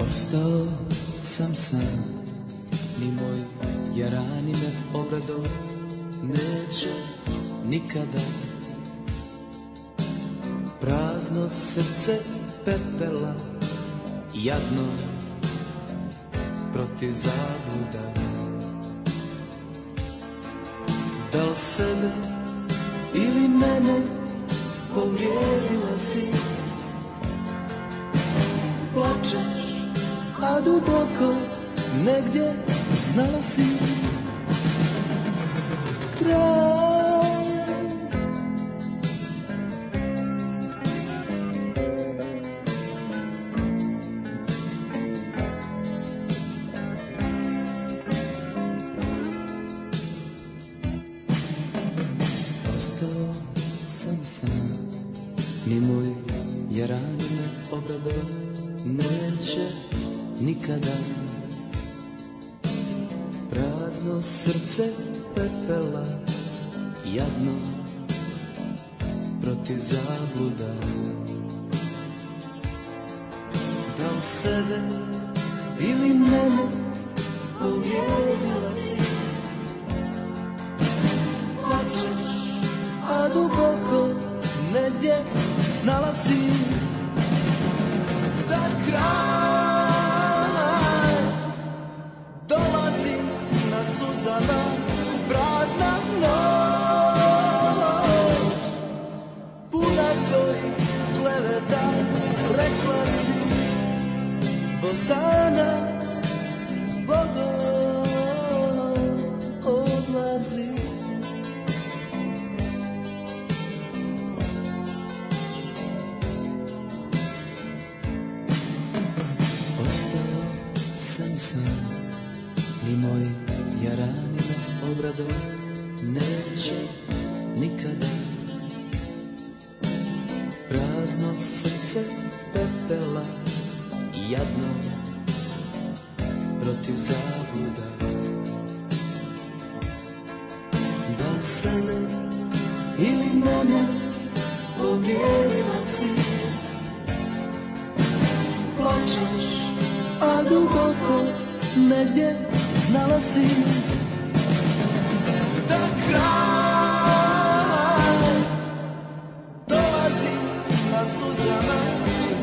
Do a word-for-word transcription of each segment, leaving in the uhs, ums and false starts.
Ostao sam sam, ni moj jarani me obrado neće nikada. Prazno srce pepela, jadno protiv zabluda. Da li sebe ili mene povrijedila si? Plačeš, a duboko negdje znala si kraj. Ostao sam sam, ni moj jarani me obrado neće nikada. Prazno srce pepela, jadno protiv zabluda. Da li sebe ili mene povrijedila si? Plačeš, a duboko negdje znala si da kraj dolazi na suzama, prazna noć, puna tvojih kleveta. Rekla si Bosana zbogom odlazi. Ostao sam sam, ni moj jarani me obrado neće nikada. Prazno srce pepela, jadno protiv zabluda. Da li sebe ili mene povrijedila si? Plačeš, a duboko negdje znala si da kraj dolazi na suzama,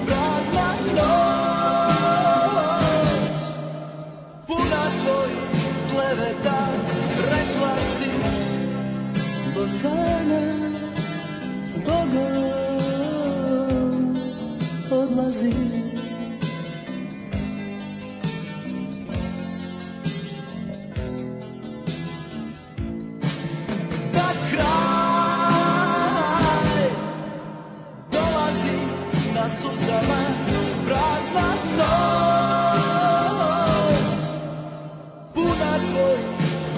prazna noć, puna tvojih kleveta. Rekla si Bosana zbogom odlazi. Suzama, prazna noć, puna tvojih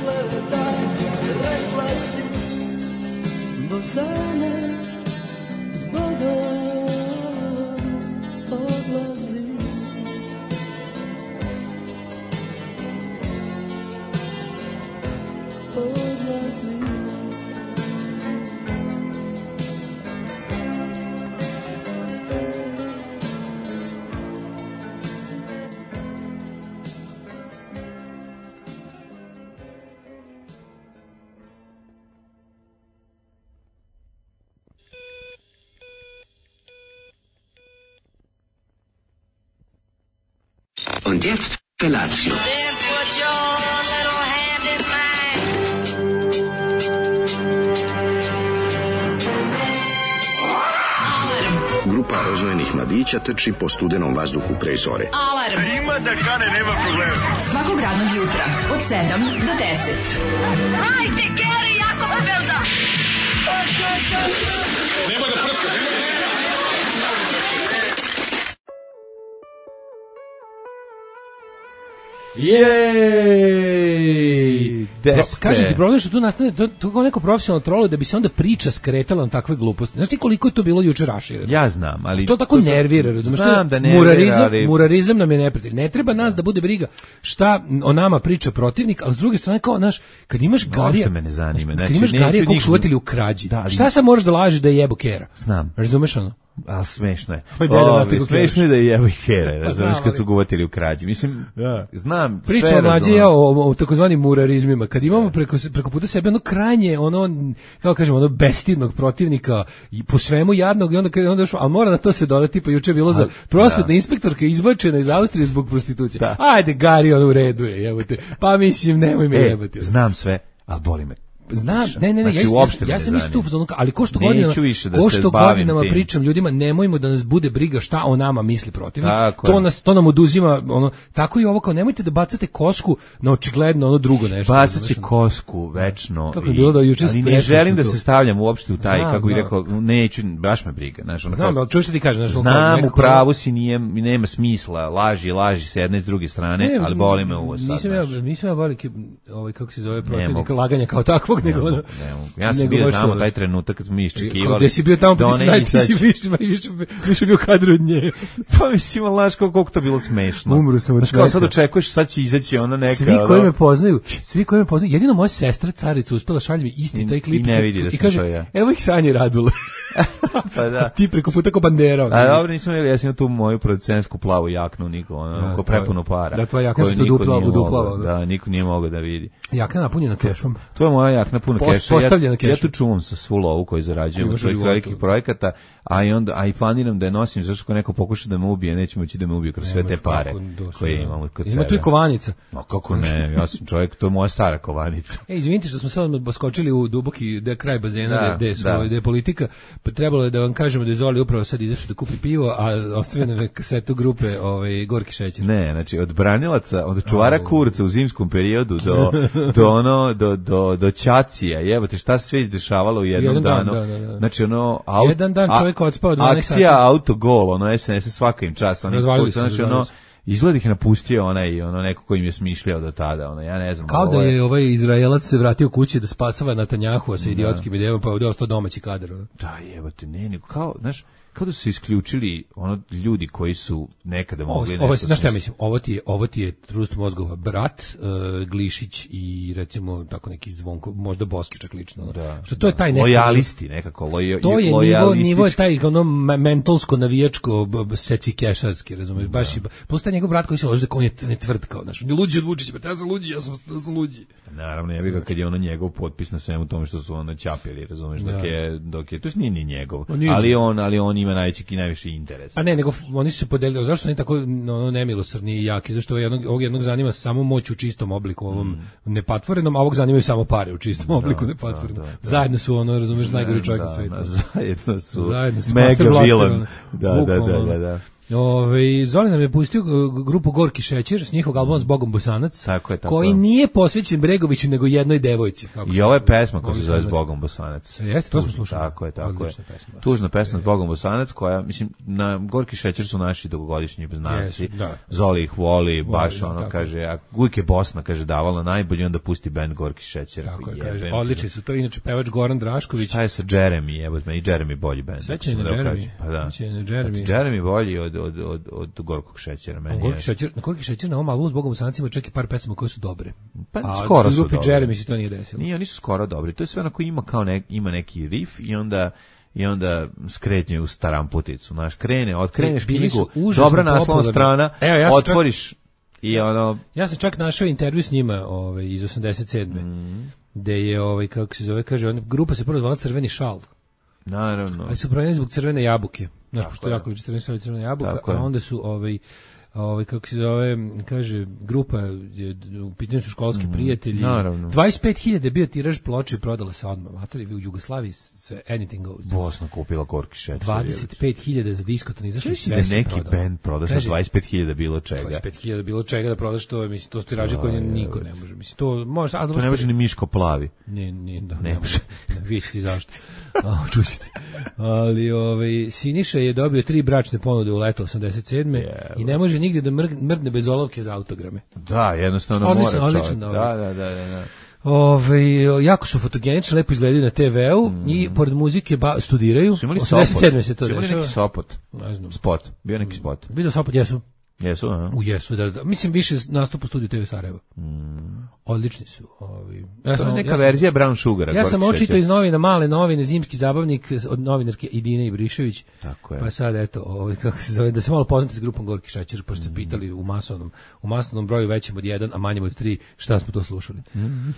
kleveta. Rekla si Bosana zbogom odlazi. Odlazi. Und jetzt Felatio. Then put your little hand in mine. Grupa rozvojenih mladića trči po studenom vazduhu pre zore. Alarm. Ima da kane, nema problema. Svakog radnog jutra od sedam do deset. Hajde, Geri, jako se velda. Nemoj da prskaš, nemoj da prskaš. Jej! Pro, kažem ti, problem što tu nastane, to, to kao neko profesionalno trolo da bi se onda priča skretala na takve gluposti. Znaš ti koliko je to bilo juče rašireno? Ja znam, ali... To tako to nervira, razumiješ? Znam da nervira, murarizam, ali... murarizam nam je neprijatelj. Ne treba nas da bude briga šta o nama priča protivnik, ali s druge strane kao, znaš, kad imaš Garija... Što me ne zanima. Kad Znači, imaš Garija kog nikom... su uvatili u krađi, da, ali... šta sad moraš da lažeš da je jebo kera? Znam. Razumeš ono? Ali smešno je. Pa da, O, da, smešno je da je jebo i kere, razumiješ, znam, kad su ga uvatili u krađi. Mislim, da. znam, sve Pričamo mlađe razumem. ja o, o takozvanim murarizmima. Kad imamo preko, preko puta sebe ono krajnje, ono, kako kažemo, ono bestidnog protivnika, i po svemu jadnog, i onda, onda još, ali mora na to se dodati, pa juče je bilo za prosvetna inspektorka izbačena iz Austrije zbog prostitucije. Da. Ajde, Gari, on u redu je, jebote. Pa mislim, nemoj me E, jebati. znam sve, ali boli me. Znam, ne, ne, ne, Znači, ja, uopšte ja, me ja ne sam isto tu, zanima. ali ko što Neću godinama, više da ko se što bavim godinama tim. pričam ljudima, nemojmo da nas bude briga šta o nama misli protivnik. Tako To je. nas, to nam oduzima, ono, tako i ovo kao, nemojte da bacate kosku na očigledno ono drugo nešto. Bacat će razumeš, ono. kosku večno. Kako je bilo da juče ali ne sprečili želim smo da to. se stavljam uopšte u taj, Znam, kako bih znam. rekao, neću, baš me briga. Znaš, ono Znam, kao- ali čuješ što ti kažeš, znaš, ono, kao Znam, u nekako- pravu si, nije, nema smisla, laži, laži s jedne i s druge strane, Ne, ali boli me uvo sad. Nisam ja, znaš. nisam ja veliki, ovaj, kako se zove, protivnik mogu. laganja kao takvog, nego Ne ono... mogu, ne mogu. Ja sam nego bio baš tamo to. taj trenutak kad smo mi iščekivali. Kao gde si bio tamo, da pa ti ona si naj, ti si izađe. više, više, više bio kadru od nje. Pa mislim, ali znaš kako koliko to bilo smešno. Umro sam od Znaš, kao sad smeha. očekuješ, sad će izaći ona neka... Svi koji ono- me poznaju, svi koji me poznaju, jedino moja sestra carica uspela šalje mi isti I- taj klip i ne vidi da i sam kaže, to ja. evo ih Sanje Radule. Pa da. Ti preko puta ko bandera. ono. A dobro, nisam imali, ja sam imao tu moju producentsku plavu jaknu, niko, ono, Da, ko tvoja- prepuno para. da, tvoja jakna koju se tu niko dupla- nije uduplava, mogao- da. Da, niko nije mogao da vidi. Jaka napunjena kešom. To je moja jakna puno Post- keša. Ja, postavljena ja kešom. tu čuvam sa svu lovu koju zarađujem od Imaš u svojih životu. velikih projekata, a i onda a i planiram da je nosim zašto ako neko pokuša da me ubije, neće moći da me ubije kroz sve te Nemaš pare kako, doslovno. koje imamo kod Ima sebe. tu i kovanica. Ma kako ne, ja sam čovjek, to je moja stara kovanica. E, izvinite što smo sad baskočili u duboki de kraj bazena, Da, da, gde, su, da. gde je politika, pa trebalo je da vam kažemo da je Zoli upravo sad izašao da kupi pivo, a ostavio nam je kasetu grupe ovaj, Gorki šećer. Ne, znači od branilaca, od čuvara Au. kurca u zimskom periodu do do ono do do do ćacija, jebote šta se sve izdešavalo u jednom Jedan dan, danu. da, da, da. Znači ono aut, Jedan dan a- čovjek odspao dvanaest akcija sati. autogol, ono S N S svaka im čast, oni Razvalili kurca, su, znači razvalili ono su. izgleda ih napustio onaj ono neko ko im je smišljao do tada, ono ja ne znam. Kao da ovo je ovaj Izraelac se vratio kući da spasava Netanjahua sa idiotskim idejama, pa je ovdje ostao domaći kadar. ono. Da, jebote, ne, nego kao, znaš, kao da su se isključili ono ljudi koji su nekada Ovo, mogli ovo, nešto znaš šta ja smisliti. mislim, ovo ti je, ovo ti je Trust mozgova brat, uh, Glišić i recimo tako neki Zvonko, možda Boski čak lično. ono. Da, što to je taj neki lojalisti nekako, lojo, to je nivo, lojalistički. nivo je taj ono me- mentolsko navijačko b- b- seci kešarski, razumeš, baš i plus taj njegov brat koji se loži da on je ne tvrd kao, znaš, on je luđi od Vučića, pa ja sam luđi, ja sam, ja sam luđi. Naravno, ja bih ga kad je ono njegov potpis na svemu tome što su ono ćapili, razumeš, dok Da. je, dok je, to nije ni njegov, On nije. ali on, ali on ima najveći i najviše interes. A ne, nego f- oni su se podelili, zašto su oni tako ono, nemilosrdni i jaki, zašto ovog jednog, ovog jednog zanima samo moć u čistom obliku, ovom nepatvorenom, a ovog zanimaju samo pare u čistom obliku nepatvorenom. da, da. Zajedno su ono, razumeš, najgori čovjek Da, u svijetu. da, zajedno su, Zajedno su mega Master Blaster, villain. ono. Da, da, da, Bukvalno. da, da. Ove, Zoli nam je pustio g- grupu Gorki šećer s njihovog albuma S Bogom Bosanac, Tako je, tako koji je. nije posvećen Bregoviću nego jednoj devojci. Kako I se- ovo je pesma koja se Bogom zove Bosanac. Zbogom Bosanac. E, jeste, to smo Tužna, slušali. Tako je, tako je. Odlična pesma, da. Tužna pesma Zbogom Bosanac koja, mislim, na Gorki šećer su naši dugogodišnji znanci. Jesu, da. Zoli ih voli, baš da, ono, tako. kaže, a uvijek je Bosna, kaže, davala najbolje, onda pusti bend Gorki šećer. Tako je, Jebem kaže, ti. odlični su to, inače pevač Goran Drašković. Šta je sa Jeremy, evo me, i Jeremy bolji bend. Sećanje ako na sam da Jeremy. kažem. Pa da. Sećanje na Jeremy. Jeremy bolji od, od, od, od Gorkog šećera, meni Gorki je. šećer, na Gorki šećer na ovom albumu S Bogom Bosanac ima čak i par pesama koje su dobre. Pa A skoro su grupi dobri. Jeremy se to nije desilo. Nije, oni su skoro dobri. To je sve onako ima kao nek, ima neki riff i onda i onda skretnje u staramputicu. Znaš, krene, otkreneš Bili su knjigu, užasno dobra naslovna popularni. strana, Evo, ja sam otvoriš i ono... Ja sam čak našao intervju s njima, ovaj, iz osamdeset sedme Mm. gde je, ovaj, kako se zove, kaže, on, grupa se prvo zvala Crveni šal, Naravno. ali su promenili zbog crvene jabuke. Znaš, Tako pošto je. jako crveni šal i crvena jabuka, Tako a je. onda su, ovaj, ovaj, kako se zove, kaže, grupa, je, u pitanju su školski prijatelji. naravno. dvadeset pet hiljada je bio tiraž ploče i prodala se odmah. Matori, u Jugoslaviji sve, anything goes. Bosna kupila Gorki šećer. dvadeset pet hiljada za diskoton izašli, Mislim sve da se neki prodalo. band proda sa Kaže, dvadeset pet hiljada bilo čega. dvadeset pet hiljada bilo čega da prodaš, to je, mislim, to su tiraže koje niko ne može. Mislim, to može, a To ne može ni Miško plavi. Ne, ne, da, Ne ne može. može. Vi ćete zašto. A, čućete. Ali ovaj, Siniša je dobio tri bračne ponude u leto osamdeset sedme i ne može nigdje da mrg- mrdne bez olovke za autograme. Da, jednostavno Odlično, mora odlično, čovjek. dobro. Da, da, da, da, da. Ove, jako su fotogenični, lepo izgledaju na te veu mm. i pored muzike ba, studiraju. Su imali osamdeset sedme se to su imali dešava. neki Sopot. Ne znam. Spot. Bio neki spot. Video Sopot, jesu. Jesu, aha. U jesu, da, da. Mislim, više nastup u studiju te ve Sarajevo. Mm. Odlični su. Ovi. Ja to sam, je neka ja sam, verzija Brown Sugara. Ja sam očito iz novina, male novine, zimski zabavnik od novinarke Idine Ibrišević. Tako je. Pa sad, eto, ovaj, kako se zove, da se malo poznate s grupom Gorki Šećer, pošto ste mm. pitali u masovnom, u masovnom broju većem od jedan, a manjem od tri, šta smo to slušali. Mm.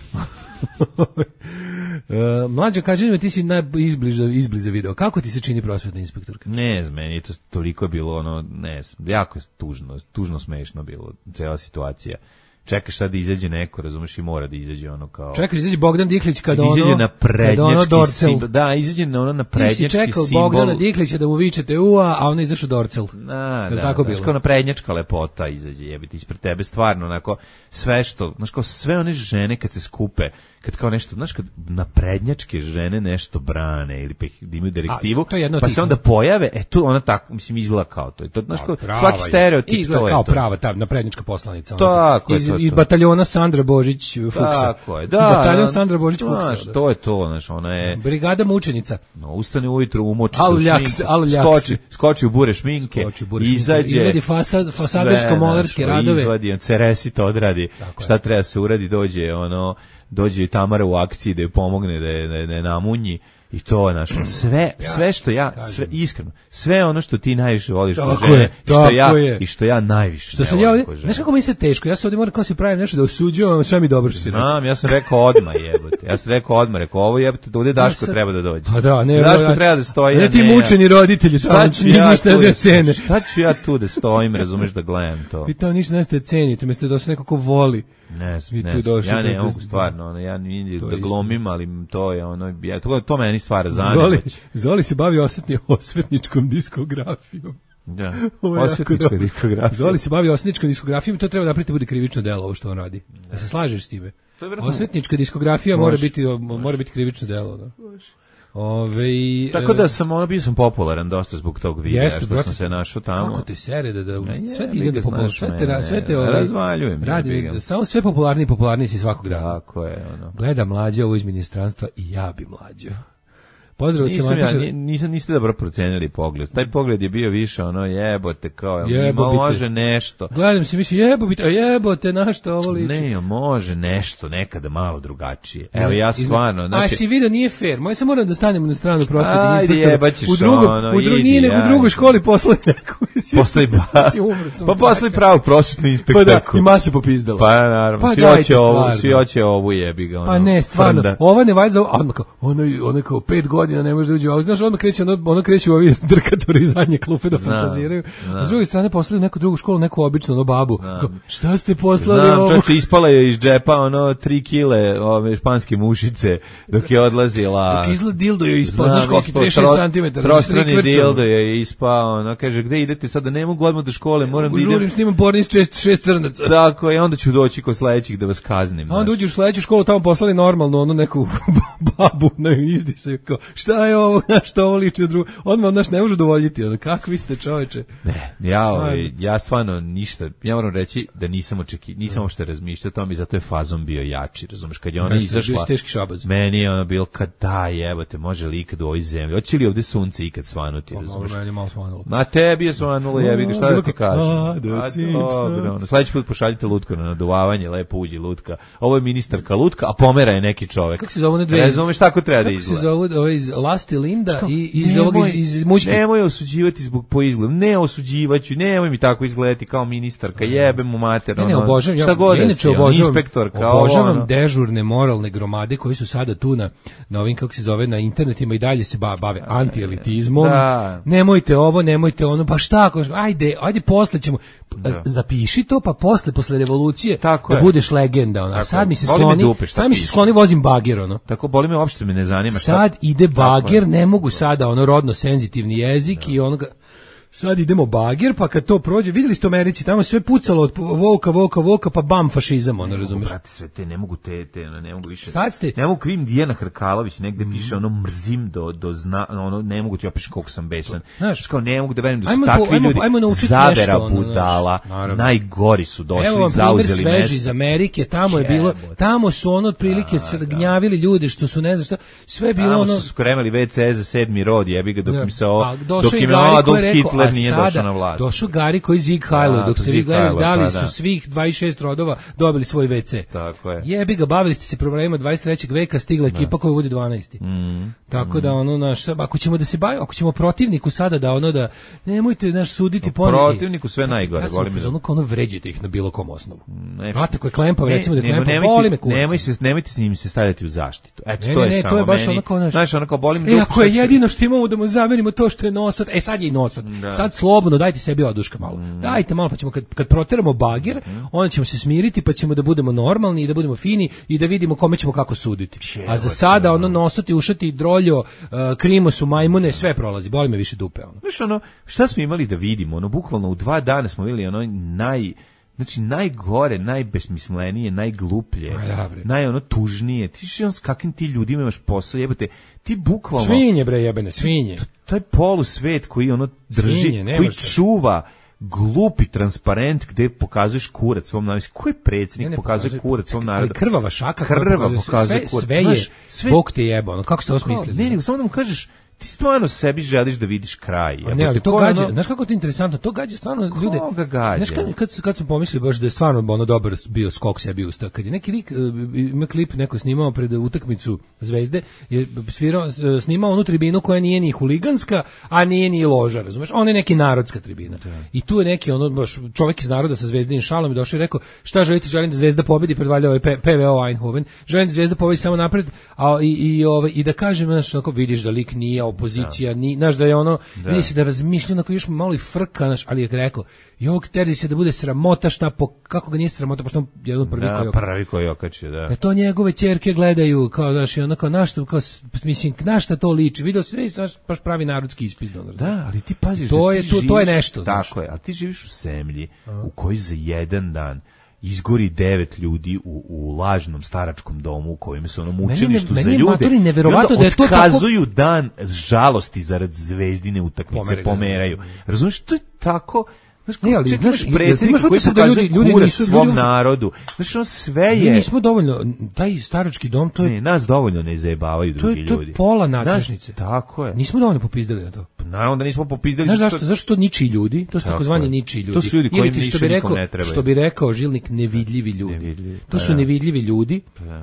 uh, mlađo, kaži mi, ti si najizbliza izbliza video. Kako ti se čini prosvetna inspektorka? Ne znam, meni je to toliko bilo ono, ne znam, jako tužno, tužno smešno bilo, cela situacija. Čekaš sad da izađe neko, razumeš, i mora da izađe ono kao... Čekaš da izađe Bogdan Diklić kada ono... Izađe na prednjački ono simbol. Da, izađe na ono na prednjački simbol. Ti si čekao Bogdana Diklića da mu vičete ua, a ono izašao Dorcel. Da, da, tako znaš, bilo? kao na prednjačka lepota izađe, jebiti, ispred tebe stvarno, onako, sve što, znaš, kao sve one žene kad se skupe, kad kao nešto, znaš, kad naprednjačke žene nešto brane ili pa ih imaju direktivu, A, pa se onda pojave, e tu ona tako, mislim, izgleda kao to. To znaš, kao, svaki stereotip izgleda to kao je to. prava ta naprednjačka poslanica. Tako iz, je to, iz to. bataljona Sandra Božić Fuksa. Tako je, da. Bataljon da, Sandra Božić Fuksa. Znaš, to je to, znaš, ona je... Brigada mučenica. No, ustane ujutru, umoči se Al u ljaks, šminku, al ljaks. skoči, skoči u bure šminke, Skoči u bure šminke, izađe... izvadi fasad, fasadersko-molerske radove. Izvadi, on ceresito odradi, Tako šta je. treba se uradi, dođe, ono... dođe i Tamara u akciji da je pomogne, da je, da je, da je namunji i to je našo. Sve, sve što ja, sve, iskreno, sve ono što ti najviše voliš kod žene, i što ja, je. i što ja najviše što ne sam ja volim ovdje, kod žene. znaš kako mi se teško, ja se ovdje moram kao se pravim nešto da osuđujem, sve mi dobro što si rekao. Znam, ja sam rekao odmah jebote, ja sam rekao odmah, rekao ovo jebote, da ovdje Daško sam, treba da dođe. Pa da, ne, Daško ja, treba da stoji, ne ti ne, mučeni roditelji, šta ću tamo, ja ništa tu za da- cene. Šta ću ja tu da stojim, razumeš, da gledam to? Vi tamo ništa neste cenite, mi ste došli neko ko voli. Ne, I ne, tu ne došli ja da- ne mogu da- stvarno, ono, ja ne To je da isto. glumim, ali to je ono, ja, to, to meni stvara Zoli, zanimać. Zoli se bavi osvetni, osvetničkom diskografijom. Da, Ovo je jako osvetnička dobro. diskografija. Zoli se bavi osvetničkom diskografijom i to treba napraviti da bude krivično delo ovo što on radi. Da se slažeš s time? To je vjerojatno- Osvetnička diskografija mora Može. biti mora biti krivično delo, da. Ove, Tako da sam, ono, bio sam popularan dosta zbog tog videa, Jeste, što brate, sam se našao tamo. Kako te sere da, da je, sve ti mi ide ga da popularno, znaš sve te, mene, sve te ne, ovaj, razvaljujem, radi, jebi ga. da, samo sve popularniji i popularniji si svakog dana. Tako je, ono. Gleda mlađe ovo iz ministranstva i ja bi mlađo. Pozdrav od Nisam ja, Semantiša- ni- nisam, niste dobro procenili pogled. Taj pogled je bio više, ono, jebote, kao, jel Jebo malo bi te. može nešto. Gledam se, mislim, jebo, bit, a jebote, na što ovo liči? Ne, može nešto, nekada malo drugačije. Evo, ja Izme- stvarno, A znači... si vidio, nije fair. Moj se moram da stanem na stranu prosvete Ajde, inspektora. jebaćeš U drugom, ono, u dru, idi, nije nego u ajde. drugoj školi poslali neku. Postoji ba... Umro sam Pa od postoji traka. pravu prosvetnu Pa da, inspektorku. i masa popizdala. Pa naravno, Pa svi dajte hoće ovu, stvarno. svi hoće ovu jebi ga. Ono, Pa ne, stvarno, frnda. ova ne valjda, a odmah kao, ono, ono kao pet godina ne može da uđe, a znaš, odmah kreće, ono, ono kreće u ovi drkatori iz zadnje klupe da Znam, fantaziraju, znam. a s druge strane poslali u neku drugu školu, neku običnu, ono, babu, kao, šta ste poslali Znam, ovo? čovječe, ispala je iz džepa ono tri kile ove španske mušice dok je odlazila. Dok izgleda dildo je ispao, Znam, znaš koliki, ispao trideset šest tro- santimetara, Trostrani sa tri kvrca. dildo je ispao, ono, kaže, gde idete sada, ne mogu odmah do škole, moram da idem. Žurim, snimam porni s šest, šest crnaca. Tako je, onda ću doći kod sledećih da vas kaznim. A onda znaš. uđeš u sledeću školu, tamo poslali normalno, ono neku babu na izdisaju, kao, šta je ovo, znaš, što ovo liči za drugo, odmah, znaš, ne može dovoljiti, ono, kakvi ste čoveče. Ne, ja, ovaj, ja stvarno ništa, ja moram reći da nisam očeki, nisam uopšte razmišljao o tome i zato je fazon bio jači, razumeš, kad je ona Jeste, bio izašla, si teški šabaz. meni je ono bilo kad da jebote, može li ikad u ovoj zemlji, hoće li ovde sunce ikad svanuti, razumeš? Meni je malo svanulo. Ma tebi je svanulo, jebi ga, šta da ti kažem? A, da A, si dobro, ono, sledeći put pošaljite Lutku na naduvavanje, lepo uđi Lutka. Ovo je ministarka Lutka, a pomera je neki čovek. Kako se zove one dve? Razumeš, tako treba da Kako se izgleda. zove ovaj iz Lasti Linda i iz Nemoj- ovog iz, iz Mućke? Nemoj osuđivati zbog po izgledu. Ne osuđivaću, nemoj mi tako izgledati kao ministarka, jebem mu mater. Ne, ne, ono, obožavam, ja, šta god ja da inače si, ono, obožavam, inspektorka, ovo, obožavam ono. dežurne moralne gromade koji su sada tu na, na ovim, kako se zove, na internetima i dalje se ba- bave antielitizmom. Da. Nemojte ovo, nemojte ono, pa šta, ako, ajde, ajde posle ćemo, zapiši to, pa posle, posle revolucije, Tako da je. budeš legenda, ono. A Tako sad je. mi se Boli me skloni, dupe šta sad mi se piše. skloni vozim bager, ono. Tako boli me, uopšte me ne zanima šta. Sad ide Tako je. bager, ne mogu sada ono rodno senzitivni jezik i onoga sad idemo bagir, pa kad to prođe, vidjeli ste u Americi, tamo sve pucalo od voka, voka, voka, pa bam, fašizam, ono, razumeš? Brate, sve te, ne mogu te, te, ne mogu više. Sad ste... Ne mogu krivim Dijana Hrkalović, negde piše ono mrzim do, do zna, ono, ne mogu ti opiši koliko sam besan. Znaš, kao ne mogu da verujem da su ajmo takvi po, ajmo, ljudi ajmo zavera nešto, ono, budala, znaš, najgori su došli, evo vam zauzeli primjer sveži mesto. iz Amerike, tamo je bilo, tamo su ono otprilike da, gnjavili ljudi što su ne znam šta, sve je bilo tamo ono... su spremali ve ce za sedmi rod, jebi ga, dok Da. im se ovo, Pa, dok im Adolf Hitler nije došao na vlast. Došao Gari koji Zig Heilo, dok ste vi gledali, da li pa, su da. svih dvadeset šest rodova dobili svoj ve ce. Tako je. Jebi ga, bavili ste se problemima dvadeset trećeg veka, stigla ekipa koja vodi dvanaesti. Mm. Tako da ono naš, ako ćemo da se bavimo, ako ćemo protivniku sada da ono da nemojte naš suditi po protivniku sve najgore, volim da. Ono kao ono vređite ih na bilo kom osnovu. Ne, znate ko je klempav, ne, recimo da je ne, klempav, nemojte, voli me kurac. Nemoj se, nemojte s njim se stavljati u zaštitu. Eto, Ne, to ne, je ne, samo to je baš meni. onako, naš- Znaš, onako, boli me E, dupe, ako je sad ću- jedino što imamo da mu zamerimo to što je nosat, e sad je i nosat. Sad slobodno dajte sebi oduška malo. Dajte malo pa ćemo kad kad proteramo bagir, onda ćemo se smiriti pa ćemo da budemo normalni i da budemo fini i da vidimo kome ćemo kako suditi. A za sada ono nosati, ušati, droljo, uh, krimo su majmune, sve prolazi. Boli me više dupe ono. Znaš, ono, šta smo imali da vidimo? Ono, bukvalno u dva dana smo vidjeli ono naj... Znači, najgore, najbesmislenije, najgluplje, Ma ja, bre. naj ono tužnije. Ti što s kakvim ti ljudima imaš posao, jebote, ti bukvalno... Svinje bre jebene, svinje. t- taj polusvet koji ono drži, Svinje, nema koji šta. čuva glupi transparent gde pokazuješ kurac svom narodu. Ko je predsjednik Ne, ne pokazuje pokazuje- kurac svom Ali narodu? krvava šaka koja Krvava pokazuje sve- pokazuje sve, kurac. sve je, Znaš, sve- Bog te jeba, ono, kako ste ovo smislili? Ne, nego samo da mu kažeš, ti stvarno sebi želiš da vidiš kraj. Ne, jebote, ali to ko gađa, ono- znaš kako to je interesantno, to gađa stvarno ljude. Koga gađa? Znaš kad, kad, kad sam pomislio baš da je stvarno ono dobar bio skok sebi usta, kad je neki lik, e, ima klip neko snimao pred utakmicu Zvezde, je svirao, e, snimao onu tribinu koja nije ni huliganska, a nije ni loža, razumeš? Ona je neki narodska tribina. I tu je neki ono baš čovjek iz naroda sa Zvezdinim šalom i došao i rekao: "Šta želite? Želim da Zvezda pobedi pred valjda ovaj P- PVO Eindhoven. Želim da Zvezda pobedi samo napred, a i i ovaj i da kažem, znaš, onako vidiš da lik nije opozicija, ni znaš da je ono, vidi se da razmišlja onako još malo i frka, znaš, ali je rekao: "Jok, terzi se da bude sramota šta po kako ga nije sramota pošto on jedan prvi Da, koji prvi koji okačio, da. da to njegove ćerke gledaju kao znaš, i onako na što kao s- mislim na šta to liči. Video se vidi baš baš pravi narodski ispizdan. Da, ali ti paziš To da je- ti to- to je živiš- nešto, znaš. Tako je, ali ti živiš u zemlji u kojoj za jedan dan izgori devet ljudi u, u lažnom staračkom domu u kojem se ono mučilištu meni za je ljude. matori I neverovatno onda da je to tako- otkazuju dan žalosti zarad Zvezdine utakmice, Pomeraju. pomeraju. Razumiješ, to je tako... Znaš, Ne, ali, čak znaš, imaš predsjednika imaš koji utisak da pokazuje ljudi- ljudi kurac nisu- svom ljudi- narodu. Znaš, ono sve Mi je... nismo dovoljno taj starački dom, to je Ne, nas dovoljno ne zajebavaju to drugi je, to ljudi. je pola Znaš, nadležnice. tako je. Nismo dovoljno popizdali na to. Naravno da nismo popizdali. Znaš zato zašto? Zašto to ničiji ljudi? To su Tako takozvani je. ničiji ljudi. To su ljudi Ili kojim ti što više bi nikom rekao, ne trebaju. što bi rekao Žilnik, nevidljivi ljudi. Nevidljivi, To su da. nevidljivi ljudi.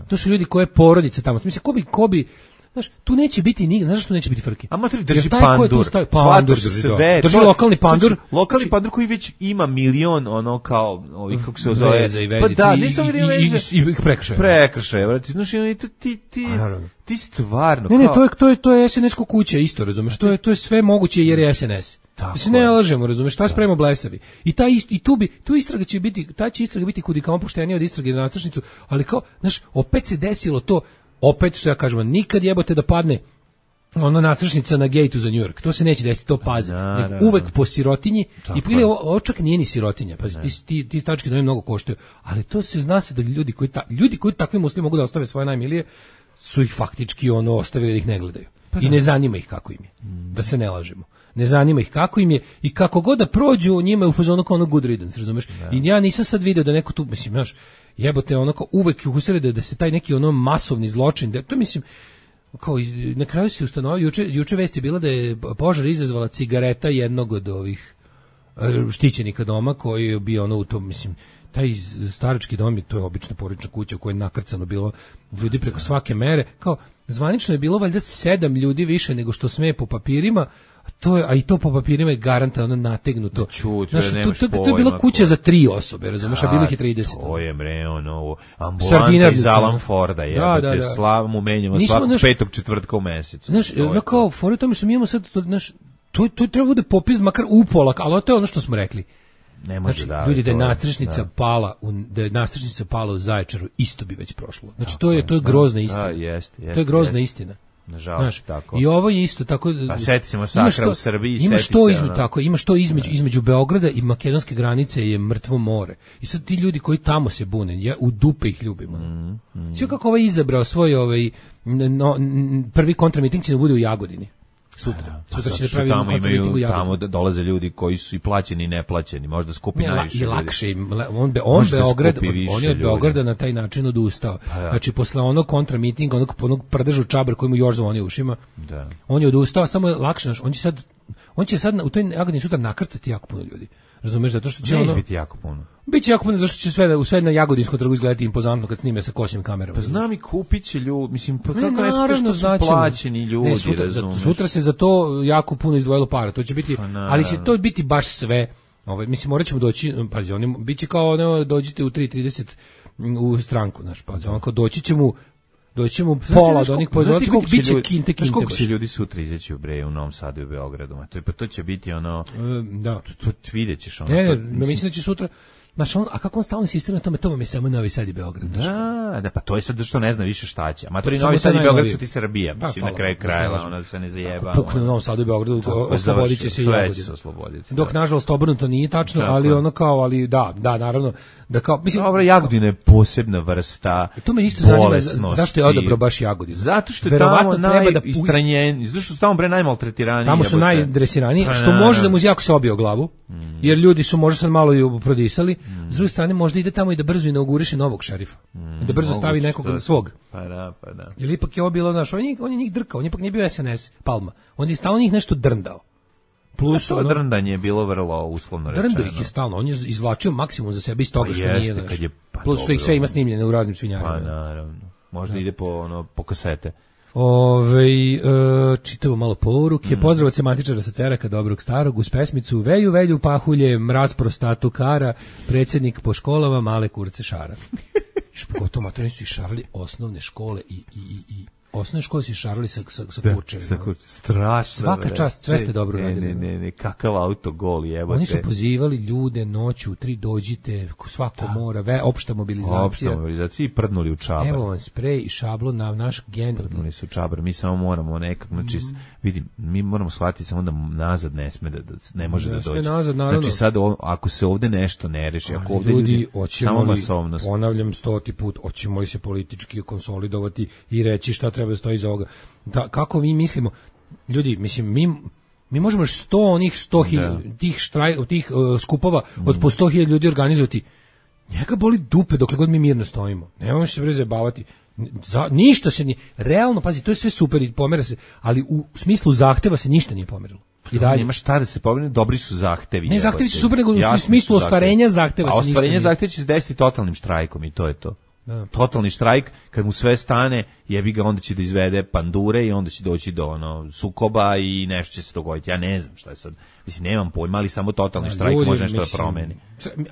To su ljudi koje porodice tamo. Mislim ko bi ko bi znaš, tu neće biti ni, znaš što neće biti frke. A mater Jer drži taj ko je tu pandur. stavio- pandur Shvataš drži, da. sve. Drži To- lokalni pandur. znači, Lokalni Znači- pandur koji već ima milion, ono, kao, ovih, kako se zove. Veza i vezice. Pa da, i- nisam i- vidio i- veze. i- i prekršaje. Prekršaje, vrati. Znaš, i ti, ti, ti, A, naravno. ti stvarno, Ne, ne, kao- to je to je to je es en es ko kuća isto, razumeš? To je to je sve moguće jer je es en es. Tako Mislim ne je. lažemo, razumeš? Šta spremamo blesavi. I taj ist- i tu bi tu istraga će biti, ta će istraga biti kudi kao poštenija od istrage za nastrašnicu, ali kao, znaš, opet se desilo to, opet što ja kažem, nikad jebote da padne ona nastrašnica na gejtu za New York. To se neće desiti, to paze. Naravno. Nego uvek po sirotinji i Tako ili je. ovo, ovo čak nije ni sirotinja. Pa ti ti ti stački domovi mnogo koštaju, ali to se zna se da ljudi koji ta, ljudi koji takvi muslimani mogu da ostave svoje najmilije su ih faktički ono ostavili da ih ne gledaju. I ne zanima ih kako im je. Da se ne lažemo. Ne zanima ih kako im je i kako god da prođu njima je u fazonu kao ono good riddance, razumeš? I ja nisam sad video da neko tu, mislim, znaš, jebote, ono kao uvek ih usrede da se taj neki ono masovni zločin, da to mislim kao i- na kraju se ustanovio juče juče vest je bila da je požar izazvala cigareta jednog od ovih e, štićenika doma koji je bio ono u tom, mislim, taj starački dom je, to je obična porodična kuća u kojoj je nakrcano bilo ljudi preko svake mere, kao zvanično je bilo valjda sedam ljudi više nego što sme po papirima, a to je, a i to po papirima je garantovano nategnuto. Čut, Znaš, nemaš to, to, to je pojma bila kuća ko- za tri osobe, razumeš, a bilo ih je trideset. To je bre, ono, ambulanta Sardinarnica, iz Alan Forda, da, jebote, da, da. slavu menjamo Nismo, svakog znaš- petog četvrtka u mesecu. Znaš, To je no to. kao, fora je u tome što mi imamo sad, to, znaš, to, to treba bude popis makar upola, ali to je ono što smo rekli. Ne može Znači, da. ljudi, da je to nastrešnica da. pala, u, da je nastrešnica pala u Zaječaru, isto bi već prošlo. Znači, to je, to je grozna istina. Da, jeste, jeste. To je grozna jeste. istina. Nažalost, Znaš, tako. I ovo je isto tako. Pa seti se masakra u Srbiji, ima seti što se, između ono. tako, ima što između između Beograda i makedonske granice je mrtvo more. I sad ti ljudi koji tamo se bune, ja u dupe ih ljubimo. Mm, mm. Sve kako ovaj izabrao svoj ovaj no, prvi kontramiting će da bude u Jagodini. Sutra. Pa, Sutra će da što pravi tamo imaju, u Jagodini. tamo dolaze ljudi koji su i plaćeni i neplaćeni, možda skupi Ne, najviše i ljudi. lakše im, le- on be, on Možda Beograd, skupi više on je od ljudi. Beograda na taj način odustao. Pa da. Znači posle onog kontramitinga, onog onog prdežu čabar koji mu još zvoni u ušima. Da. On je odustao, samo je lakše, znaš, on će sad on će sad na- u toj Jagodini sutra nakrcati jako puno ljudi. Razumeš, zato što će Neće ono biti jako puno. biće jako puno, zašto će sve u sve na Jagodinskom trgu izgledati impozantno kad snime sa kosim kamerama. Pa znam i kupit će ljudi, mislim, pa Ne, kako ne naravno, što su znaćemo. plaćeni ljudi, Ne, sutra, za- razumeš? sutra se za to jako puno izdvojilo para. To će biti, Pa, naravno. ali će to biti baš sve. Ovaj mislim morat ćemo doći, pazi, oni biće kao ono dođite u tri trideset u stranku, znaš, pazi, ono kao doći ćemo doći ćemo pola od onih pozornika, biće biće kinte Znaš kinte. koliko baš. će ljudi sutra izaći u Bre, u Novom Sadu i u Beogradu? Ma, to, je- pa to će biti ono, E, da. to, to vidjet ćeš ono. Ne, ne, to- ne, mislim da će sutra. Znači, on, a kako on stalno insistira na tome, to vam je samo Novi Sad i Beograd. znaš. Da, da, pa to je sad što ne zna više šta će. Amatori Samo Novi to Sad i najnovije. Beograd su ti Srbija, Pa, mislim, na hvala, kraju da se krajeva, lažemo. ona se ne zajeba. Ako pukne u Novom Sadu i Beogradu, oslobodit će se i Sve će Jagodina. se osloboditi. Dok nažalost obrnuto nije tačno, Tako ali je. ono kao, ali da, da, naravno, da kao, mislim, Dobro, Jagodina je posebna vrsta to me isto zanima, bolesnosti. zašto je odabrao baš Jagodinu? Zato što je Verovatno tamo treba da najistranjen, zato što su tamo bre najmaltretiraniji. Tamo su jebote. najdresiraniji, Pa, što naravno. može da mu jako se obije o glavu, jer ljudi su možda sad malo i prodisali, s druge strane možda ide tamo i da brzo inauguriše novog šerifa, I da brzo stavi Moguće, nekog to- svog. Pa da, pa da. Jer ipak je ovo bilo, znaš, on je, njih- on je njih drkao, on ipak nije bio S N S, Palma, on je stalno njih nešto drndao. Plus, To ono, drndanje je bilo vrlo uslovno rečeno. drndo ih je stalno, on je izvlačio maksimum za sebe iz toga Pa što jeste, nije, znaš. kad je- pa Plus što ih dobro. sve ima snimljene u raznim svinjarima. Pa naravno. Možda ide po, ono, po kasete. Ove, e, čitamo malo poruke. Mm. Pozdrav od sematičara sa Ceraka, dobrog starog, uz pesmicu Veju, velju, pahulje, mraz prostatu kara, predsjednik po školama, male kurce šara. Iš pogotovo matori su i šarali osnovne škole i, i, i, i osnovne škole su i šarali sa, sa, sa kurčevima. Tako, strašno. Svaka bre. čast, sve ste dobro ne, radili. Ne, ne, ne, kakav autogol, jebote. Oni su pozivali ljude noću, u tri dođite, svako mora, ve, opšta mobilizacija. Opšta mobilizacija i prdnuli u čabar. Evo vam sprej i šablon na naš gen. Prdnuli su u čabar, mi samo moramo nekako, znači, Mhm. vidim, mi moramo shvatiti samo da nazad ne sme da, da ne može Ne da sme dođe. nazad, naravno. Znači sad, o- ako se ovde nešto ne reši, ako Ali ovde ljudi, ljudi, hoćemo samo li, masovnost. ponavljam stoti put, hoćemo li se politički konsolidovati i reći šta treba da stoji iza ovoga. Da, kako mi mislimo, ljudi, mislim, mi, mi možemo još sto onih sto hiljada, tih, štraj, tih uh, skupova od po sto hiljada ljudi organizovati. Njega boli dupe dokle god mi mirno stojimo. Nemamo se bre zajebavati. Za, ništa se nije, realno, pazi, to je sve super i pomera se, ali u smislu zahteva se ništa nije pomerilo. I dalje. Nema šta da se pobrine, dobri su zahtevi. Ne, jebote. zahtevi su super, nego u Jasni smislu su ostvarenja zahtevi. zahteva A se ništa ostvarenje nije. zahteva će se desiti totalnim štrajkom i to je to. Da. Totalni štrajk, kad mu sve stane, jebi ga, onda će da izvede pandure i onda će doći do ono sukoba i nešto će se dogoditi. Ja ne znam šta je sad. Mislim, nemam pojma, ali samo totalni štrajk Ljudi, može nešto mislim, da promeni.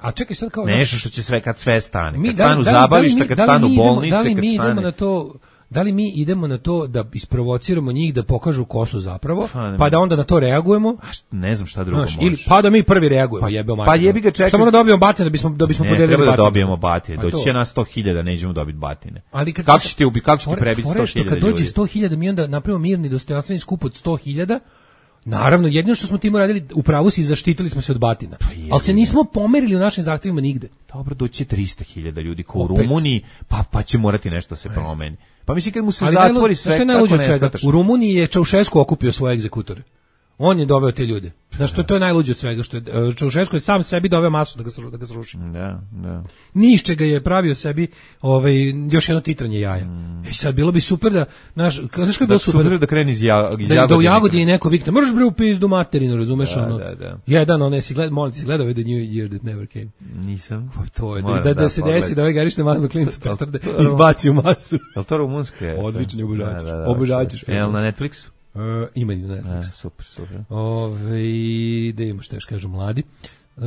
A čekaj sad kao Nešto što će sve, kad sve stane. Mi- Kad da li- stanu da li- da li zabavlišta, mi- kad da li stanu mi idemo- bolnice, da li kad mi idemo stane... na to da li mi idemo na to da isprovociramo njih da pokažu ko su zapravo, Pa, ne pa da mogu. onda na to reagujemo? A št- Ne znam šta drugo Znaš, može. ili pa da mi prvi reagujemo, Pa- jebeo pa mater. jebi ga, čekaj. Šta moramo da dobijemo batine da bismo da bismo Ne, podelili treba da batine? dobijemo batine. Pa Doći to. će nas sto hiljada, nećemo dobiti batine. Ali kad kako ćete ubi, kako ćete Fore- prebiti fore sto što hiljada kad dođe ljudi? sto hiljada mi onda napravimo mirni dostojanstveni skup od sto hiljada. Naravno, jedino što smo tim uradili, u pravu si, zaštitili smo se od batina. jebi Ali se nismo pomerili u našim zahtevima nigde. Dobro, doći će trista hiljada ljudi ko u Opet. Rumuniji, pa, pa će morati nešto se promeni. Pa mislim kad mu se Ali zatvori najlu- sve, znaš šta je kako najluđe od ne svega? shvataš? U Rumuniji je Čaušesku okupio svoje egzekutore. On je doveo te ljude. Znaš, to, to je najluđe od svega, što je e, Čaušesku je sam sebi doveo masu da ga, sru- da ga sruši. Da, da. Ni iz čega je pravio sebi ovaj, još jedno titranje jaja. E sad, bilo bi super da, znaš, znaš kako je bilo Da super? super da kreni iz, ja, iz Da, da u Jagodine. Jagodini neko vikne, možeš bre u pizdu materinu, razumeš Da, ono? da, da. Jedan, ono, si gled, molim ti, si gledao ovaj The New Year That Never Came. Nisam. To je, da, Moram da, da se pogledam. desi da ovaj garište mazno klincu To- to- petarde to- i ih baci u masu. Je li to rumunsko? Je? Odlični obožavač. Da, da, da, Obožavač što- film. Je li na Netflixu? Uh, ima i na E, Netflixu. super, super. Ove, da imamo što još kažu mladi. Uh,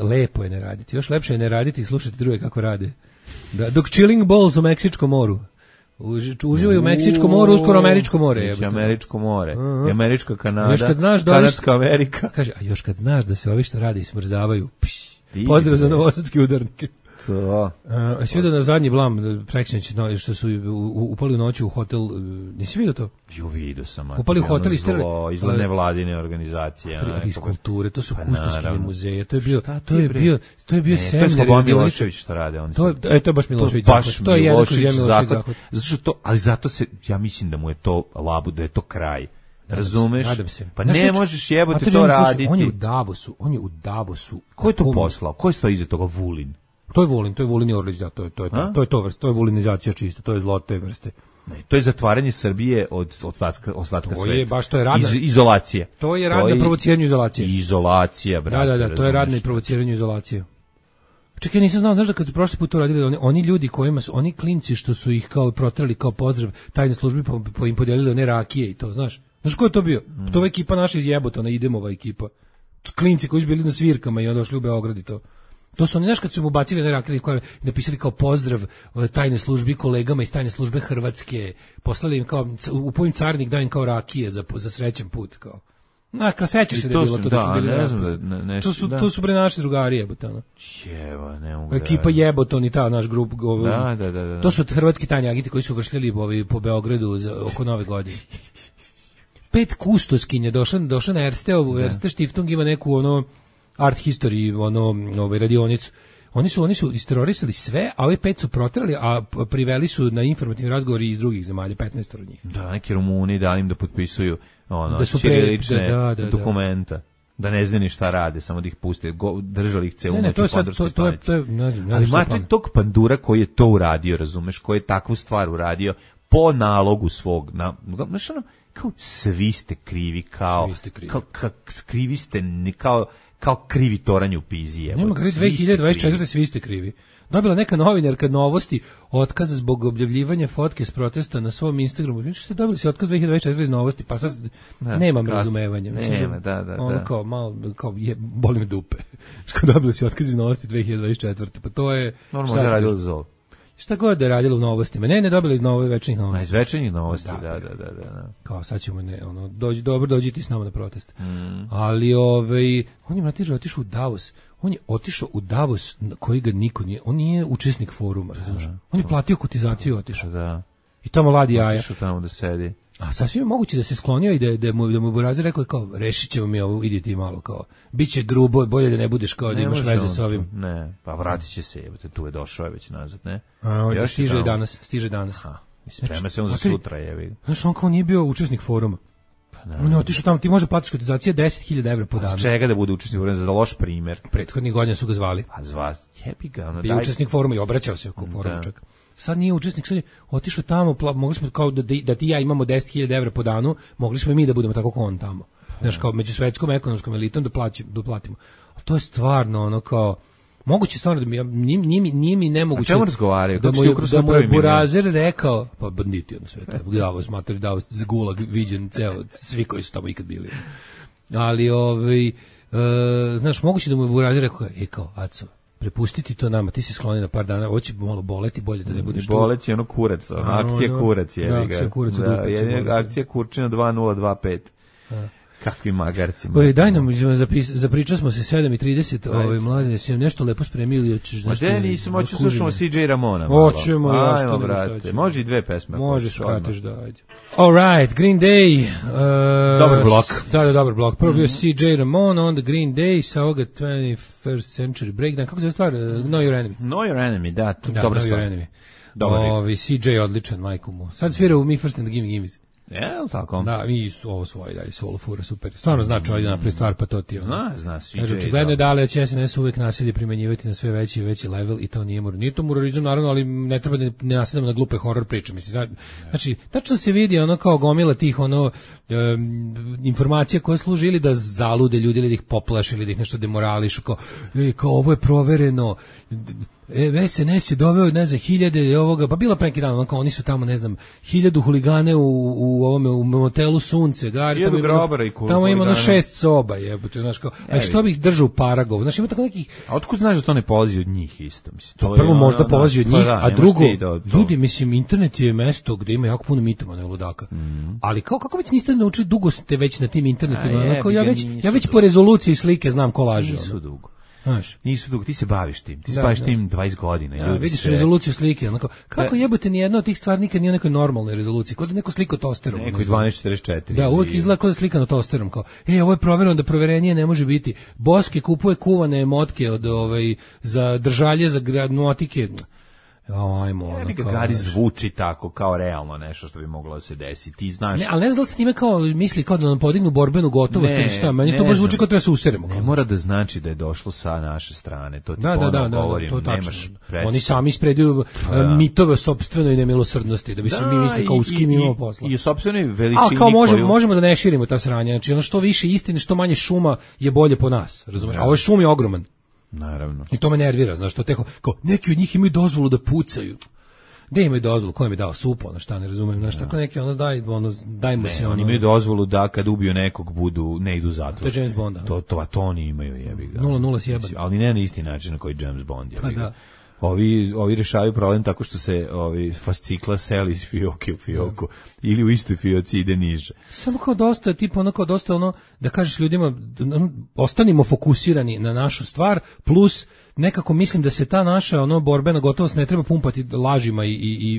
lepo je ne raditi. Još lepše je ne raditi i slušati druge kako rade. Da, dok chilling balls u Meksičkom moru. Uži, uživaju u Meksičkom moru, uskoro Američko more. Biće jebote. Američko more. Aha. I Američka Kanada. Još kad znaš da ovi- Kanadska Amerika. Kaže, a još kad znaš da se ovi što rade i smrzavaju, pš, Ti, pozdrav za bre. novosadske udarnike. To. Uh, si vidio na zadnji blam, preksinoć, no, što su u- u- upali u noći u hotel, uh, nisi vidio to? Ju vidio sam. Upali u hotel i iz sterali- iz nevladine organizacije. Tri- ono, iz nekako- kulture, to su Pa kustoskine naravno. muzeje, to je bio, Šta ti, to je bre? bio, to je bio Ne, to je seminar. Slobodan radioničar. Milošević što rade. Oni To je, su- e, to je baš Milošević To je baš zahvat. To je jedan kroz jedan Milošević Milošević zahvat. zahvat. Zato što to, ali zato se, ja mislim da mu je to labu, da je to kraj. Razumeš? Nadam se. Pa Znaš ne šta- možeš jebote Mater, to on je, slušaj, raditi. On je u Davosu, on je u Davosu. Ko je to Kom- poslao? Ko je stoji iza toga? Vulin? To je Vulin, to je Vulin i Orlić, da, to je to je to, A? to je to vrste, to je vulinizacija čista, to je zlo te vrste. Ne, to je zatvaranje Srbije od ostatka, ostatka To sveta. je baš, to je radna- Iz, izolacije. To je rad na provociranju izolacije. Izolacija, brate. Da, da, da, to je rad na razumeš? provociranju izolacije. Čekaj, ja nisam znao, znaš da kad su prošli put to radili, oni, oni ljudi kojima su, oni klinci što su ih kao protrali kao pozdrav tajne službi, pa, pa im podijelili one rakije i to, znaš? Znaš ko je to bio? Mm. To je ekipa naša iz Jebotona, Idemova ekipa. Klinci koji su bili na svirkama i onda došli u Beograd i to. To su oni, znaš, kad su mu bacili one rakije koje napisali kao pozdrav e, tajne službi kolegama iz tajne službe Hrvatske, poslali im kao, u pojim carnik da im kao rakije za, za srećan put, kao. Na, kao sećaš I se da to je bilo su- to da, da, su bili ne znam raspusti. da- ne- nešto- to su, da. to su bre naši drugari jebote, ono. Jeba, ne mogu da Ekipa radim. Jeboton i ta naš grup. Ovaj, Da, da, da, da. To su hrvatski tajni agenti koji su vršljali ovaj, po Beogradu za, oko Nove godine. Pet kustoskinje došla, došla na Ersteovu, Erste Stiftung ima neku ono art history, ono ovaj, radionicu. Oni su oni su isterorisali sve, a ovi pet su proterali, a p- priveli su na informativni razgovori iz drugih zemalja, petnaest od njih. Da, neki Rumuni dali im da potpisuju ono, Da su pre- ćirilične da, da, da, da. dokumenta. Da ne znaju ni šta rade, samo da ih puste, go, držali ih celu Ne, ne, noć to u je sad, to, Pandurskoj to je, stanici. to je, ne znam, ne Ali znam šta je imate plan. tog pandura koji je to uradio, razumeš, koji je takvu stvar uradio po nalogu svog, na, znaš ono, kao svi ste krivi, kao, Svi ste krivi. kao, kao krivi ste, ni- kao, kao krivi toranj u pizi, jebote. Nema kada Svi ste dve hiljade dvadeset četvrte krivi. svi ste krivi. Dobila neka novinarka Novosti otkaz zbog objavljivanja fotke s protesta na svom Instagramu. Znači ste dobili si otkaz dve hiljade dvadeset četvrte iz Novosti, pa sad Da, nemam kasno. razumevanja. Mislim, Nema, da, da, ono da. kao malo kao je boli me dupe. Što dobili si otkaz iz Novosti dve hiljade dvadeset četvrte. Pa to je Normalno šta da ti radilo kažem? za ovo. Šta god da je radilo u Novostima. Ne, ne dobili iz Nove večnih Na Novosti. izvečernjih novosti, Da, da, da, da, da. da. Kao sad ćemo ne, ono dođi dobro dođi ti s nama na protest. Mm. Ali ovaj on je mlatiž otišao u Davos. On je otišao u Davos na koji ga niko nije, on nije učesnik foruma, razumiješ? On je platio kotizaciju i otišao. Da. I tamo ladi jaja. Otišao tamo da sedi. A sasvim je moguće da se sklonio i da, da mu, da mu Burazer rekao kao, rešit ćemo mi ovo, idi ti malo kao, bit će grubo, bolje da ne budeš kao da Ne imaš može veze on sa ovim. to. Ne, pa vratit će se, jebote, tu je došao je već nazad, ne? A, on Još je stiže tamo. danas, stiže danas. Ha, i sprema se on za Znači, sutra, jebi. Znaš, on kao nije bio učesnik foruma. On je otišao tamo, ti može platiš kotizacije deset hiljada evra po Pa danu. s čega da bude učesnik foruma, za loš primjer? Prethodnih godina su ga zvali. Pa zva, jebi ga, ono, Bio daj. učesnik foruma i obraćao se oko foruma Da. čak. Sad nije učesnik, sad je otišao tamo, pla, mogli smo kao da, da ti i ja imamo deset hiljada evra po danu, mogli smo i mi da budemo tako kao on tamo. Znaš, kao među svetskom ekonomskom elitom da, plaći, da platimo. A to je stvarno ono kao, moguće stvarno da mi, ja- nije, nije, mi- nije mi nemoguće. A čemu razgovaraju? Da Kako mu, si je- ukrao da svoj mu je prvi milion? Burazer rekao, pa banditi ono sve, to, Davos, matori, Davos, Gulag, viđen ceo, svi koji su tamo ikad bili. Ali, ovaj, e, znaš, moguće da mu je Burazer rekao, e kao, Aco, prepustiti to nama, ti se skloni na par dana, ovo će malo boleti, bolje da ne budeš tu. Boleći ono kurac, ono, A, akcija ono, kurac, jebi da, ga. akcija kurac u Da, dupe će jedina boleti. akcija kurčina dva nula dva pet. Kakvi magarci. Oj, daj nam, zapis, zapričali smo se sedam i trideset, ovaj, mladine, si nam nešto lepo spremili, hoćeš Ma nešto... de nisam, hoću kužine? slušamo C J Ramona. malo. Hoćemo, ja, što Ajmo, nego šta brate, ćemo. može i dve pesme. ako Može, hoćeš odmah. skratiš da, ajde. All right, Green Day. Uh, Dobar blok. Da, da, dobar blok. Prvo bio C J Ramon, onda Green Day, sa ovoga twenty-first Century Breakdown. Kako se zove stvar? Uh, Know Your Enemy. Know Your Enemy, da, tu, Da, dobra Know Your stvar. Enemy. Dobar riff. Ovi, C J odličan, majku mu. Sad svira u Me First and the Gimme Gimmes. Jel tako? Da, mi su ovo svoje dalje, solo fura, super. Stvarno znači ovdje napravi stvar, pa to ti je. ono. Zna, zna, C J. Kaže, očigledno je da li će S N S uvek nasilje primenjivati na sve veći i veći level i to nije mur. Nije to murorizam, naravno, ali ne treba da ne nasedamo na glupe horor priče. Mislim, zna- znači, tačno se vidi ono kao gomila tih ono em, informacija koje služe ili da zalude ljudi, ili da ih poplaše, ili da ih nešto demorališu, kao, e, kao ovo je provereno, E, S N S je doveo, ne znam, hiljade ovoga, pa bila pre neki dan, ono kao oni su tamo, ne znam, hiljadu huligane u, u ovome, u motelu Sunce, Gari, Hiljadu tamo ima, grobara i tamo ima ono huligana. šest soba, jebote, znaš kao, a što bih držao u Paragovu, znaš, ima tako nekih, A otkud znaš da to ne polazi od njih isto? Mislim, to je prvo ono, možda da, polazi od pa njih, da, a ne možeš drugo, ti da od toga. ljudi, mislim, internet je mesto gde ima jako puno mitomana i ludaka. Ali kao, kako već niste naučili, dugo ste već na tim internetima, A ono, kao, ja jebi ga, već, nisu ja već dugo. po rezoluciji slike znam ko laže. Nisu ono. dugo. Znaš. Nisu dugo, ti se baviš tim, ti se Da, baviš da. tim dvadeset godina. Ja, ljudi vidiš se... rezoluciju slike, onako, kako Da. jebote ni jedna od tih stvari nikad nije u nekoj normalnoj rezoluciji, kod da neko sliko tosterom. Neko ne je znam. dvanaest četrdeset četiri. Da, uvek izgleda kao da je slikano tosterom, kao, e, ovo je provereno da proverenije ne može biti. Boske kupuje kuvane motke od, ovaj, za držalje, za gra- motike. Ajmo, ono, Ja bi ga kao, Gari znaš. zvuči tako, kao realno nešto što bi moglo da se desi. Ti znaš... Ne, ali ne znam da li se time kao misli kao da nam podignu borbenu gotovost Ne, ili šta, meni ne to baš zvuči znam. kao treba se useremo. Ne kao. mora da znači da je došlo sa naše strane, to ti Da, da, ponovo da, da, govorim, to je tačno. nemaš predstav. Oni sami ispreduju da. mitove o sopstvenoj nemilosrdnosti, da bi se mi mislili kao s kim imamo posla. I, i u sopstvenoj veličini A kao možemo, koju... možemo da ne širimo ta sranja, znači ono što više istine, što manje šuma je bolje po nas, razumeš? A ovaj šum je ogroman Naravno. i to me nervira, znaš, što teho, kao neki od njih imaju dozvolu da pucaju. Gde imaju dozvolu, ko im je dao supo, ono šta ne razumem, znaš, tako neki, ono daj, ono, dajmo se, Ne, ono, oni imaju dozvolu da kad ubiju nekog budu, ne idu u zatvor. To je James Bond, da. To, to, a to oni imaju, jebi ga. Nula, nula sjebano. Mislim, ali ne na isti način na koji James Bond, jebi Pa ga. da. Ovi, ovi rešavaju problem tako što se ovi fascikla seli iz fioke u fioku ili u istoj fioci ide niže. Samo kao dosta, tipa ono kao dosta ono, da kažeš ljudima, da, ono, ostanimo fokusirani na našu stvar, plus nekako mislim da se ta naša ono borbena gotovost ne treba pumpati lažima i, i,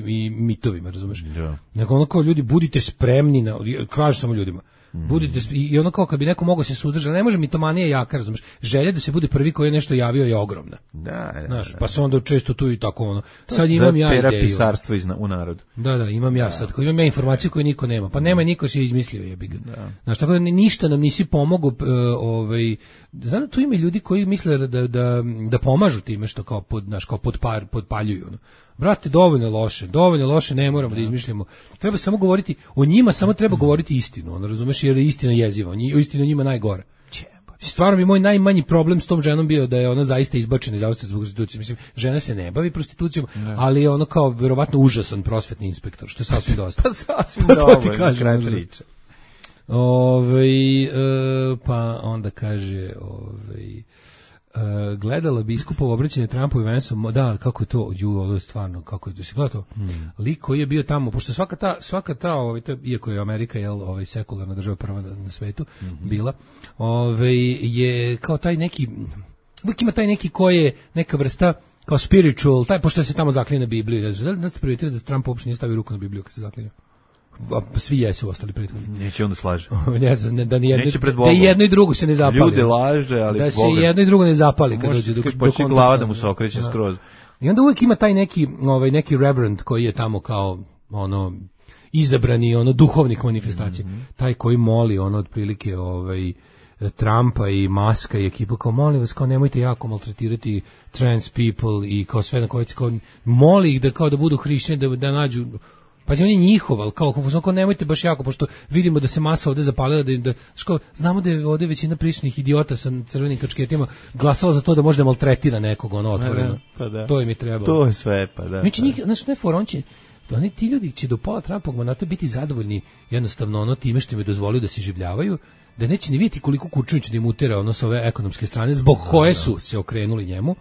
i, i mitovima, razumeš? Da. Nego ono kao ljudi, budite spremni, na, kažu samo ljudima, budite, sp- i i ono kao kad bi neko mogao se suzdržati, ne može mitomanija jaka, razumeš? Želja da se bude prvi koji je nešto javio je ogromna. Da, da, Znaš, da. pa se onda često tu i tako ono. To Sad se imam zove ja pera ideju. pisarstvo iz, na- u narodu. Da, da, imam ja sad. Imam ja informacije koje niko nema. Pa nema, niko se je izmislio, jebi ga. Znaš, tako da ni- ništa nam nisi pomogao, uh, ovaj, znam da tu ima ljudi koji misle da, da, da pomažu time što kao, pod, znaš, kao podpar, podpaljuju. Ono. Brate, dovoljno loše, dovoljno loše, ne moramo da izmišljamo. Treba samo govoriti, o njima samo treba govoriti istinu, ono, razumeš, jer je istina jeziva, nji- istina njima najgore. Stvarno bi moj najmanji problem s tom ženom bio da je ona zaista izbačena iz Austrije zbog prostitucije. Mislim, žena se ne bavi prostitucijom, ali je ono kao verovatno užasan prosvetni inspektor, što je sasvim dosta. Pa sasvim Pa to ti dovoljno, kažem, kraj možda. priče. Ovaj, e, pa onda kaže, ovaj, e, gledala biskupovo obraćanje Trumpu i Vansu, mo- da, kako je to, ju, ovo je stvarno, kako je to, si gledao to? Lik koji je bio tamo, pošto svaka ta, svaka ta, ovaj, ta, iako je Amerika, jel, ovaj, sekularna država prva na, na svetu, bila, ovaj, je kao taj neki, uvijek ima taj neki koji je neka vrsta, kao spiritual, taj, pošto se tamo zaklinje na Bibliju, ja, da li ste primetili da Trump uopšte nije stavio ruku na Bibliju kad se zaklinje? A svi jesu ostali prethodni. Neće onda slaže. Ne znam, ne, da ni jedno, Neće pred da Bogom. jedno i drugo se ne zapali. Ljude laže, ali da se Boga. jedno i drugo ne zapali kad Može dođe dok, kad dok počne on- glava da mu se okreće Da. skroz. I onda uvijek ima taj neki, ovaj neki reverend koji je tamo kao ono izabrani ono duhovnik manifestacije, Mhm. taj koji moli ono otprilike ovaj Trumpa i Maska i ekipa kao molim vas kao nemojte jako maltretirati trans people i kao sve na koje kao moli ih da kao da budu hrišćani da da nađu. Pa on je njihov, ali kao, kao, kao nemojte baš jako, pošto vidimo da se masa ovde zapalila, da, da ško, znamo da je ovde većina prisutnih idiota sa crvenim kačketima glasala za to da može da maltretira nekog, ono, otvoreno. Pa da. To im je trebalo. To je sve, pa da. Znači, pa. njih, znači, ne for, on će, to oni, ti ljudi će do pola Trumpovog mandata biti zadovoljni jednostavno ono time što im je dozvolio da se življavaju, da neće ni vidjeti koliko Kurčević da im utera ono s ove ekonomske strane, zbog koje su se okrenuli njemu,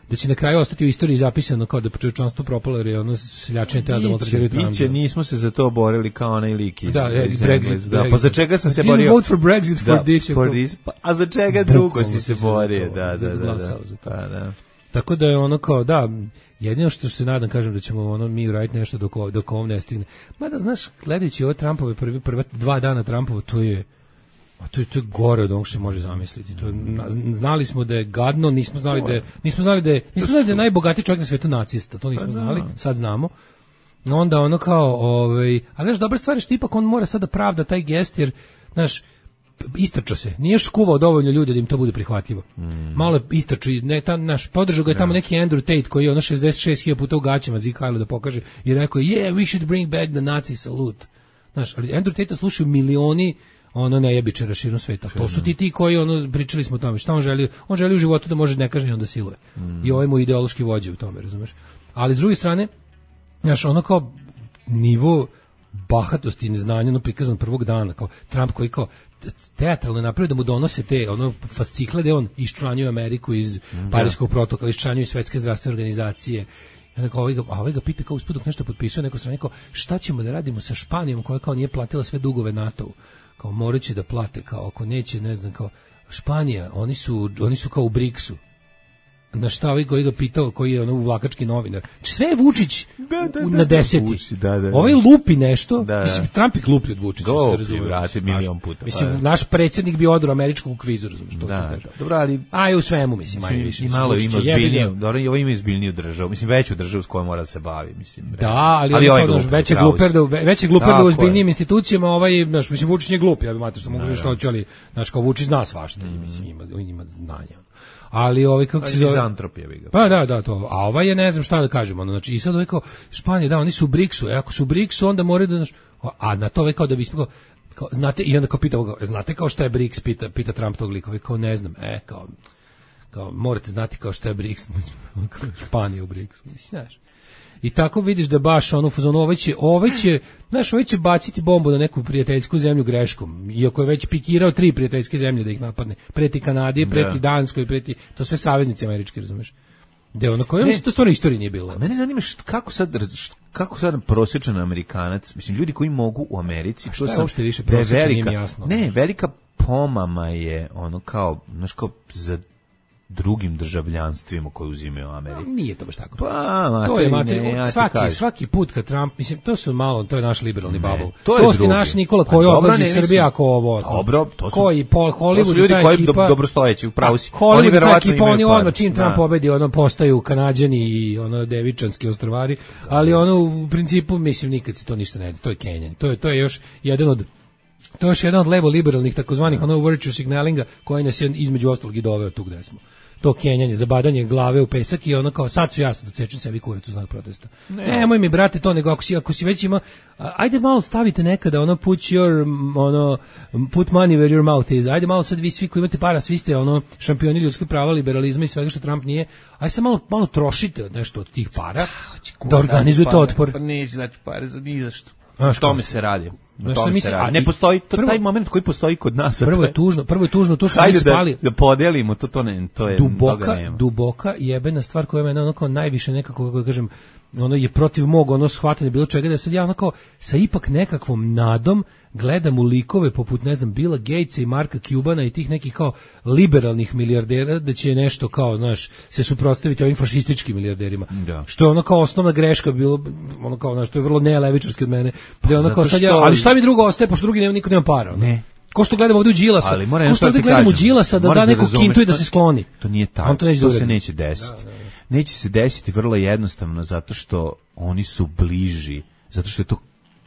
da će na kraju ostati u istoriji zapisano kao da čovječanstvo propalo jer je ono seljačenje tela da Biće, maltretiraju Trumpa. biće, nismo se za to borili kao onaj lik iz, Da, iz Brexit, Englesa. Da, Brexit. pa za čega sam se Didn't borio? vote for Brexit for Da, this. for this. Pa, a za čega drugo Bukvalno si si se se za borio? to, Da, za da, da. glasao da. za to. Pa, da. Tako da je ono kao, da, jedino što se nadam, kažem da ćemo ono mi uraditi nešto dok, ovo- dok ovom ne stigne. Mada, znaš, gledajući ove Trumpove prvi, prva dva dana Trumpova, to je, a to je, to je gore od onog što se može zamisliti. To je, na- znali smo da je gadno, nismo znali da je, nismo znali da je, nismo znali da je najbogatiji čovjek na svetu nacista, to nismo znali, sad znamo. Onda ono kao, ovaj, ali znaš, dobra stvar je što ipak on mora sada pravda taj gest, jer, znaš, istrčao se. Nije još skuvao dovoljno ljudi da im to bude prihvatljivo. Malo je istrčao, i ne, ta, naš, podržao ga je tamo neki Andrew Tate koji je ono šezdeset šest hiljada puta u gaćama Zikajlu da pokaže i rekao je, yeah, we should bring back the Nazi salute. Znaš, ali Andrew Tate slušaju milioni ono nejebičara širom sveta. To su ti ti koji, ono, pričali smo o tome, šta on želi? On želi u životu da može nekažnjeno da siluje. I ovaj mu ideološki vođe u tome, razumeš? Ali s druge strane, znaš, ono kao nivo bahatosti i neznanja ono prikazan prvog dana, kao Trump koji kao teatralno napravio da mu donose te ono fascikle da on iščlanjuje Ameriku iz Pariskog protokola, iščlanjuje Svetske zdravstvene organizacije. I onda kao ovaj ga, a ovaj ga pita kao usput dok nešto potpisuje, neko strane kao šta ćemo da radimo sa Španijom koja kao nije platila sve dugove NATO-u. Kao morat će da plate, kao ako neće, ne znam, kao Španija, oni su, oni su kao u briksu. na šta ovaj koji ga pitao, koji je ono uvlakački novinar. Sve je Vučić da, da, u, da, na da, deseti. Vučić, da, da, da. Ovaj lupi nešto, Da, da. mislim, Trump je gluplji od Vučića, Gluplji, se razumije. vrati, milion puta. Mislim, Pa da. naš predsjednik bi odro američkog u kvizu, razumiješ, to ti Da, kažem. dobro, ali A i u svemu, mislim, manje više. i mislim, malo Vučić ima je jebi ga. ozbiljniju, dobro, i ovo ima ozbiljniju državu, mislim veću državu s kojom mora da se bavi, mislim. Da, ali, ali ali ovaj to, glup, veće pravo gluper si. da veće gluper Tako da u je. ozbiljnijim institucijama, ovaj, znaš, mislim Vučić je glup, ja bih mater što mogu reći što hoće, ali znaš kao Vučić zna svašta, i mislim ima ima znanja. Ali ovaj kako se zove Mizantropija bi ga. Pa da, da, to. A ovaj je ne znam šta da kažemo, ono, znači i sad ovaj kao Španija, da, oni su u briksu, e, ako su u briksu onda moraju da znaš, a na to ovaj kao da bi ispao kao znate i onda kao pita ga, znate kao šta je briks, pita pita Trump tog lika, ovaj kao ne znam, e kao kao morate znati kao šta je briks, Španija u briksu, mislim, znaš. I tako vidiš da baš ono fazonu ovaj će, ovaj će, znaš, ovaj će baciti bombu na neku prijateljsku zemlju greškom, iako je već pikirao tri prijateljske zemlje da ih napadne, preti Kanadi, preti Danskoj, preti, to sve saveznici američki, razumeš? Da ono koje, mislim, to stvarno istoriji nije bilo. A mene zanima št, kako sad št, kako sad prosječan Amerikanac, mislim ljudi koji mogu u Americi, što je sam, uopšte više da je prosječan, nije velika, mi jasno. ne, velika pomama je ono kao, znaš kao za drugim državljanstvima koje uzimaju u Ameriku. Nije to baš tako. Pa, materi, to je materi, ne, ja ti svaki, kažem. svaki put kad Trump, mislim, to su malo, to je naš liberalni bubble. to je to je drugi. naš Nikola Pa koji dobro, odlazi ne, iz Srbije ako ovo. Dobro, to su, koji po to su Hollywood ljudi ta koji ekipa, do, dobrostojeći, upravo si. Hollywood Oni ta verovatno ekipa, imaju oni par. odmah čim Trump Da. pobedi, ono postaju Kanađani i ono devičanski ostrvari, ali ono u principu mislim nikad se to ništa ne radi, to je Kenjan. To je to je još jedan od to je još jedan od levo liberalnih takozvanih ono virtue signalinga koji nas je između ostalog i doveo tu gde smo. To kenjanje, zabadanje glave u pesak i ono kao sad su ja sad docečem sebi kurac u znak protesta. Ne. Nemoj mi brate to, nego ako si, ako si već ima, a, ajde malo stavite nekada ono put your, ono, put money where your mouth is, ajde malo sad vi svi koji imate para, svi ste ono šampioni ljudskih prava, liberalizma i svega što Trump nije, ajde sad malo, malo trošite od nešto od tih para, da organizujete otpor. Pa neće znači pare za ni za što. A, O što? tome se radi. O Znaš, tome mislim, se radi. a Ne i- postoji to, prvo- taj moment koji postoji kod nas. a Prvo to je tužno, prvo je tužno to što mi Hajde da, spali. da podelimo, to, to, ne, to je toga duboka, nema. duboka jebena stvar koja mene onako najviše nekako, kako da kažem, ono je protiv mog ono shvatanja bilo čega, da sad ja onako sa ipak nekakvom nadom gledam u likove poput, ne znam, Billa Gatesa i Marka Cubana i tih nekih kao liberalnih milijardera, da će nešto kao, znaš, se suprotstaviti ovim fašističkim milijarderima. Da. Što je ono kao osnovna greška bilo, ono kao, znaš, to je vrlo nelevičarski od mene. Da je ono zato kao sad ja, što- ali šta mi drugo ostaje, pošto drugi nema, niko nema para. Ono. Ne. Ko što gledamo ovdje u Đilasa, Ali moram ko jedno što stvar ovdje ti gledamo u kažem. Đilasa da Moraš da neku razumeš, kintu i da to- se skloni. To nije tako. On to neće da to se uradi. neće desiti. Neće se desiti vrlo jednostavno zato što oni su bliži, zato što je to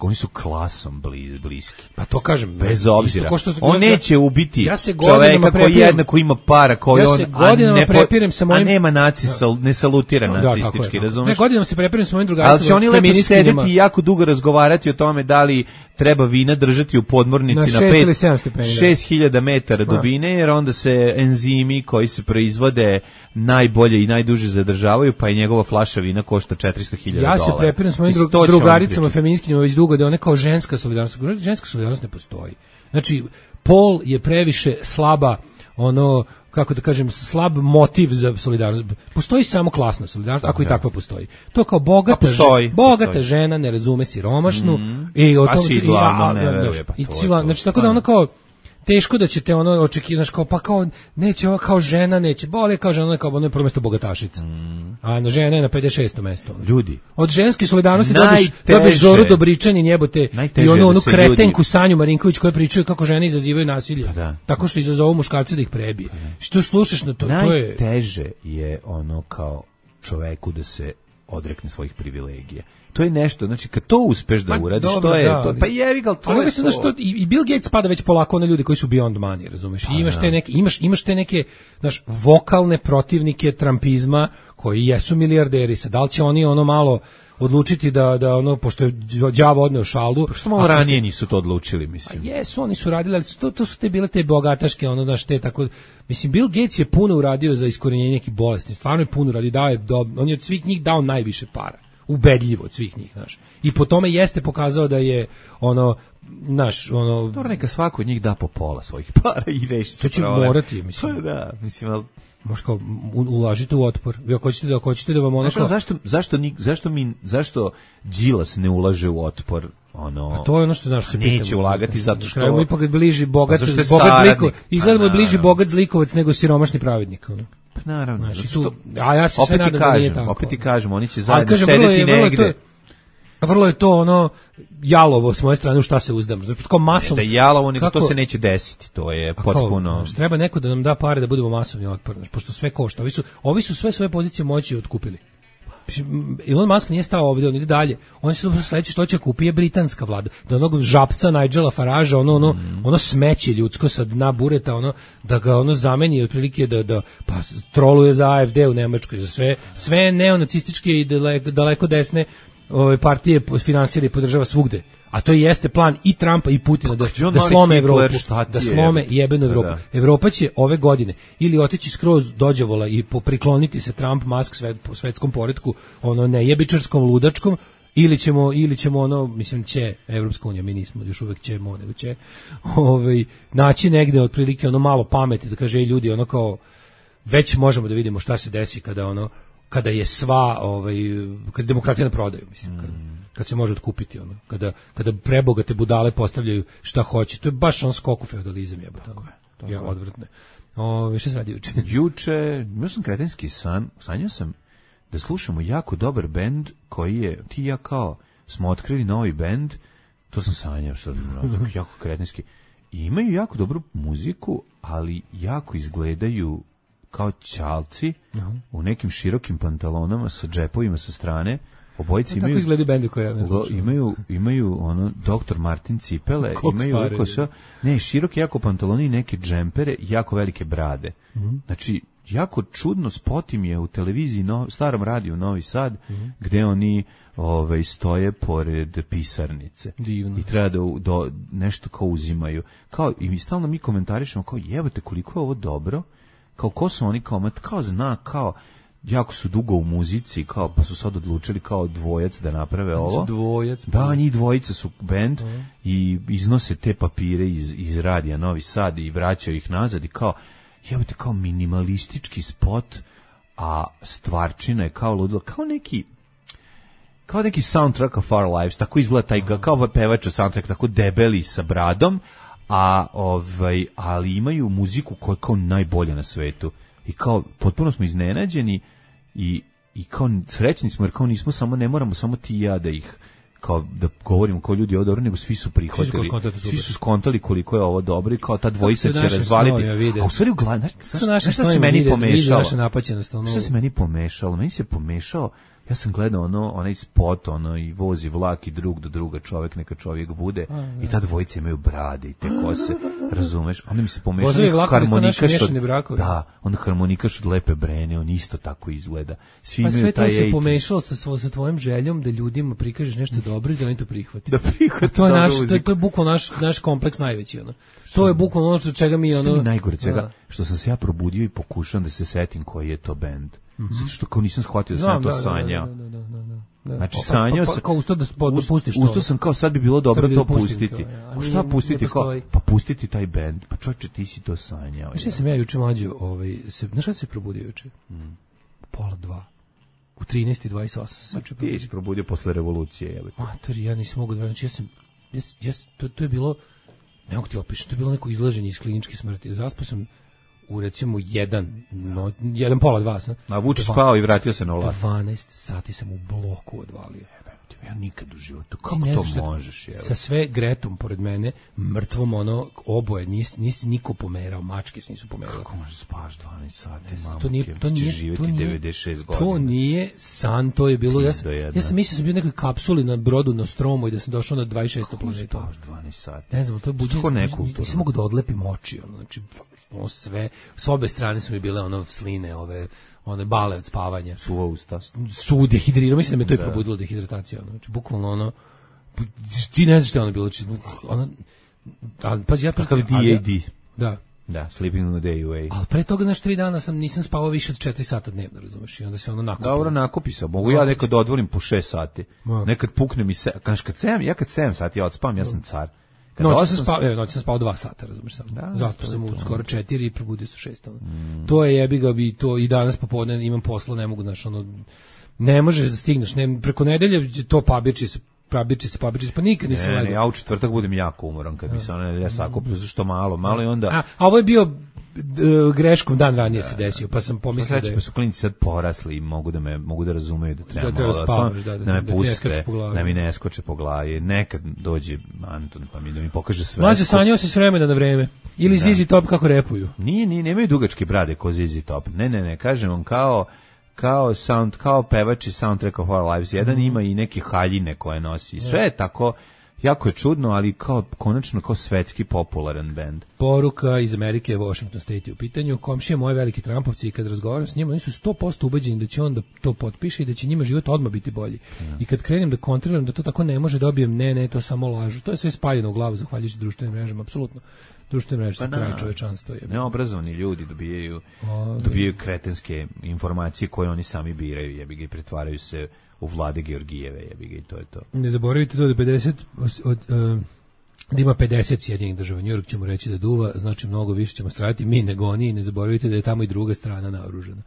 oni su klasom bliz, bliski. Pa to kažem, Bez isto obzira. ko što- On ja- neće ubiti ja se godinama čoveka koji prepirem- jednako ima para, koji Ja on se godinama a ne, po- prepirem sa mojim- a nema naci, sal, ne salutira Da, tako je, nacistički, tako je. razumeš? Ne, godinama se prepiram sa mojim drugaricama. Ali će oni lepo feministkinjama. sedeti i jako dugo razgovarati o tome da li treba vina držati u podmornici Na na, šest ili pet, sedam stepeni, da. šest hiljada metara dubine, jer onda se enzimi koji se proizvode najbolje i najduže zadržavaju, pa i njegova flaša vina košta četiristo hiljada Ja dolara. se prepiram s mojim Mislim, dru- to će oni drugaricama pričati. feministkinjama već dugo da je ona kao ženska solidarnost. Ženska solidarnost ne postoji. Znači, pol je previše slaba, ono, kako da kažem, slab motiv za solidarnost. Postoji samo klasna solidarnost, ako i takva postoji. To kao bogata, Pa postoji, žena, bogata postoji. žena ne razume siromašnu i o A tom- sidla, i- a- ono ne a- veruje, pa i to je sidla, to. znači tako da ono kao teško da ćete ono očekivati, kao pa kao neće ova kao žena, neće bolje kao žena, kao ono je prvo mesto bogatašica. A na žena je na pedeset šestom mestu. ono. Ljudi. Od ženske solidarnosti Najteže. dobiješ, dobiješ Zoru Dobričan i njebote Najteže i onu, je da onu se kretenku ljudi- Sanju Marinković koja pričaju kako žene izazivaju nasilje. Pa da. Tako što izazovu muškarce da ih prebije. Što slušaš na to? To je... Najteže je ono kao čoveku da se odrekne svojih privilegija. To je nešto, znači kad to uspeš da Pa, uradiš, dobro, to je da, to. ali- Pa jevi ga, ali to Ali je mislim da to. što i, i Bill Gates spada već polako na ljude koji su beyond money, razumeš? I imaš te neke imaš imaš te neke, znaš, vokalne protivnike trampizma koji jesu milijarderi, sad da li će oni ono malo odlučiti da da ono pošto je đavo odneo šalu. Što malo ako- ranije nisu to odlučili, mislim. Jesu, oni su radili, ali su to, to su te bile te bogataške, ono, znaš, te tako... Mislim, Bill Gates je puno uradio za iskorenjenje nekih bolesti, stvarno je puno uradio, dao je, do, on je od svih njih dao najviše para, ubedljivo od svih njih, znaš. I po tome jeste pokazao da je, ono, znaš, ono... Dobro, neka svako od njih da po pola svojih para i reši se To će problem. morati, mislim. Pa da, mislim, ali... Možda kao, u- ulažite u otpor. Vi ako hoćete da, ako hoćete da vam ono Znaš, kao... ono, zašto, zašto, ni, zašto, mi, zašto Đilas ne ulaže u otpor? Ono, A to je ono što znaš se pitamo. neće ulagati zato što... Krajemo ipak bliži bogat, Pa zašto je bogat saradnik? zlikovac. Izgledamo Pa, bliži naravno. bogat zlikovac nego siromašni pravednik. Ono. Pa naravno. Znači, zato tu, a ja se sve nadam da nije tako. Opet ti kažem, oni će Ali zajedno kažem, vrlo je- sedeti vrlo je negde. to- Vrlo je to ono jalovo s moje strane u šta se uzdam. Znači, kao masom. Da je jalovo, nego kako- to se neće desiti. To je A kao, potpuno... znači, treba neko da nam da pare da budemo masovni otpor, znači, pošto sve košta. Ovi su, ovi su sve svoje pozicije moći otkupili. Mislim, Elon Musk nije stao ovdje, on ide dalje. On se sledeće što će kupi je britanska vlada. Da onog žapca Nigela Faragea, ono ono Mm. ono smeće ljudsko sa dna bureta, ono da ga ono zameni otprilike da da pa troluje za A F D u Nemačkoj, za sve sve neonacističke i daleko, daleko desne ove partije finansira i podržava svugde. A to jeste plan i Trumpa i Putina da, je on da mali slome Hitler, Evropu, šta ti da je? slome jebenu Evropu. Da. Evropa će ove godine ili otići skroz dođavola i poprikloniti se Trump, Musk svet, po svetskom poretku, ono nejebičarskom, ludačkom, ili ćemo, ili ćemo ono, mislim, će, Evropska unija, mi nismo još uvek ćemo, nego će, ovaj, naći negde otprilike ono malo pameti, da kaže, ej, ljudi, ono kao, već možemo da vidimo šta se desi kada ono, kada je sva, ovaj, kada demokratija na prodaju, mislim, kada, kad se može otkupiti, ono, kada, kada prebogate budale postavljaju šta hoće, to je baš on skok u feudalizam, jebote, ono, ja, odvratno. Ove, šta se radi juče? Juče, imao sam kretenski san, sanjao sam da slušamo jako dobar bend koji je, ti i ja kao, smo otkrili novi bend, to sam sanjao, sad, jako kretenski, i imaju jako dobru muziku, ali jako izgledaju kao ćalci u nekim širokim pantalonama sa džepovima sa strane. Obojice Tako imaju izgledaju bendi koje ja ne Ugla- slušam. imaju imaju ono doktor Martin cipele, Koks imaju pare, ovako sve, ne, široke jako pantaloni i neke džempere, i jako velike brade. Mhm. Znači, jako čudno spot im je u televiziji, no, starom radiju Novi Sad, Mhm. gde oni ovaj, stoje pored pisarnice. Divno. I treba da, u- do, nešto kao uzimaju. Kao, i mi stalno mi komentarišemo, kao, jebote, koliko je ovo dobro, kao, ko su oni, kao, mat, kao zna, kao, jako su dugo u muzici, kao, pa su sad odlučili kao dvojac da naprave ovo. Dvojac. Da, njih dvojica su bend i iznose te papire iz, iz radija Novi Sad i vraćaju ih nazad i kao, jebote, kao minimalistički spot, a stvarčina je kao ludilo, kao neki kao neki soundtrack of our lives, tako izgleda taj, kao pevač soundtrack, tako debeli sa bradom, a ovaj, ali imaju muziku koja je kao najbolja na svetu. I kao, potpuno smo iznenađeni i, i kao srećni smo, jer kao nismo samo, ne moramo samo ti i ja da ih, kao da govorimo kao ljudi ovo dobro, nego svi su prihvatili, skontali, svi su skontali koliko je ovo dobro i kao ta dvojica Kako se će naše razvaliti. snovi, ja vidim. A u stvari u glavi, znaš, Što znaš, naše znaš šta snovi se meni vide- vide pomešalo? naša napaćenost, ono- Šta se meni pomešalo? Meni se pomešao, ja sam gledao ono, onaj spot, ono, i vozi vlak i drug do druga čovek, neka čovjek bude, i ta dvojica imaju brade i te kose, razumeš? Onda mi se pomešao Vozovi vlakovi kao naši harmonikaš miješani od, brakovi. da, onda harmonikaš od Lepe Brene, on isto tako izgleda. Svi Pa imaju sve to taj se eighties. pomešalo sa, svo, sa tvojim željom da ljudima prikažeš nešto dobro i da oni to prihvate. Da prihvate A to je dobru naš, to je, muziku. to je bukvalno naš, naš kompleks najveći, ono. To je bukvalno ono što čega mi, Što ono... mi najgore od svega, Da. što sam se ja probudio i pokušam da se setim koji je to bend. Zato što kao nisam shvatio da sam ja Znam, to da, da, sanjao. da, da, da, da, da, da. Znači, Pa- sanjao pa- sam... pa- Kao usto da, da Ust- pustiš to. Usto sam kao, sad bi bilo dobro Sad bi to da pustim pustiti. to, ja. A Pa nije- šta ne pustiti? Kao, postoji. pa pustiti taj bend. Pa čovječe, ti si to sanjao. Znaš šta sam ja juče mlađo, ovaj, se, znaš kada se probudio juče? U pola dva. U trinaest i dvadeset osam sam se juče Ti probudio. si probudio posle revolucije, jebote. Matori, ja nisam mogu da verujem. Znači, ja sam, ja, sam- ja, sam- to, to je bilo, ne mogu ti opišem, to je bilo neko izlaženje iz kliničke smrti. Zaspao sam u recimo jedan, no, jedan pola dva sam. A Vučić Dva- spao i vratio se na vlast. dvanaest sati sam u bloku odvalio. Ja nikad u životu, Ti kako ne to znaš šta- možeš, jebote? Sa sve Gretom pored mene, mrtvom ono, oboje, nisi, nisi niko pomerao, mačke se nisu pomerale. Kako možeš da spavaš dvanaest sati, mamu? To nije, ti, to ti ćeš nije, živjeti to nije, devedeset šest godina. to nije san, to je bilo, ja sam, Pizdo jedna. ja sam mislio da sam bio u nekoj kapsuli na brodu na Stromu i da sam došao na dvadeset šestu Kako možeš da planetu. spavaš dvanaest sati? Ne znam, to je buđenje. Tako nekulturno. Nisam mogu da odlepim oči, ono, znači, ono sve, s obe strane su mi bile ono sline, ove, one bale od spavanja. Suva usta. Su dehidrirao, mislim da me to i probudilo dehidratacija, ono, znači, bukvalno ono, ti ne znaš šta je ono bilo, znači, ono, ali, pazi, ja... Kakav D ali ja- A D. Da. Da, sleeping on the day away. Ali pre toga, znaš, tri dana sam, nisam spavao više od četiri sata dnevno, razumeš, i onda se ono nakupilo. Dobro, nakupi se. Mogu ja nekad da odvolim po šest sati. Ma. Nekad pukne mi se, kaš kad sedam, ja kad sedam sati ja odspam, ja sam car. Kad Noć osam sam spao, evo, noć sam spao dva sata, razumeš sam. Da, Zaspao to sam je u to. skoro četiri i probudio se u šest. Ono. To je jebi ga bi to i danas popodne imam posla, ne mogu, znaš, ono, ne možeš da stigneš, ne, preko nedelje to pabiči se prabiči se, pabiči se, pa nikad nisam Ne, legao. ne, ja u četvrtak budem jako umoran kad bi se ona ja sakupio zašto malo, malo i onda A, a ovo je bio d- greškom dan ranije se desio, pa sam pomislio da Sledeći je... pa su klinci sad porasli i mogu da me mogu da razumeju da treba, Da treba malo spavaš, stvarno, da, da, da me da ti ne skače puste, po glavi. da mi ne skoče po glavi. Nekad dođe Anton pa mi da mi pokaže sve. Mlađe sanjao se s vremena na vreme. Ili Da. Zizi Top kako repuju. Nije, nije, nemaju dugačke brade ko Z Z Top. Ne, ne, ne, kažem vam kao kao sound, kao pevač iz Soundtrack of Our Lives. Jedan Mhm. ima i neke haljine koje nosi. Sve je tako, jako je čudno, ali kao konačno kao svetski popularan bend. Poruka iz Amerike, Washington State je u pitanju. Komšije moje veliki Trumpovci i kad razgovaram s njima, oni su sto posto ubeđeni da će on da to potpiše i da će njima život odmah biti bolji. I kad krenem da kontroliram da to tako ne može, dobijem ne, ne, to samo lažu. To je sve spaljeno u glavu zahvaljujući društvenim mrežama, apsolutno. Društvene mreže su Pa kraj da. čovečanstva. Je. Neobrazovani ljudi dobijaju Ove. dobijaju kretenske informacije koje oni sami biraju, jebi ga i pretvaraju se u Vlade Georgijeve, jebi ga i to je to. Ne zaboravite to da pedeset od, od uh, da ima pedeset Sjedinjenih država. New York ćemo reći da duva, znači mnogo više ćemo stradati mi nego oni i ne zaboravite da je tamo i druga strana naoružana.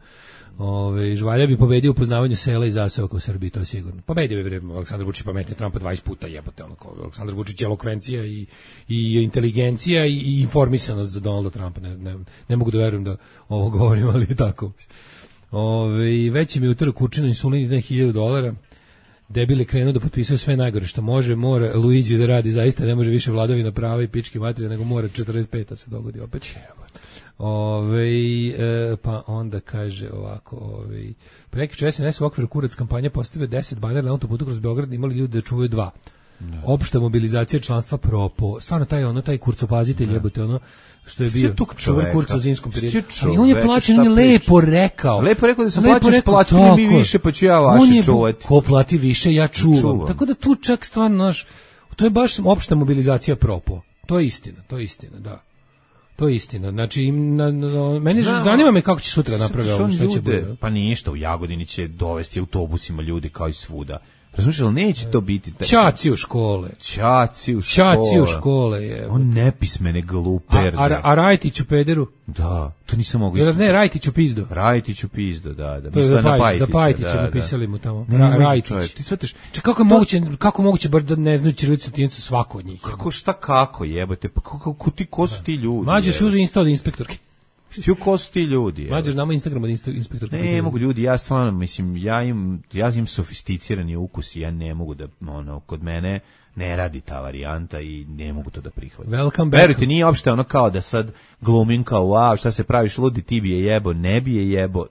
Ove, Žvalja bi pobedio u poznavanju sela i zaseoka u Srbiji, to je sigurno. Pobedio bi Aleksandar Vučić pametnije Trumpa dvadeset puta, jebote, ono kao Aleksandar Vučić je elokvencija i, i inteligencija i, i informisanost za Donalda Trumpa. Ne, ne, ne mogu da verujem da ovo govorim, ali je tako. Ove, veći mi utorak kučina insulin ide hiljadu dolara. Debil je krenuo da potpisuje sve najgore što može, mora Luigi da radi, zaista ne može više vladavina prava i pičke materije, nego mora četrdeset peta se dogodi opet. Ove, e, pa onda kaže ovako, ove, prekjuče S N S u okviru Kurac kampanja postavio deset banera na autoputu kroz Beograd, imali ljudi da čuvaju dva. Ne. Opšta mobilizacija članstva propo. Stvarno taj ono taj kurcopazitelj jebote ono što je bio čuvar kurca u zimskom periodu. Ali on je plaćen, on je lepo rekao. Lepo rekao da sam plaćaš, platili mi više, pa ću ja vaše čuvati. Ko plati više, ja čuvam. čuvam. Tako da tu čak stvarno naš, to je baš opšta mobilizacija propo. To je istina, to je istina, da. To je istina. Znači, im, na, na, meni Znam, zanima me kako će sutra napraviti ovo, šta će bude. Pa ništa, u Jagodini će dovesti autobusima ljudi kao i svuda. Razumiješ, ali neće to biti... Taj... Ćaci u škole. Ćaci u škole. Ćaci u škole, je. On nepismene gluperde. A, a, a Rajtić u pederu? Da, to nisam mogu ispraviti. Ne, Rajtić u pizdo. Rajtić u pizdo, da. da. To je za, Pajtić, za Pajtića da, napisali mu tamo. Ra, Rajtić. Čovjek, ti shvatiš... Če, kako, to... moguće, kako moguće bar da ne znaju ćirilicu latinicu svako od njih? Kako, šta kako jebote? Pa kako, kako ti, ko su ti ljudi? Mađe se uže insta od inspektorke. Svi ko su ti ljudi? Mađe, znamo Instagram od inspektorke. Ne, mogu ljudi, ja stvarno, mislim, ja im, ja im sofisticirani ukus i ja ne mogu da, ono, kod mene ne radi ta varijanta i ne mogu to da prihvatim. Welcome back. Verujte, nije uopšte ono kao da sad glumim kao, wow, šta se praviš ludi, ti bi je jebo, ne bi je jebo,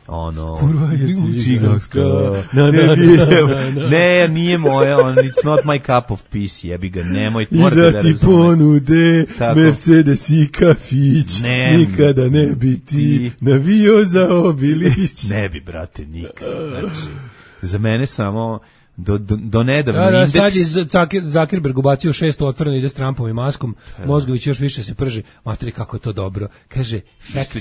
ono... Kurva je ciganska. No, ne, bi jebo. Ne, nije moje, on, it's not my cup of peace, jebi ga, nemoj, morate da razumete. I da ti ponude Mercedes i kafić, ne, nikada ne bi ti navio za Obilić. Ne bi, brate, nikada, znači, za mene samo... Do, do, do nedavno da, da, indeks... sad je Zakir, Zakirberg ubacio šesto otvoreno, ide s Trumpom i maskom, Mozgović još više se prži, materi kako je to dobro, kaže fact,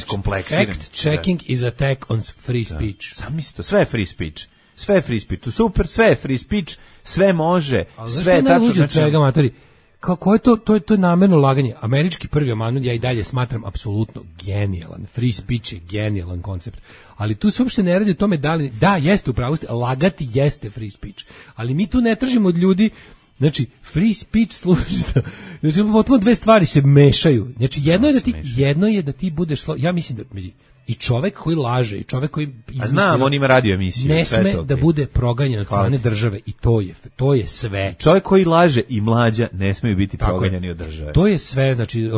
fact checking da. Is attack on free speech. Da. Sam misli to, sve je free speech, sve je free speech, to super, sve je free speech, sve može, ali sve je tačno. Znači... Svega, materi, kako je to, to je, to je namerno laganje. Američki prvi amandman ja i dalje smatram apsolutno genijalan, free speech je genijalan koncept. Ali tu se uopšte ne radi o tome da li, da, jeste u pravu, lagati jeste free speech. Ali mi tu ne tražimo od ljudi, znači, free speech služi da, znači, potpuno dve stvari se mešaju. Znači, jedno je da ti, jedno je da ti budeš, ja mislim da, i čovek koji laže, i čovek koji izmišlja, a znam, on ima radio emisiju, ne sme da bude proganjan od strane države i to je, to je sve. Čovek koji laže i mlađa ne smeju biti proganjani od države. To je sve, znači,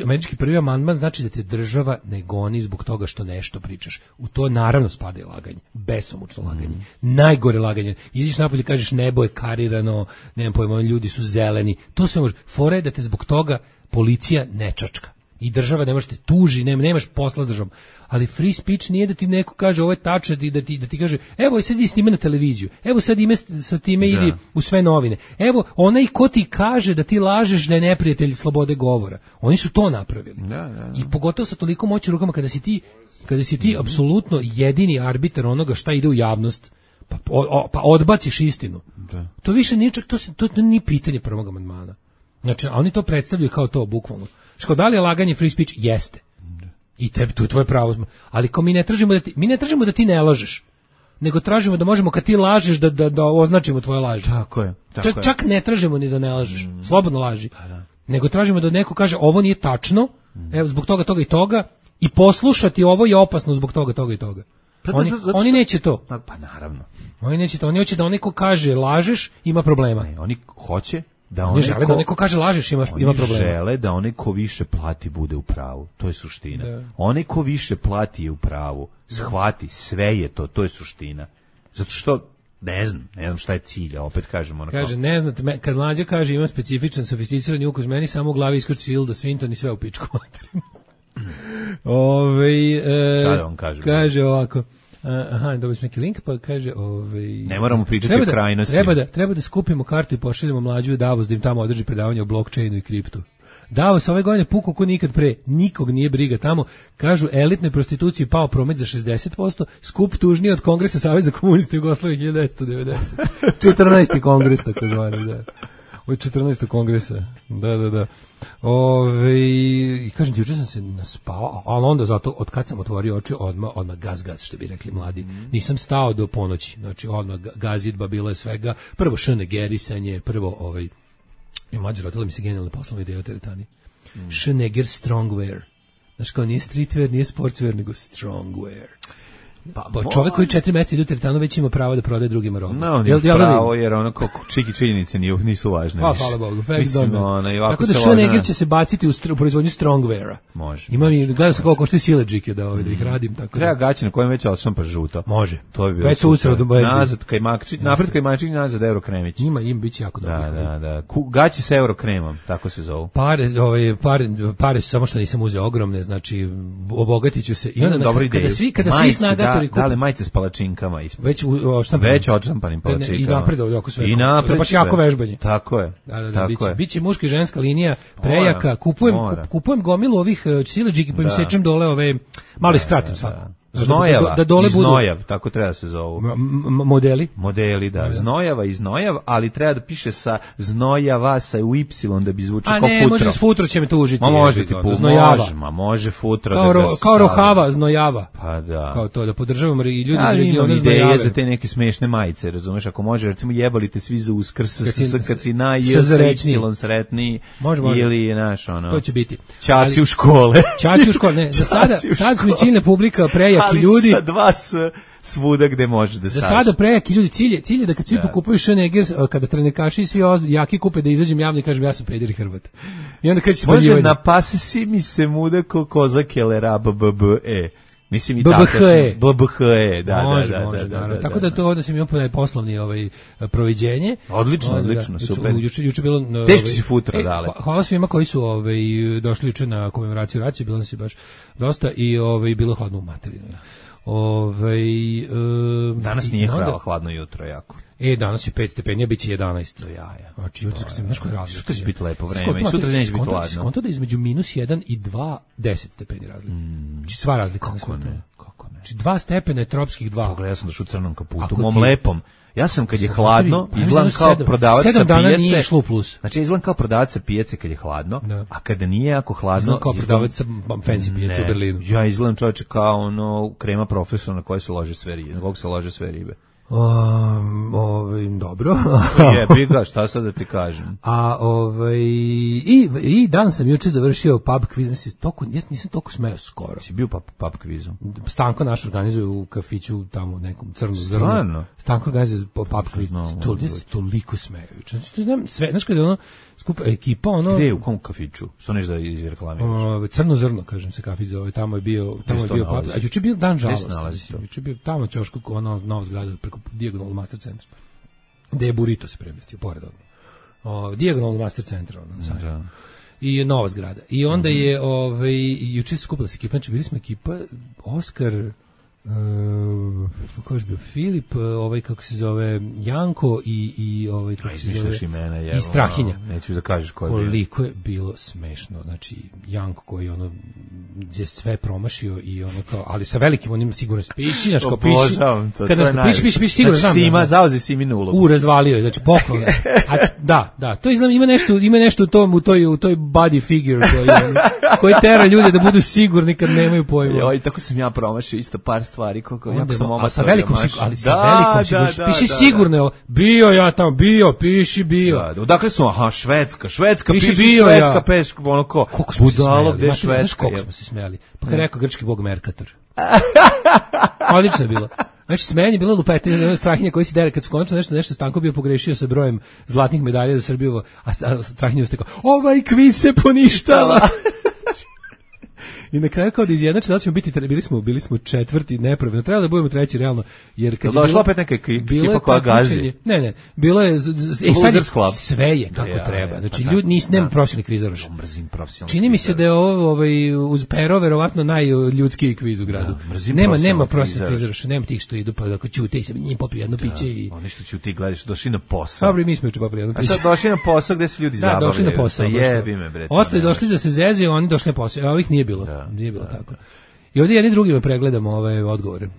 američki prvi amandman znači da te država ne goni zbog toga što nešto pričaš. U to naravno spada i laganje, besomučno laganje, mm. najgore laganje. Iziš napolje i kažeš nebo je karirano, nemam pojma, ljudi su zeleni, to sve može. Fora je da te zbog toga policija ne čačka. I država ne može te tuži, nema, nemaš posla s državom. Ali free speech nije da ti neko kaže ovo je tačno, da ti, da ti kaže evo sad idi snime na televiziju, evo sad ime sa time idi da. U sve novine, evo onaj ko ti kaže da ti lažeš da je neprijatelj slobode govora. Oni su to napravili. Da, da, da. I pogotovo sa toliko moći rukama kada si ti, kada si ti mm-hmm. apsolutno jedini arbitar onoga šta ide u javnost, pa, o, o, pa odbaciš istinu. Da. To više nije čak, to, se, to, to nije pitanje prvog amandmana. Znači, oni to predstavljaju kao to bukvalno. Što da li je laganje free speech? Jeste. I tebi, tu je tvoje pravo. Ali kao mi ne tražimo da ti, mi ne tražimo da ti ne lažeš. nego tražimo da možemo kad ti lažeš da da da označimo tvoje laži. Tako je. Tako čak, je. čak ne tražimo ni da ne lažeš. Mm. Slobodno laži. Da, da. Nego tražimo da neko kaže ovo nije tačno. Mm. Evo zbog toga toga i toga i poslušati ovo je opasno zbog toga toga i toga. Oni, zato, zato oni neće to. Pa, pa naravno. Oni neće to. Oni hoće da onaj ko kaže lažeš ima problema. Ne, oni hoće da oni onaj žele ko, da neko kaže lažeš ima ima problema. Oni žele da onaj ko više plati bude u pravu. To je suština. Da. Onaj ko više plati je u pravu. Shvati, sve je to, to je suština. Zato što ne znam, ne znam šta je cilj, a opet kažemo ono. Kaže, ne znate, me, kad mlađa kaže ima specifičan, sofisticirani ukus, meni samo u glavi iskrči Hilda Swinton i sve u pičku materinu. Ove, e, Kada on kaže? Kaže ovako, aha, dobili smo neki link, pa kaže, ovaj ne moramo pričati o krajnosti. Treba da, treba da skupimo kartu i pošaljemo mlađu u Davos da im tamo održi predavanje o blockchainu i kriptu. Davos ove godine pukao ko nikad pre, nikog nije briga tamo. Kažu, elitnoj prostituciji pao promet za šezdeset posto, skup tužniji od Kongresa Saveza komunista Jugoslavije hiljadu devetsto devedeset. četrnaesti kongres, tako zvani, da. Od četrnaestog kongresa, da, da, da. Ove, i kažem ti, juče sam se naspao, ali onda zato, od kad sam otvorio oči, odmah, odmah gaz, gaz, što bi rekli mladi. Mm. Nisam stao do ponoći, znači odmah gazidba, bilo je svega. Prvo šene gerisanje, prvo ovaj, i mlađe rodila mi se genijalna poslovna ideja o teretani. Mm. Schneger Strongwear. Znaš kao, nije streetwear, nije sportswear, nego strongwear. Pa, pa čovjek koji četiri mjeseca ide u teretanu već ima pravo da prodaje drugima robu. No, on ima pravo, jer ono kako čiki činjenice nisu važne. Pa, hvala Bogu. Mislim, ono, i ovako tako da Schneger će se baciti u, str- u proizvodnju strongweara. Može. Ima mi, gledam se koliko košte sileđike da, ovaj, da ih radim. Tako treba da. gaće na kojem već odšampa žuto. Može. To bi bilo već super. Nazad kajmakčić, napred kajmakčić, nazad Eurokremić. Ima, im biće jako dobro. Da, da, da. Ku, gaće sa Eurokremom, tako se zovu. Pare, ovaj, pare, pare su samo što nisam uzeo ogromne, znači obogatit ću se. I onda kada, kada svi, kada svi snagatori kupe. Dale majice s palačinkama ispod. Već odštampanim. Već odštampanim palačinkama. I napred ovdje oko sve. I napred baš jako vežbanje. Tako je. Da, da, da, tako biće, je. biće muška i ženska linija prejaka. Kupujem, kup, kupujem gomilu ovih uh, sileđiki pa im sečem dole ove, malo iskratim svako. Znojava, da, da dole i znojav, budu, tako treba da se zovu. M- m- modeli? Modeli, da. Znojava i znojav, ali treba da piše sa znojava, sa u Y, da bi zvučao kao futro. A ne, može s futro će me to užiti. Ma može ti pu, može, ma može futro. Kao, da ro, kao rohava, znojava. Pa da. Kao to, da podržavamo i ljudi ja, iz regiona znojave. Ideje za te neke smešne majice, razumeš, ako može, recimo jebali te svi za uskrs, kad si na Y, sretni, ili, znaš, ono. To će biti. Ćaci u škole. Ćaci u škole, ne, za sada, sad smo ciljna publika, prejaki ljudi. Ali sa dva s svuda gde može da staviš. Za sada prejaki ljudi, cilje, cilje da kad svi pokupuju Schneger, kada trenekaši i svi jaki kupe da izađem javno i kažem ja sam peder i Hrvat. I onda kreće spaljivanje. Može na pase si mi se muda ko kozak elera b b b e. Mislim i B B H E. B B H E, da, može, da, da, može, da, da, da. da. Tako da to da sam imao poslovni ovaj proviđenje. Odlično, odlično, da, super. Juče juče bilo ovaj, teški si futro dale. Hvala svima koji su ovaj došli juče na komemoraciju racije, bilo nas je baš dosta i ovaj bilo hladno u materinu. Ovaj e, danas nije onda, hladno jutro jako. E, danas je pet stepeni, biće jedanaest. Do jaja. Znači, jutro kad se znaš koji razlika. Sutra će biti lepo vreme i sutra neće biti hladno. Skonto da između minus jedan i dva, deset stepeni razlike. Mm. Znači, sva razlika. Kako ne, kako ne. Znači, dva stepena je tropskih dva. Pogledaj, sam došao u crnom kaputu, mom lepom. Ja sam kad je hladno, izgledam kao prodavac sa pijace. Sedam dana nije išlo u plus. Znači, izgledam kao prodavac sa pijace kad je hladno, da. A kada nije jako hladno... Izgledam kao prodavac sa fancy pijace u Berlinu. Ja izgledam čovječe kao ono krema profesora na koje se lože sve ribe, na kog se lože sve ribe. Um, ovaj, dobro. Jebi ga, šta sad da ti kažem. A ovaj i i dan sam juče završio pub kviz, mislim toliko, ja nisam toliko smeo skoro. Si bio pub, pub kvizu? Stanko naš organizuje u kafiću tamo nekom crnom zrnu. Stanko organizuje pub kviz. To je toliko smeo juče. Znači znam sve, znači kad je ono skupa ekipa ono. Gde u kom kafiću? Što neš da izreklamiraš? Uh, crno zrno, kažem se kafić zove, tamo je bio, tamo je bio pub. A juče je bio dan žalosti. Juče je bio tamo ćošku ono nova zgrada Dijagonal Master Centra. Gde je Burrito se premestio, pored odmah. Dijagonal Master Centra. Ono, da. I nova zgrada. I onda mm-hmm. je, ovaj, juče se skupila se ekipa, znači bili smo ekipa, Oskar, Uh, kako je bio Filip, ovaj kako se zove Janko i i ovaj kako se zove imena, jevo, i Strahinja. No, neću da kažeš ko je. Koliko je bilo smešno, znači Janko koji ono je sve promašio i ono kao, ali sa velikim onim sigurno piši, znači kao piši. Kada piši, piši, piši, sigurno znam. Sima zauzi Simi nulu. U razvalio je, znači poklon. A da, da, to izgleda ima nešto, ima nešto u tom u toj u toj body figure koji koji tera ljude da budu sigurni kad nemaju pojma. Joj, tako sam ja promašio isto par stvari, kako Onda jako sam mo- a omator. sa velikom maš- sigur, ali sa Da, velikom da, sigurnošću. da, Piši da, sigurno, evo, bio ja tamo, bio, piši bio. Da, da, odakle su, aha, Švedska, Švedska, Piše piši bio Švedska, ja. peš, ono ko, Koliko smo se budalo, smejali, gde je znate, znaš Švedska? koliko je? smo se smejali. Pa kad je rekao grčki bog Merkator. Odlično je bilo. Znači, smejanje je bilo lupetanje, ono Strahinja koji si dere, kad su končno nešto, nešto Stanko bio pogrešio sa brojem zlatnih medalja za Srbiju, a Sta- Strahinja ustekao, ovaj kviz se poništava. I na kraju kao da izjednači, da ćemo biti, tre- bili smo, bili smo četvrti nepravilno, trebalo da budemo treći realno, jer kad Jel je došla bilo- opet neka ekipa bilo je koja gazi? takmičenje- Ne, ne, bilo je, z- z- e, sad je, Losers Club. sve je kako Ja, treba, ja, znači pa ljudi, da, nis, nema da. profesionalnih kvizaraša. Mrzim profesionalni Čini mi se kvizar. da je ovo ovaj, uz Pero verovatno najljudskiji kviz u gradu. Da, mrzim nema, profesionalnog nema profesionalnih kvizara. kvizaraša, nema tih što idu pa da ćute i se njim popiju jedno piće i... Oni što ću ti gledaš, došli na posao. Dobro, i mi smo juče popili jedno A piće. sad došli na posao gde se ljudi Da, zabavljaju. došli na posao. Sa baš to. jebi me, bre. to Ostali ne došli da se zezaju, oni došli na posao. A ovih nije bilo. Da, nije bilo tako. I ovdje jedni drugima pregledamo ove odgovore.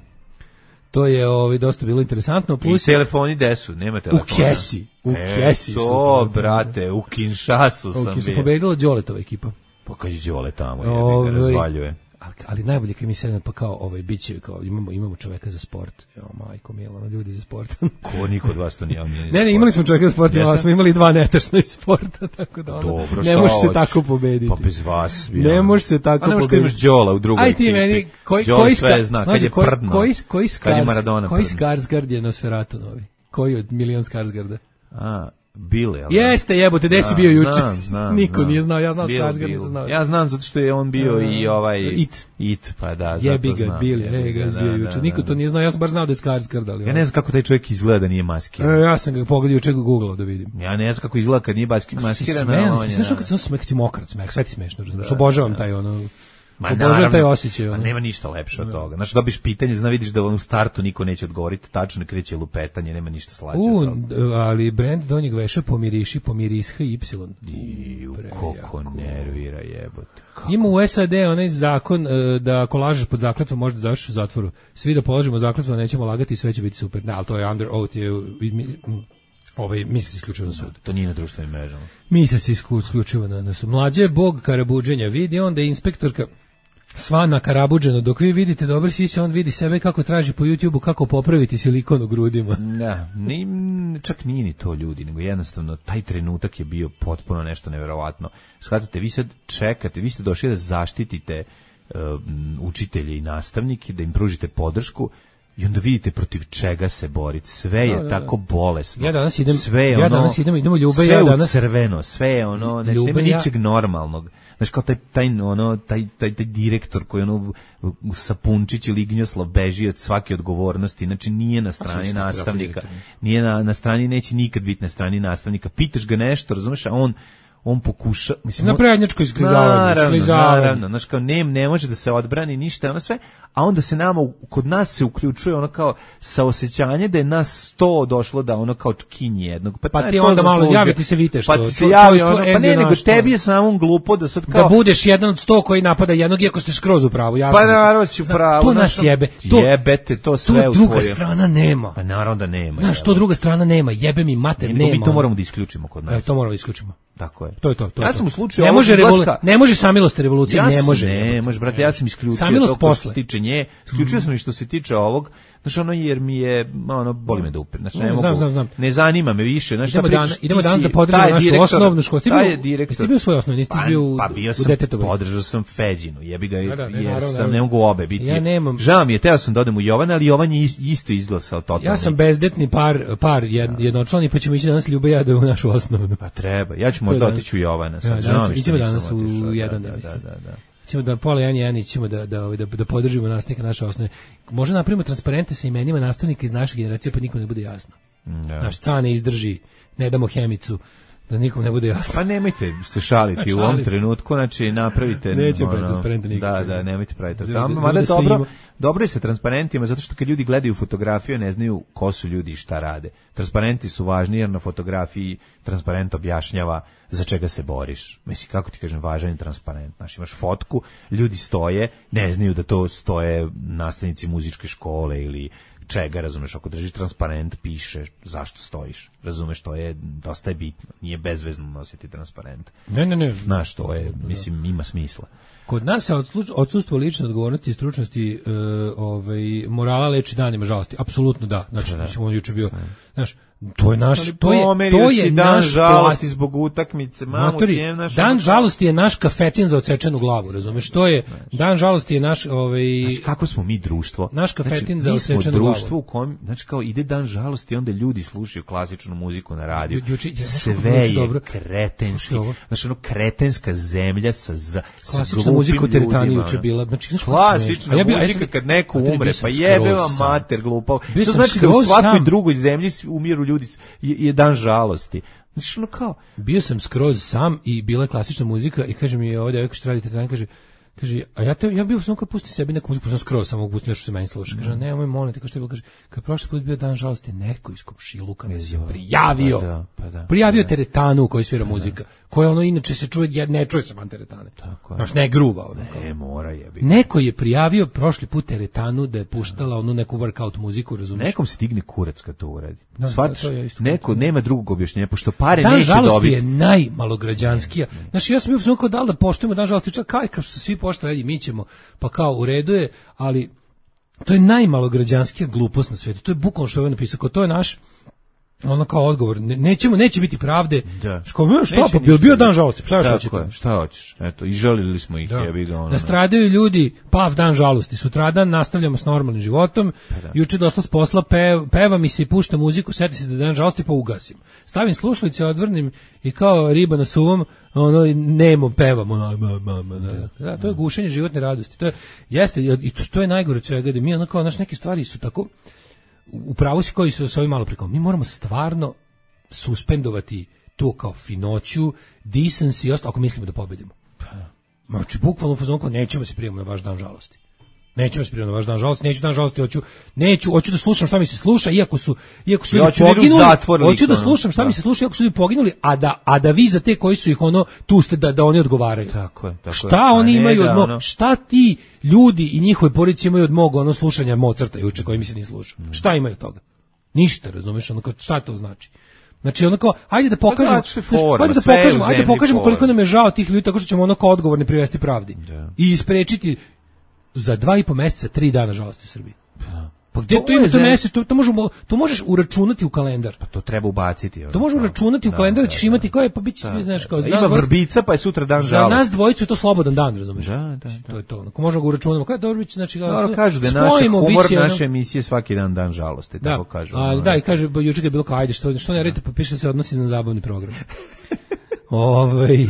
To je ovaj, dosta bilo interesantno. I Plus, telefoni gde su? Nema u telefona. kesi. U E, kesi su. to, brate, u Kinshasu U sam kesi bio. pobedila Đoletova ekipa. Pa kad je Đole tamo, jebi Ovaj, ga, razvaljuje. Ali, ali najbolje kad mi se pa kao ovaj biće kao imamo imamo čoveka za sport. Jo majko mila, ono, ljudi za sport. Ko niko od vas to nije omiljen. Ne, ne, imali smo čoveka za sport, Jesam? ali smo imali dva netačna iz sporta, tako da ono, Dobro, ne šta može se hoćeš? tako pobediti. Pa bez vas. bi, Ne ono. može se tako A ne možeš kad pobediti. imaš Đola u drugoj Aj ti ekipi. meni, koji, Đole koji sve ska- zna, kad znaš, je koji- prdno. Koji, koji, Kad je Skars- Maradona koji prdno. Skarsgard je Nosferatu novi? Koji od milion Skarsgarda? A, Bile, jel? Jeste, jebote, gde si Da, bio juče? Znam, znam. Niko znam. nije znao, ja znam Bil, Skarsgard, bil. nisam znao. Ja znam zato što je on bio i ovaj It. It, pa da, Jebi zato ga, znam. bili, Jebi e, ga, da, bio da, juče. da, Niko da. to nije znao, ja sam bar znao da je Skarsgard, ali... Ja ne znam kako taj čovjek izgleda da nije maskiran. E, ja sam ga pogledao juče googlao da vidim. Ja ne znam kako izgleda kad nije baski- maskiran. a on je, Znaš da. kad sam smeh, kad si mokrat smeh, sve ti smešno, razumiješ, obožavam taj ono... Ma Obožavam naravno, taj osjećaj. Pa ono. nema ništa lepše od toga. Znači, dobiš pitanje, zna vidiš da u startu niko neće odgovoriti, tačno kreće lupetanje, nema ništa slađe U, od toga. ali brend donjeg veša pomiriši, pomirisha y. I Prejako. koliko nervira jebote. Kako? Ima u S A D onaj zakon e, da ako lažeš pod zakletvom možda završiš u zatvoru. Svi da položimo zakletvu, a nećemo lagati i sve će biti super. Ne, ali to je under oath, je, mi- ovaj, misli se isključivo na sud. To nije na društvenim mrežama. Misli se isku- isključivo na, na sud. Mlađe je bog karabuđenja. Vidi onda je inspektorka sva nakarabuđeno. Dok vi vidite dobar sise, on vidi sebe kako traži po YouTubeu kako popraviti silikon u grudima. Da, ni, čak nije ni to ljudi, nego jednostavno taj trenutak je bio potpuno nešto neverovatno. Shvatate, vi sad čekate, vi ste došli da zaštitite um, učitelje i nastavnike, da im pružite podršku i onda vidite protiv čega se boriti. Sve je Da, da, da. tako bolesno. Ja danas idem- sve je ja ono, danas idem- idemo Ljube, sve ja u danas- crveno, sve je ono, znači Ljube, nema ja- ničeg normalnog. Znaš, kao taj, taj, ono, taj, taj, taj direktor koji ono, Sapunčić ili Ignjoslav beži od svake odgovornosti, znači nije na strani svaki nastavnika, direktor. nije na, na strani, neće nikad biti na strani nastavnika. Pitaš ga nešto, razumeš, a on on pokuša, mislim, Na on- prednjačko isklizavanje, Naravno, isklizavanje. naravno, znaš, kao ne, ne može da se odbrani ništa, ono sve, a onda se nama, u- kod nas se uključuje ono kao saosećanje da je nas sto došlo da ono kao kinje jednog. Pa taj ti to onda malo zaslužio. javi ti se vite što- Pa ti se čo- javi čojstvo ono, pa ne, endio nego naš, tebi to. je samo glupo da sad Da kao... budeš jedan od sto koji napada jednog, iako ste skroz u pravu. jasno. Pa naravno si u Znaš, pravu. To znaš, nas jebe. To, jebete, to sve to u druga tvoje- strana nema. Pa naravno da nema. Znaš, to jebote. druga strana nema. Jebe mi mater, Nego nema. mi to moramo da isključimo kod E, nas. to moramo da isključimo. Tako je. To je to, to je Ja to. sam u slučaju ne ovog može, izlaska- revolu- ne može samilost revolucije, Ja ne sam- može. Ne, može, brate, ja sam isključio Samilost to što se posle. tiče nje. Isključio sam i što se tiče ovog, znaš, ono, jer mi je, ono, boli me dupe. Znači, ne Mm, mogu, znam, znam, znam. ne zanima me više. Znači, Idemo, šta dan, pričaš, idemo ti danas si- da podržimo taj našu direktor- osnovnu školu. Ti taj bio, je direktor. jesi ti bio u svojoj osnovnoj, nisi ti Pa, bio u, pa bio u sam, Detetovoj. podržao sam Feđinu, jebi ga, Da, da, ne, jer naravno, sam naravno. ne mogu obe biti. Ja nemam- Žao mi je, teo sam da odem u Jovana, ali Jovan je is- isto izglasao totalno. Ja sam bezdetni par, par jed, jednočlani, pa ćemo ići danas Ljube i ja da u našu osnovnu. Pa treba, ja ću To možda je danas. otići u Jovana. Ja, Sad, danas žao mi što idemo nisam danas u otišao, da, jedan, da, ja da, mislim. da, da. Ćemo da pola jedan jedan ćemo da da ovaj, da da podržimo nastavnika naše osnove. Možda napravimo transparente sa imenima nastavnika iz naše generacije pa nikom ne bude jasno. Da. Naš cane izdrži, ne damo hemicu, da nikom ne bude jasno. Pa nemojte se šaliti u ovom Šalim se. trenutku, znači napravite... Nećemo ono, praviti transparente nikakve. Da, da, nemojte praviti. Ljude- Samo, ljude mada je dobro, stojimo. dobro je sa transparentima, zato što kad ljudi gledaju fotografiju, ne znaju ko su ljudi i šta rade. Transparenti su važni, jer na fotografiji transparent objašnjava za čega se boriš. Mislim, kako ti kažem, važan je transparent. Znaš, imaš fotku, ljudi stoje, ne znaju da to stoje nastavnici muzičke škole ili čega, razumeš, ako držiš transparent, piše zašto stojiš, razumeš, to je, dosta je bitno, nije bezvezno nositi transparent. Ne, ne, ne. Znaš, to je, mislim, ima smisla. Kod nas je odsustvo lične odgovornosti i stručnosti e, ovaj, morala leči danima žalosti. Apsolutno da. Znači, da. Mislim, on juče bio, znaš, to je naš, to je, to je dan naš žalosti zbog utakmice, mamu, Matori, tijem, naš, dan žalosti je naš kafetin za odsečenu glavu, razumeš? To je, dan žalosti je naš, ovaj, znači, kako smo mi društvo? Naš kafetin znači, za odsečenu glavu. Mi smo društvo u kojem, znači, kao ide dan žalosti i onda ljudi slušaju klasičnu muziku na radiju. Ju, ju, ju, sve je dobro. Kretenski. Znači, ono, kretenska zemlja sa, za, sa klasična muzika u teretani juče bila. Znači, znaš, klasična ja bi, muzika ja kad neko Mater, umre, pa jebe vam mater glupav. To znači da u svakoj sam. drugoj zemlji umiru ljudi, je, je dan žalosti. Znači, ono kao... Bio sam skroz sam i bila je klasična muzika i kaže mi ovdje, ako što radite teretani, kaže, kaže, a ja te, ja bio sam kao pusti sebi neku muziku, sam skroz samo pusti nešto se meni sluša. Kaže, ne, moj molim te, kao što je bilo, kaže, kad prošli put bio dan žalosti, neko iz komšiluka nas je prijavio. Pa da, pa da, prijavio pa da. Teretanu u kojoj svira pa muzika. Da. Koja ono inače se čuje, ne čuje se van teretane. Tako je. Znaš, ne gruva. Ono, ne, mora jebi. Neko je prijavio prošli put teretanu da je puštala onu neku workout muziku, razumiješ? Nekom se digne kurac kad to uradi. Da, Svatiš, da, neko nema drugog objašnjenja, pošto pare dan neće dobiti. Dan žalosti je najmalograđanskija. Znaš, ja sam bio sam kao da li da poštujemo dan žalosti, čak kaj kao što svi poštovali, mi ćemo, pa kao u redu je, ali to je najmalograđanskija glupost na svijetu. To je bukvalno što je ovaj napisao, kao to je naš ono kao odgovor, ne, nećemo, neće biti pravde. Da. Što, šta, pa bio, bio dan žalosti, šta još hoćete? Je, šta hoćeš? Eto, i žalili smo ih, da. Jebi ga ono. Nastradaju ljudi, pav dan žalosti, sutradan nastavljamo s normalnim životom, da. Juče došla s posla, pev, peva mi se i pušta muziku, seti se da je dan žalosti, pa ugasim. Stavim slušalice, odvrnim i kao riba na suvom, ono, nemo pevamo. Da. Da, to je gušenje životne radosti. To je, jeste, i to, to je najgore od svega, da mi ono kao, naš neke stvari su tako... Upravo si koji su s ovim malo prikom. Mi moramo stvarno suspendovati to kao finoću, decency i ostalo, ako mislimo da pobedimo. Znači, bukvalno u fazonu, nećemo se prijemati na vaš dan žalosti. Nećemo se prijemati na vaš dan žalosti, neću dan žalosti, hoću, neću, hoću da slušam šta mi se sluša, iako su, iako su ljudi poginuli, hoću da slušam šta da. mi se sluša, iako su ljudi poginuli, a da, a da vi za te koji su ih ono, tu ste da, da oni odgovaraju. Tako je, tako šta je. oni ne, imaju da, od mog, ono... šta ti ljudi i njihove porodice imaju od mog ono slušanja Mozarta juče koji mi se nije slušao. Mm. Šta imaju od toga? Ništa, razumeš, ono kao, šta to znači? Znači ono kao, ajde da pokažemo, forma, ajde da pokažemo, ajde da pokažemo koliko nam je žao tih ljudi, tako što ćemo ono kao odgovorni privesti pravdi. Da. I isprečiti za dva i po meseca, tri dana žalosti u Srbiji. Pa gdje to, to ima to mesec, to, to, možemo, to možeš uračunati u kalendar. Pa to treba ubaciti. To možeš uračunati u da, kalendar, da ćeš da, imati koje, pa bit će, da, znaš, kao... Da, ima vrbica, pa je sutra dan žalosti. Za nas dvojicu je to slobodan dan, razumiješ? Da, da, da. To je to. Ako možemo ga uračunamo, kada dobro biće, znači... Da, kažu da je naše humor, naše emisije svaki dan dan žalosti, tako kažu. A, da, i kaže, juče je bilo kao, ajde, što, što ne radite, pa piše da se odnosi na zabavni program. Ovaj,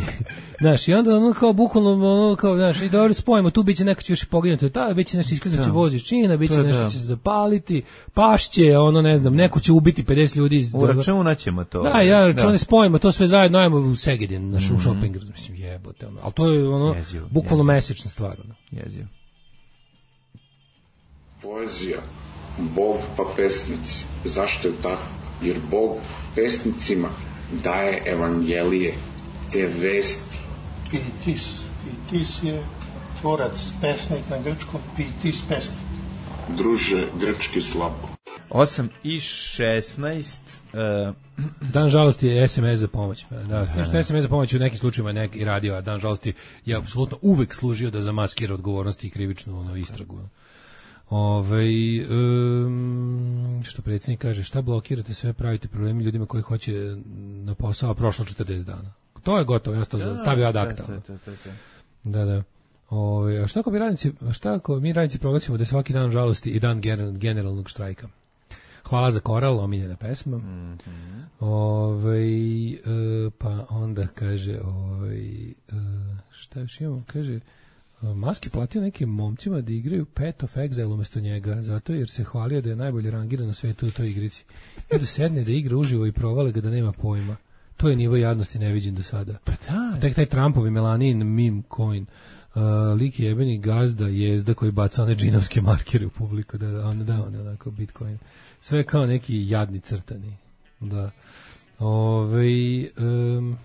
znaš, i onda ono kao bukvalno ono kao, znaš, i dobro spojimo, tu biće neko će još i poginuti, ta biće nešto iskazat će vozi čina, biće nešto da. će se zapaliti, pašće, ono ne znam, neko će ubiti pedeset ljudi iz uračunaćemo to. Da, ja računam, spojimo to sve zajedno, ajmo u Segedin, naš mm-hmm. shopping, mislim, jebote, ono, al to je ono jezivo, bukvalno jezivo. mesečna stvar, ono. Jezivo. Poezija, Bog pa pesnici. Zašto je tako? Jer Bog pesnicima daje evangelije, te vesti. Pitis. Pitis je tvorac, pesnik na grčkom, pitis pesnik. Druže, grčki slabo. osam i šesnaest Uh... Dan žalosti je es em es za pomoć. Da, s tim što es em es za pomoć u nekim slučajevima neki radio, a dan žalosti je apsolutno uvek služio da zamaskira odgovornosti i krivičnu ono, istragu. Ove, um, što predsjednik kaže, šta blokirate, sve pravite problemi ljudima koji hoće na posao, a prošlo četrdeset dana. To je gotovo, ja sam to stavio ad acta. Da, da. Ove, a šta ako mi radnici, šta ako mi radnici proglasimo da je svaki dan žalosti i dan generalnog štrajka? Hvala za koral, omiljena pesma. Mm-hmm. Ove, e, pa onda kaže, ove, e, šta još imamo, kaže, Maski platio nekim momcima da igraju Path of Exile umjesto njega, zato jer se hvalio da je najbolje rangiran na svetu u toj igrici. I da sedne da igra uživo i provale ga da nema pojma. To je nivo jadnosti neviđen do sada. Pa da. Tek taj Trumpovi Melanin meme coin. Uh, lik je jebeni gazda jezda koji baca one džinovske markere u publiku, da, da, on da, on onako Bitcoin. Sve kao neki jadni crtani. Da. Ove, um,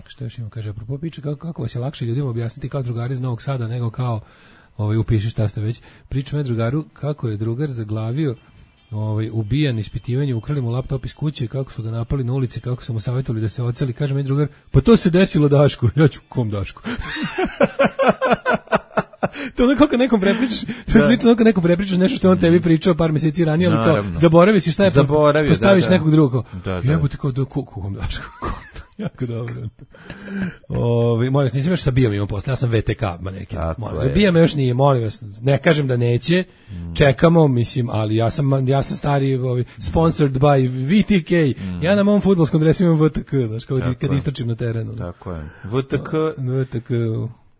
što još imam, kaže, apropo piče, kako, kako vas je lakše ljudima objasniti kao drugari iz Novog Sada, nego kao ovaj, upiši šta ste već. Pričam je drugaru kako je drugar zaglavio ovaj, ubijan ispitivanje, ukrali mu laptop iz kuće, kako su ga napali na ulici, kako su mu savjetovali da se oceli. Kaže mi drugar, pa to se desilo Dašku. Ja ću kom Dašku? To ono kako nekom prepričaš, to je slično kako nekom prepričaš nešto što on tebi pričao par mjeseci ranije, ali kao zaboravi si šta je, Zaboravio, postaviš da, da. nekog drugog. Da, da. Jebote kao da kom Dašku. Jako dobro. Ovi, molim vas, nisam još sa Bijom imao posle, ja sam V T K manekin. Bija me još nije, molim vas, ne kažem da neće, mm. čekamo, mislim, ali ja sam, ja sam stari, ovi, sponsored by V T K, mm. ja na mom fudbalskom dresu imam V T K, znaš, kao tako kad je. Istračim na terenu. Tako je. V T K, V T K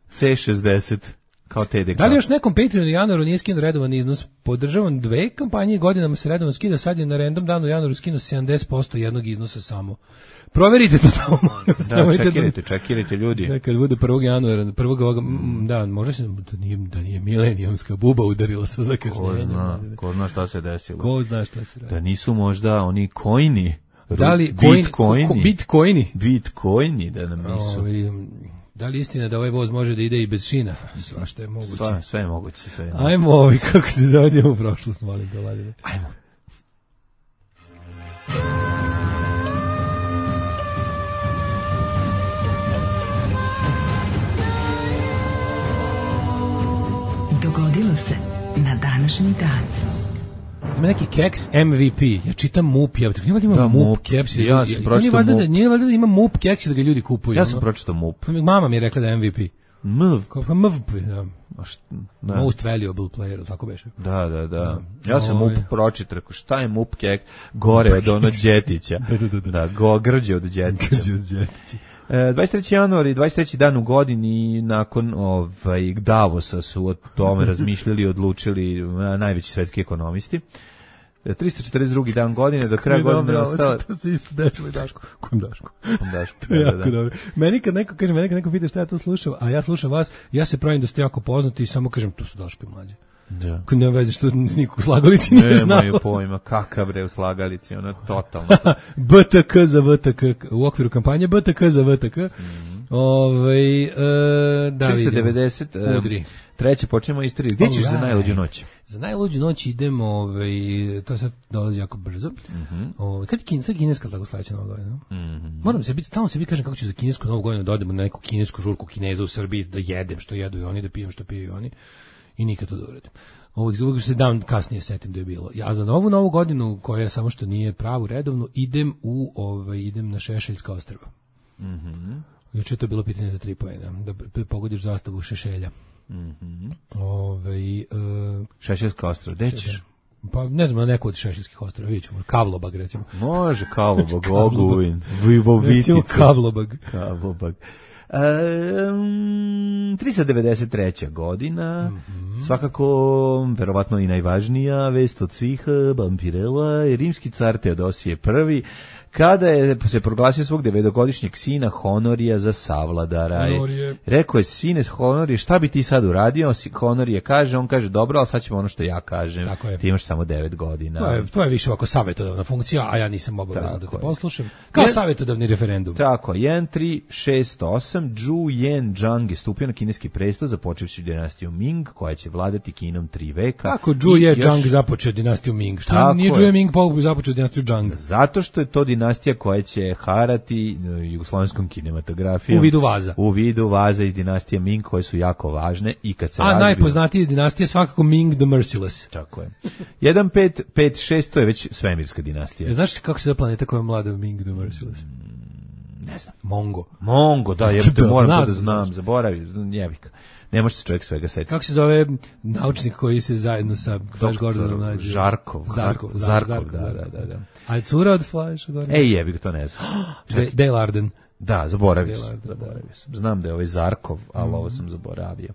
C šezdeset. Kao T D K. Da li još nekom Patreonu u januaru nije skinuo redovan iznos? Podržavam dve kampanje, godinama se redovan skida, sad je na random danu u januaru skinuo sedamdeset posto jednog iznosa samo. Proverite to tamo. Da, čekirajte, čekirajte ljudi. Da, kad bude prvog januara, prvog ovoga, mm. da, može se, da nije, da nije milenijumska buba udarila sa zakašnjenjem. Ko zna, ko zna šta se desilo. Ko zna šta se radi. Da nisu možda oni coini, da li, bitcoini, bitcoini, bitcoini, da nam nisu. Ovi, da li istina da ovaj voz može da ide i bez šina? Svašta je moguće. Sve, sve je moguće. Sve je moguće. Ajmo ovi, kako se zavodimo u prošlost, molim te, Vladine. Ajmo. Dogodilo se na današnji dan. Ima neki keks M V P. Ja čitam M U P. Ja nije valjda ima da, M U P keks. Ja sam pročitao M U P. Nije valjda da ima M U P keks da ga ljudi kupuju. Ja sam pročitao M U P. Mama mi je rekla da je M V P. M V P. Pa M V P, da. Da. Most valuable player, tako beše. Da, da, da. Ja sam M U P pročitao, rekao, šta je M U P keks? Gore od onog Đetića. da, da, da. Da, go, grđe od Đetića. Grđe od Đetića. dvadeset treći januar i dvadeset treći dan u godini nakon ovaj Davosa su o tome razmišljali i odlučili najveći svetski ekonomisti. tristo četrdeset drugi dan godine, do kraja godine je ostalo. To se isto desilo i Dašku. Kom Dašku? Kom Dašku. To je jako da, da. dobro. Meni kad neko kaže, meni kad neko pita šta ja to slušam, a ja slušam vas, ja se pravim da ste jako poznati i samo kažem, tu su Daško i mlađe. Da. Kad nema veze što nikog u slagalici nije znao. Nemaju pojma, kakav bre u slagalici, ono totalno. B T K za V T K, u okviru kampanje B T K za V T K. Mm. Ove, e, da tristo devedeset Udri. Treće počnemo istoriju. Gdje ćeš za najluđu noć? Za najluđu noć idemo, ovaj, to sad dolazi jako brzo. Mm-hmm. Ovaj, kad je kineska, kineska tako sledeća nova godina? Mm-hmm. Moram se biti, stalno se bi kažem kako ću za kinesku novu godinu da odemo na neku kinesku žurku Kineza u Srbiji, da jedem što jedu i oni, da pijem što piju oni. I nikad to da uradim. Ovog uvijek se dan kasnije setim da je bilo. Ja za novu novu godinu, koja samo što nije pravu redovnu, idem u ovaj idem na Šešeljska ostrva. Mhm. Juče je to bilo pitanje za tri poena, da pogodiš zastavu Šešelja. Mhm. Ovaj uh, Šešeljska ostrva, gde ćeš? Pa ne znam, na neku od Šešeljskih ostrva, vidjet ćemo, Kavlobag recimo. Može Kavlobag, Ogulin, Vivovitica. Kavlobag. Kavlobag. Um, tristo devedeset treća godina, mm-hmm. svakako verovatno i najvažnija vest od svih, Vampirella je rimski car Teodosije prvi, kada je se proglasio svog devetogodišnjeg sina Honorija za savladara. Honorije. Rekao je, sine Honorije, šta bi ti sad uradio? Honorije kaže, on kaže, dobro, ali sad ćemo ono što ja kažem. Ti imaš samo devet godina. To je, to je više ovako savjetodavna funkcija, a ja nisam obavezan da te poslušam. Kao Jen, savjetodavni referendum. Tako, jedan tri šest osam, Zhu Yen-Zhang je stupio na kineski prestol, započevši dinastiju Ming, koja će vladati Kinom tri veka. Kako Zhu Yen-Zhang započeo dinastiju Ming? Šta nije Zhu Yen-Ming započeo dinastiju Zhang? Zato što je to dinastija koja će harati jugoslovenskom kinematografijom. U vidu vaza. U vidu vaza iz dinastije Ming, koje su jako važne i kad se A razbiju... najpoznatiji iz dinastije svakako Ming the Merciless. Tako je. jedan pet pet šest, to je već svemirska dinastija. E, znaš kako se zove planeta koja je mlada Ming the Merciless? Ne znam. Mongo. Mongo, da, ja te moram da znam, zaboravim, jebika. Ne može se čovjek svega setiti. Kako se zove naučnik koji se zajedno sa Flash Gordonom nađe? Žarkov. Zarkov, Zarkov, Zarkov, da, da, da, da. A je cura od Flash Gordona? Ej, jebi ga, to ne znam. Dale Arden. Da, zaboravio sam. Zaboravio sam. Znam da je ovaj Zarkov, ali mm. ovo sam zaboravio.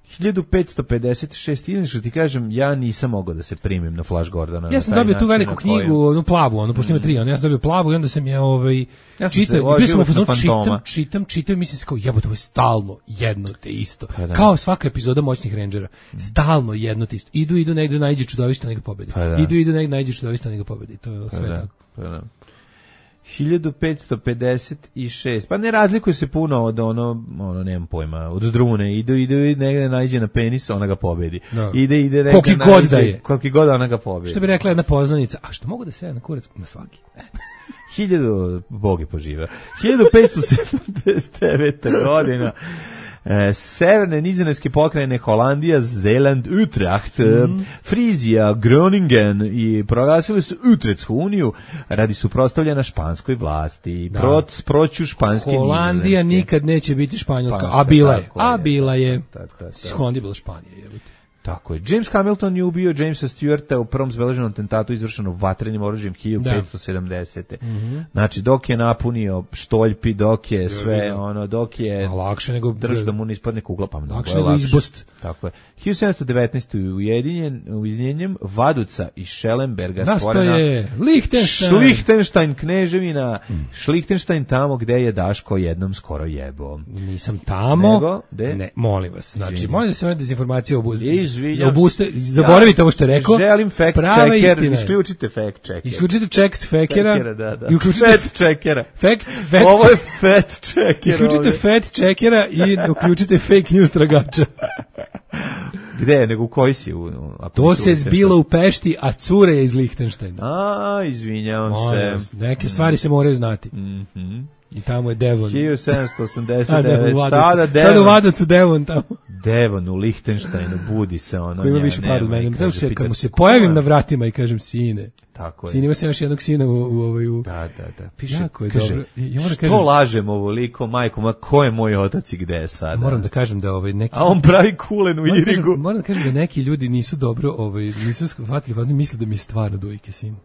hiljadu petsto pedeset šest, inače ti kažem, ja nisam mogao da se primim na Flash Gordona. Ja sam dobio tu veliku knjigu, onu plavu, onu pošto ima tri, ja sam dobio plavu i onda sam je ovaj ja čitao, bio sam u fazonu, čitam, čitam, čitam, mislim se kao jebote, ovo je stalno jedno te isto. Pa kao svaka epizoda Moćnih rendžera, stalno jedno te isto. Idu, idu negde naiđe čudovište, nego pobedi. Pa idu, idu negde naiđe čudovište, nego pobedi. To je sve pa tako. Pa hiljadu petsto pedeset šest. Pa ne razlikuje se puno od ono, ono nemam pojma, od Drune. Ide, ide, negde nađe na penis, ona ga pobedi. No. Ide, ide, negde koliki god da je. Koliki god ona ga pobedi. Što bi rekla jedna poznanica, a što mogu da se na kurac na svaki? Hiljadu, Bog je poživa. hiljadu petsto sedamdeset devete. godina. E, severne nizozemske pokrajine Holandija, Zeeland, Utrecht, mm. Frizija, Groningen i proglasili su Utrechtsku uniju radi suprotstavljanja španskoj vlasti. Da. Prot, proću španske Holandija nizozemske. nikad neće biti španjolska, Španska, a bila je. je A bila je. Tak, tak, tak. Holandija bila Španija, je. Tako je. James Hamilton je ubio Jamesa Stewarta u prvom zabeleženom atentatu izvršenom vatrenim oružjem hiljadu petsto sedamdesete. Mm-hmm. Znači, dok je napunio štoljpi, dok je sve, ja, ono, dok je... A lakše nego... Drž da mu ne ispadne kugla, pa mnogo lakše je nego lakše. Izbost. Tako je. hiljadu sedamsto devetnaeste. ujedinjen, ujedinjenjem Vaduca i Schellenberga da, stvorena... je Lichtenstein. Lichtenstein, kneževina. Mm. Lichtenstein tamo gde je Daško jednom skoro jebo. Nisam tamo. Nego, de? Ne, molim vas. Znači, Izvinjam. molim da se ove dezinformacije obuste. Izvinjam. Obuste, zaboravite ja, ovo što je rekao. Želim fact checker, isključite fact checker. Isključite checked fackera. Fackera, da, da. I uključite fact checkera. Fact, fact Ovo je fact checker. Isključite ovdje. Fact checkera i uključite fake news tragača. Gde, nego u koji si? U, u, to se zbilo u Pešti, a cure je iz Lichtensteina. A, izvinjavam Molim, se. Neke stvari se moraju znati. Mhm. I tamo je Devon. hiljadu sedamsto osamdeset devet. Sada Devon. Sada u Vadocu Devon tamo. Devon u Lichtensteinu budi se ono. Ko ima više par od mene. Kaže, se, kad mu se pojavim na vratima i kažem sine. Tako je. Sin ima se još jednog sina u, u, u, u... Da, da, da. Piše, jako je kaže, dobro. Ja što kažem, lažem ovoliko, majko, ma ko je moj otac i gde je sada? Moram da kažem da ovaj neki... A on pravi kulen u moram Irigu. Kažem, moram da kažem da neki ljudi nisu dobro, ovaj, nisu shvatili, važno misle da mi je stvarno dojke sin.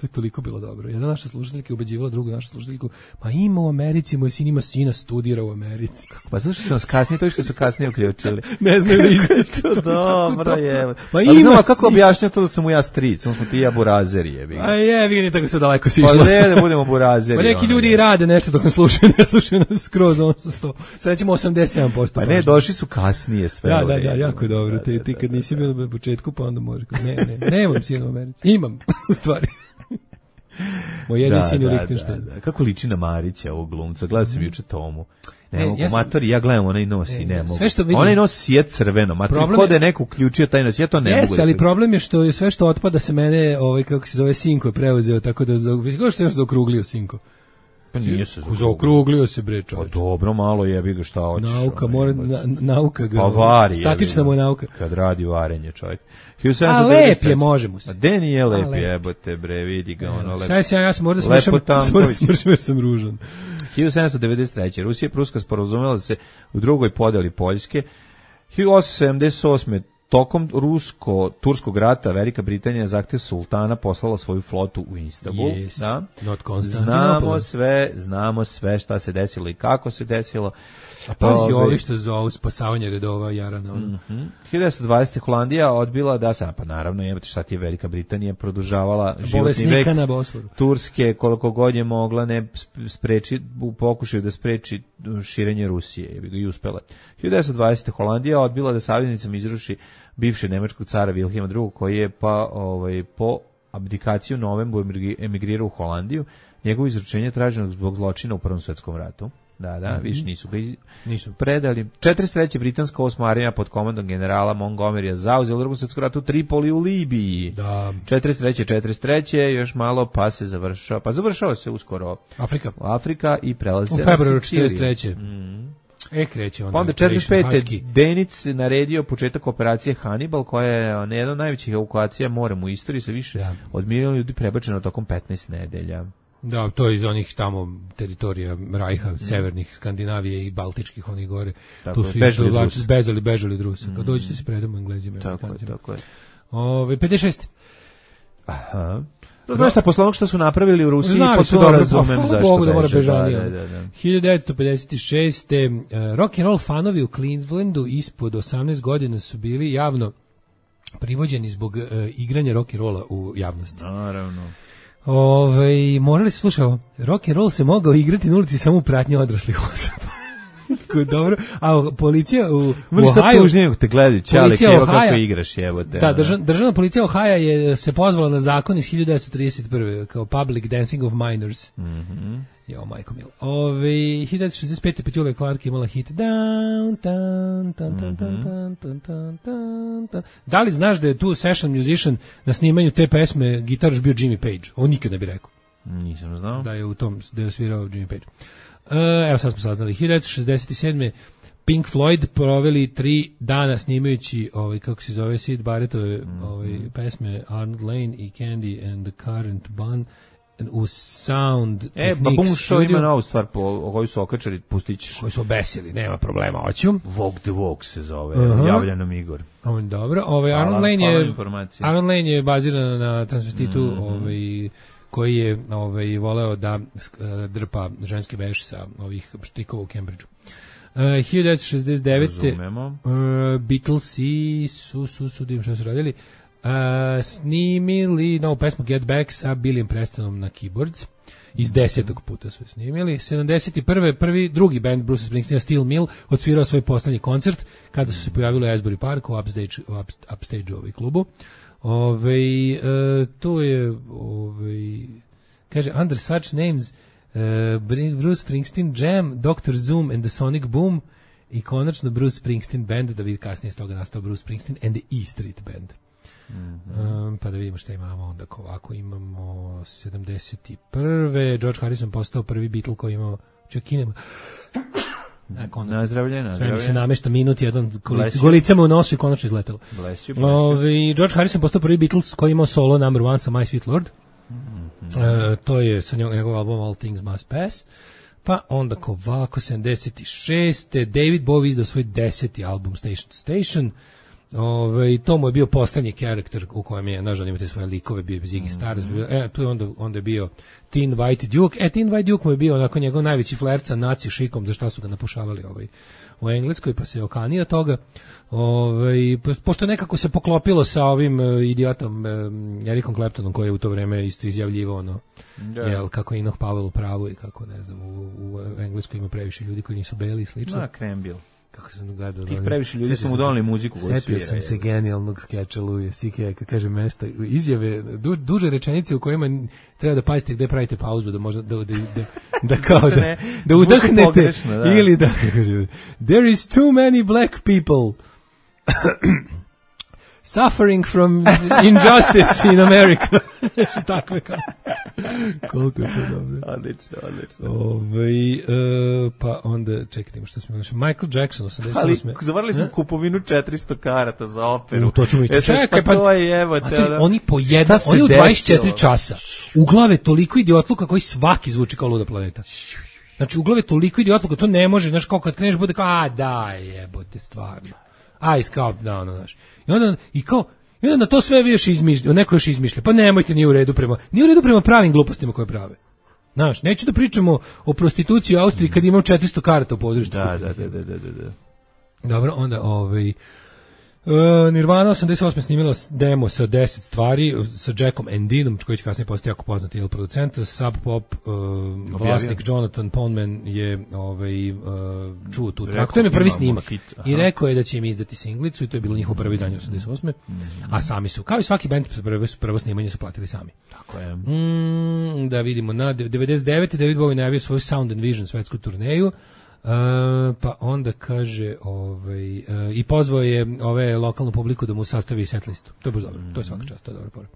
To je toliko bilo dobro. Jedna naša slušateljka je ubeđivala drugu našu slušateljku, pa ima u Americi, moj sin ima sina, studira u Americi. Pa zašto su nas kasnije, to što su kasnije uključili? Ne znaju da izveći. To dobro je. Pa ima znamo, kako objašnja to da sam mu ja stric, on smo ti ja burazeri, jebi. A je, vidi tako se daleko si išlo. Pa ne, da budemo burazeri. Pa neki ljudi i rade nešto dok nas slušaju, ne slušaju nas skroz on sa sto. Sad ćemo osamdeset sedam posto. Pa ne, došli su kasnije sve. Da, da, da, jako je dobro. Ti, ti kad nisi bio na početku, pa onda može. Ne, ne, nemam sina u Americi. Imam, u stvari. Moj jedin sin u Lichtensteinu. Da, da. Kako liči na Marića ovog glumca? Gledao sam juče Tomu. Ne, ne ja sam, matori, ja gledam, onaj nosi, ne, ne mogu. Vidim, onaj nosi je crveno, matori, kod je neko uključio taj nos, ja to ne jeste, mogu. Jeste, ali da problem je što je sve što otpada se mene, ovaj, kako se zove, Sinko je preuzeo, tako da, kako što je zaokruglio Sinko? Pa nije se zaokruglio se, bre, čovječ. Pa dobro, malo jebi ga šta hoćeš. Nauka, mora, na, nauka ga. Pa vari, statična mu je nauka. Kad radi varenje, čovjek. A lep je, može mu se. A de nije lep je, jebote, bre, vidi ga, ono lep. Šta ja, ja sam možda smršam, smršam jer sam ružan. hiljadu sedamsto devedeset treće. Rusija i Pruska sporazumela se u drugoj podeli Poljske. hiljadu osamsto sedamdeset osme. Tokom rusko-turskog rata Velika Britanija zahtev sultana poslala svoju flotu u Istanbul. Yes. Da? Znamo sve, znamo sve šta se desilo i kako se desilo. A pazi ovi što zovu spasavanje redova Jarana. Mm-hmm. hiljadu devetsto dvadesete. Holandija odbila da se, pa naravno, jebate šta ti je Velika Britanija produžavala životni vek Turske koliko god je mogla ne spreči, u pokušaju da spreči širenje Rusije, je bi ga i uspela. hiljadu devetsto dvadesete. Holandija odbila da saveznicama izruši bivšeg nemačkog cara Vilhelma drugog. koji je pa ovaj, po abdikaciji u novembru emigrirao u Holandiju. Njegovo izručenje traženo zbog zločina u Prvom svjetskom ratu. Da, da, mm-hmm. više nisu ga nisu predali. četrdeset treće. britanska osma armija pod komandom generala Montgomerya zauzela u Drugom svjetskom ratu Tripoli u Libiji. Da. četrdeset treće. četrdeset treće. još malo pa se završava, pa završava se uskoro Afrika. Afrika i prelazi u februaru četrdeset treće. Mm. E, kreće onda. Pa onda četrdeset pete. Denic naredio početak operacije Hannibal, koja je jedna od najvećih evakuacija morem u istoriji, sa više ja. od miliona ljudi prebačeno tokom petnaest nedelja. Da, to je iz onih tamo teritorija Rajha, mm. severnih Skandinavije i Baltičkih, onih gore. Tako tu su bežali, vlači, bežali, bežali od Rusa. Kad mm. dođete se predamo Englezima. Tako je, tako je. Ove, pedeset šeste. Aha. To znaš šta, posle onog što su napravili u Rusiji, Znali potpuno dobro, razumem pa, zašto Bogu da mora beže. bežanija. Da, da, da. hiljadu devetsto pedeset šeste. Rock and roll fanovi u Clevelandu ispod osamnaest godina su bili javno privođeni zbog uh, igranja rock and rolla u javnosti. Naravno. Ove, morali se slušati, rock and roll se mogao igrati na ulici samo u pratnji odraslih osoba. Dobro, a policija u, u Mrš sad Ohio... tužnije te gledaju, čale, policija evo Ohio- kako igraš, jebote. Da, ono. državna, državna policija Ohio je se pozvala na zakon iz hiljadu devetsto trideset prve kao Public Dancing of Minors. Mhm. Jo, majko mil. Ove, hiljadu devetsto šezdeset pete Petula Clark imala hit Down, tan, tan, tan, tan, tan, tan, tan, tan, tan. Da li znaš da je tu session musician na snimanju te pesme gitaraš bio Jimmy Page? On nikad ne bi rekao. Nisam znao. Da je u tom, da je svirao Jimmy Page. Uh, evo sad smo saznali. hiljadu devetsto šezdeset sedme Pink Floyd proveli tri dana snimajući ovaj, kako se zove, Syd Barrettove mm-hmm. ovaj, pesme Arnold Lane i Candy and the Current Bun u Sound E, Techniques Baboon Show studio. ima novu stvar po, o koju su okačali, pustit ćeš. Koji su obesili, nema problema, hoću. Walk the Walk se zove, Uh-huh. javlja nam Igor. Ovo je dobro. Ovaj, Hvala, Arnold Lane hvala je, informacije. Arnold Lane je baziran na transvestitu Mhm. ovaj, koji je ovaj, voleo da uh, drpa ženski veš sa ovih štikova u Cambridgeu. Uh, hiljadu devetsto šezdeset devete Razumemo. uh, Beatlesi su, su, su, dim što su radili, uh, snimili novu pesmu Get Back sa Billyem Prestonom na keyboards. Iz desetog puta su je snimili. sedamdeset prve prvi, drugi band Bruce Springsteen, Steel Mill, odsvirao svoj poslednji koncert kada su se pojavili u Asbury Park u Upstage, u Upstage ovaj klubu. Ove, uh, tu je ove, kaže under such names uh, Bruce Springsteen Jam, doktor Zoom and the Sonic Boom i konačno Bruce Springsteen Band, da vidi kasnije s toga nastao Bruce Springsteen and the E Street Band. Mm-hmm. um, pa da vidimo šta imamo onda. Ovako imamo sedamdeset prve George Harrison postao prvi Beatle koji imao čekinema. Nazdravlje, Sve mi nazdravlje. se namešta minut, jedan Bless you. golicama u nosu i konačno izletelo. Bless you, bless you. Ovi, George Harrison postao prvi Beatles koji imao solo number one sa My Sweet Lord. Mm-hmm. E, to je sa njegov, njegov album All Things Must Pass. Pa onda ovako, sedamdeset šeste David Bowie izdao svoj deseti album Station to Station. Ove, to mu je bio poslednji karakter u kojem je, nažal imate svoje likove, bio je Ziggy Stardust, bio, e, tu je onda, onda je bio Teen White Duke, e, Teen White Duke mu je bio onako njegov najveći flirt sa naci šikom, za šta su ga napušavali ovaj, u Engleskoj, pa se okanio toga. Ove, pošto nekako se poklopilo sa ovim uh, idiotom uh, Ericom Claptonom, koji je u to vreme isto izjavljivo ono, yeah. jel, kako je Enoch Powell u pravu i kako, ne znam, u, u Engleskoj ima previše ljudi koji nisu beli i slično. Na Krembil. Kako sam gledao. Tih previše ljudi su mu donali muziku koju svira. Setio sam se genijalnog skeča Louis C K, kad kaže mesta, izjave, du, duže rečenice u kojima treba da pazite gde pravite pauzu, da možda, da, da, da, da kao da, ne, da udahnete, pogrešno, da. ili da, there is too many black people suffering from injustice in America. Takve kao. Koliko je to dobro. Odlično, odlično. Ove, e, pa onda, čekajte, što smo imali? Michael Jackson, osamdeset osme. Ali zavarali smo kupovinu četiristo karata za operu. U, to ćemo isto. E, sad, Čekaj, pa pa, to je, evo te, to, ono, oni po jedan, šta oni se u dvadeset četiri desilo? časa. U glave toliko idiotluka koji svaki zvuči kao luda planeta. Znači, u glave toliko idiotluka, to ne može, znaš, kao kad kreneš bude kao, a daj, jebote, stvarno. Aj, kao, da, ono, znaš. I onda, i kao, i onda na to sve vi još izmišlja, neko još izmišlja. Pa nemojte, nije u redu prema, nije u redu prema pravim glupostima koje prave. Znaš, neću da pričamo o prostituciji u Austriji kad imam četiristo karata u području. Da, da, da, da, da, da. Dobro, onda ovaj Uh, Nirvana osamdeset osme snimila demo sa deset stvari sa Jackom Endinom, koji će kasnije postati jako poznati il producent. Sub Pop uh, vlasnik Jonathan Poneman je ovaj, uh, čuo tu traku. To je prvi snimak. I rekao je da će im izdati singlicu i to je bilo njihovo prvo izdanje osamdeset osme. Mm-hmm. A sami su, kao i svaki band, prvo, prvo snimanje su platili sami. Tako je. Mm, da vidimo, na devedeset devete David Bowie najavio svoju Sound and Vision svetsku turneju. Uh, pa onda kaže ovaj, uh, i pozvao je ove lokalnu publiku da mu sastavi set listu. To je baš dobro, to je svaka čast, to je dobra fora.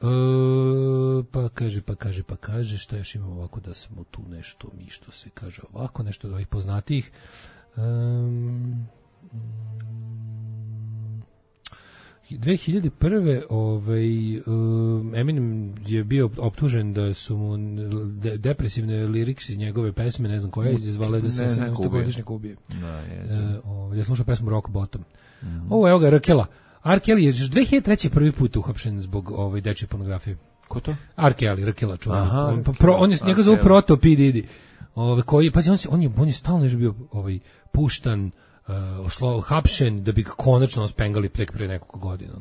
Uh, pa kaže, pa kaže, pa kaže, šta još imamo ovako da smo tu nešto, mi što se kaže ovako, nešto od ovih poznatijih. Um, dve hiljade prve ovaj um, Eminem je bio optužen da su mu de, depresivne liriksi njegove pesme, ne znam koja je izazvala da se sedamstogodišnjak ubije. Da, je. E, ovaj ja slušao pesmu Rock Bottom. Mm-hmm. Ovo evo ga Rakela. R. Kelly je još dve hiljade treće prvi put uhapšen zbog ovaj dečje pornografije. Ko to? R. Kelly, Rakela, čovjek. On, pro, on je njega zove Proto P. Diddy. Ovaj koji pazi on se on je on je stalno je bio ovaj puštan, uh, oslo, hapšen da bi ga konačno spengali tek pre nekoliko godina.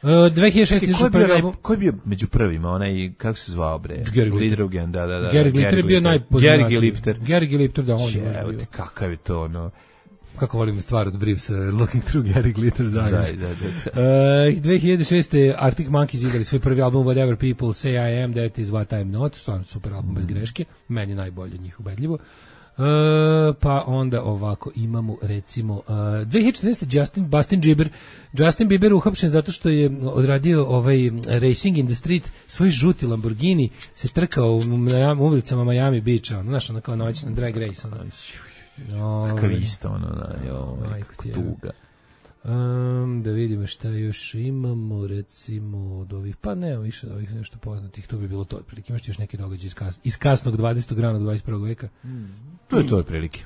Uh, dve hiljade šeste. Ko je izašao bio, prvi naj, album. ko je bio među prvima, onaj, kako se zvao, bre? Gary Glitter. Lidrugen, da, da, da. Gary Glitter je bio najpoznatiji. Gary Glitter. Gary Glitter, da, on je Evo možda bio. te, kakav je to, ono... Kako volim stvar od Briefs, uh, Looking Through Gary Glitter's Eyes. Da, da, da. Uh, dve hiljade šeste. Arctic Monkeys izdali svoj prvi album Whatever People Say I Am, That Is What I'm Not, stvarno super album bez greške, meni najbolje njih ubedljivo. Uh, pa onda ovako imamo recimo uh, dve hiljade četrnaeste. Justin, Justin Bieber Justin Bieber uhapšen zato što je odradio ovaj Racing in the Street, svoj žuti Lamborghini se trkao u, u ulicama Miami Beacha, ono, znaš, ono kao noćna drag race, ono. No, kakav isto, ono, da, jo, tuga. Um, da vidimo šta još imamo, recimo od ovih, pa ne, više od ovih nešto poznatih, to bi bilo to otprilike. Imaš ti još neki događaj iz, kas, iz kasnog dvadesetog ranog dvadeset prvog veka? Mm. To je to otprilike.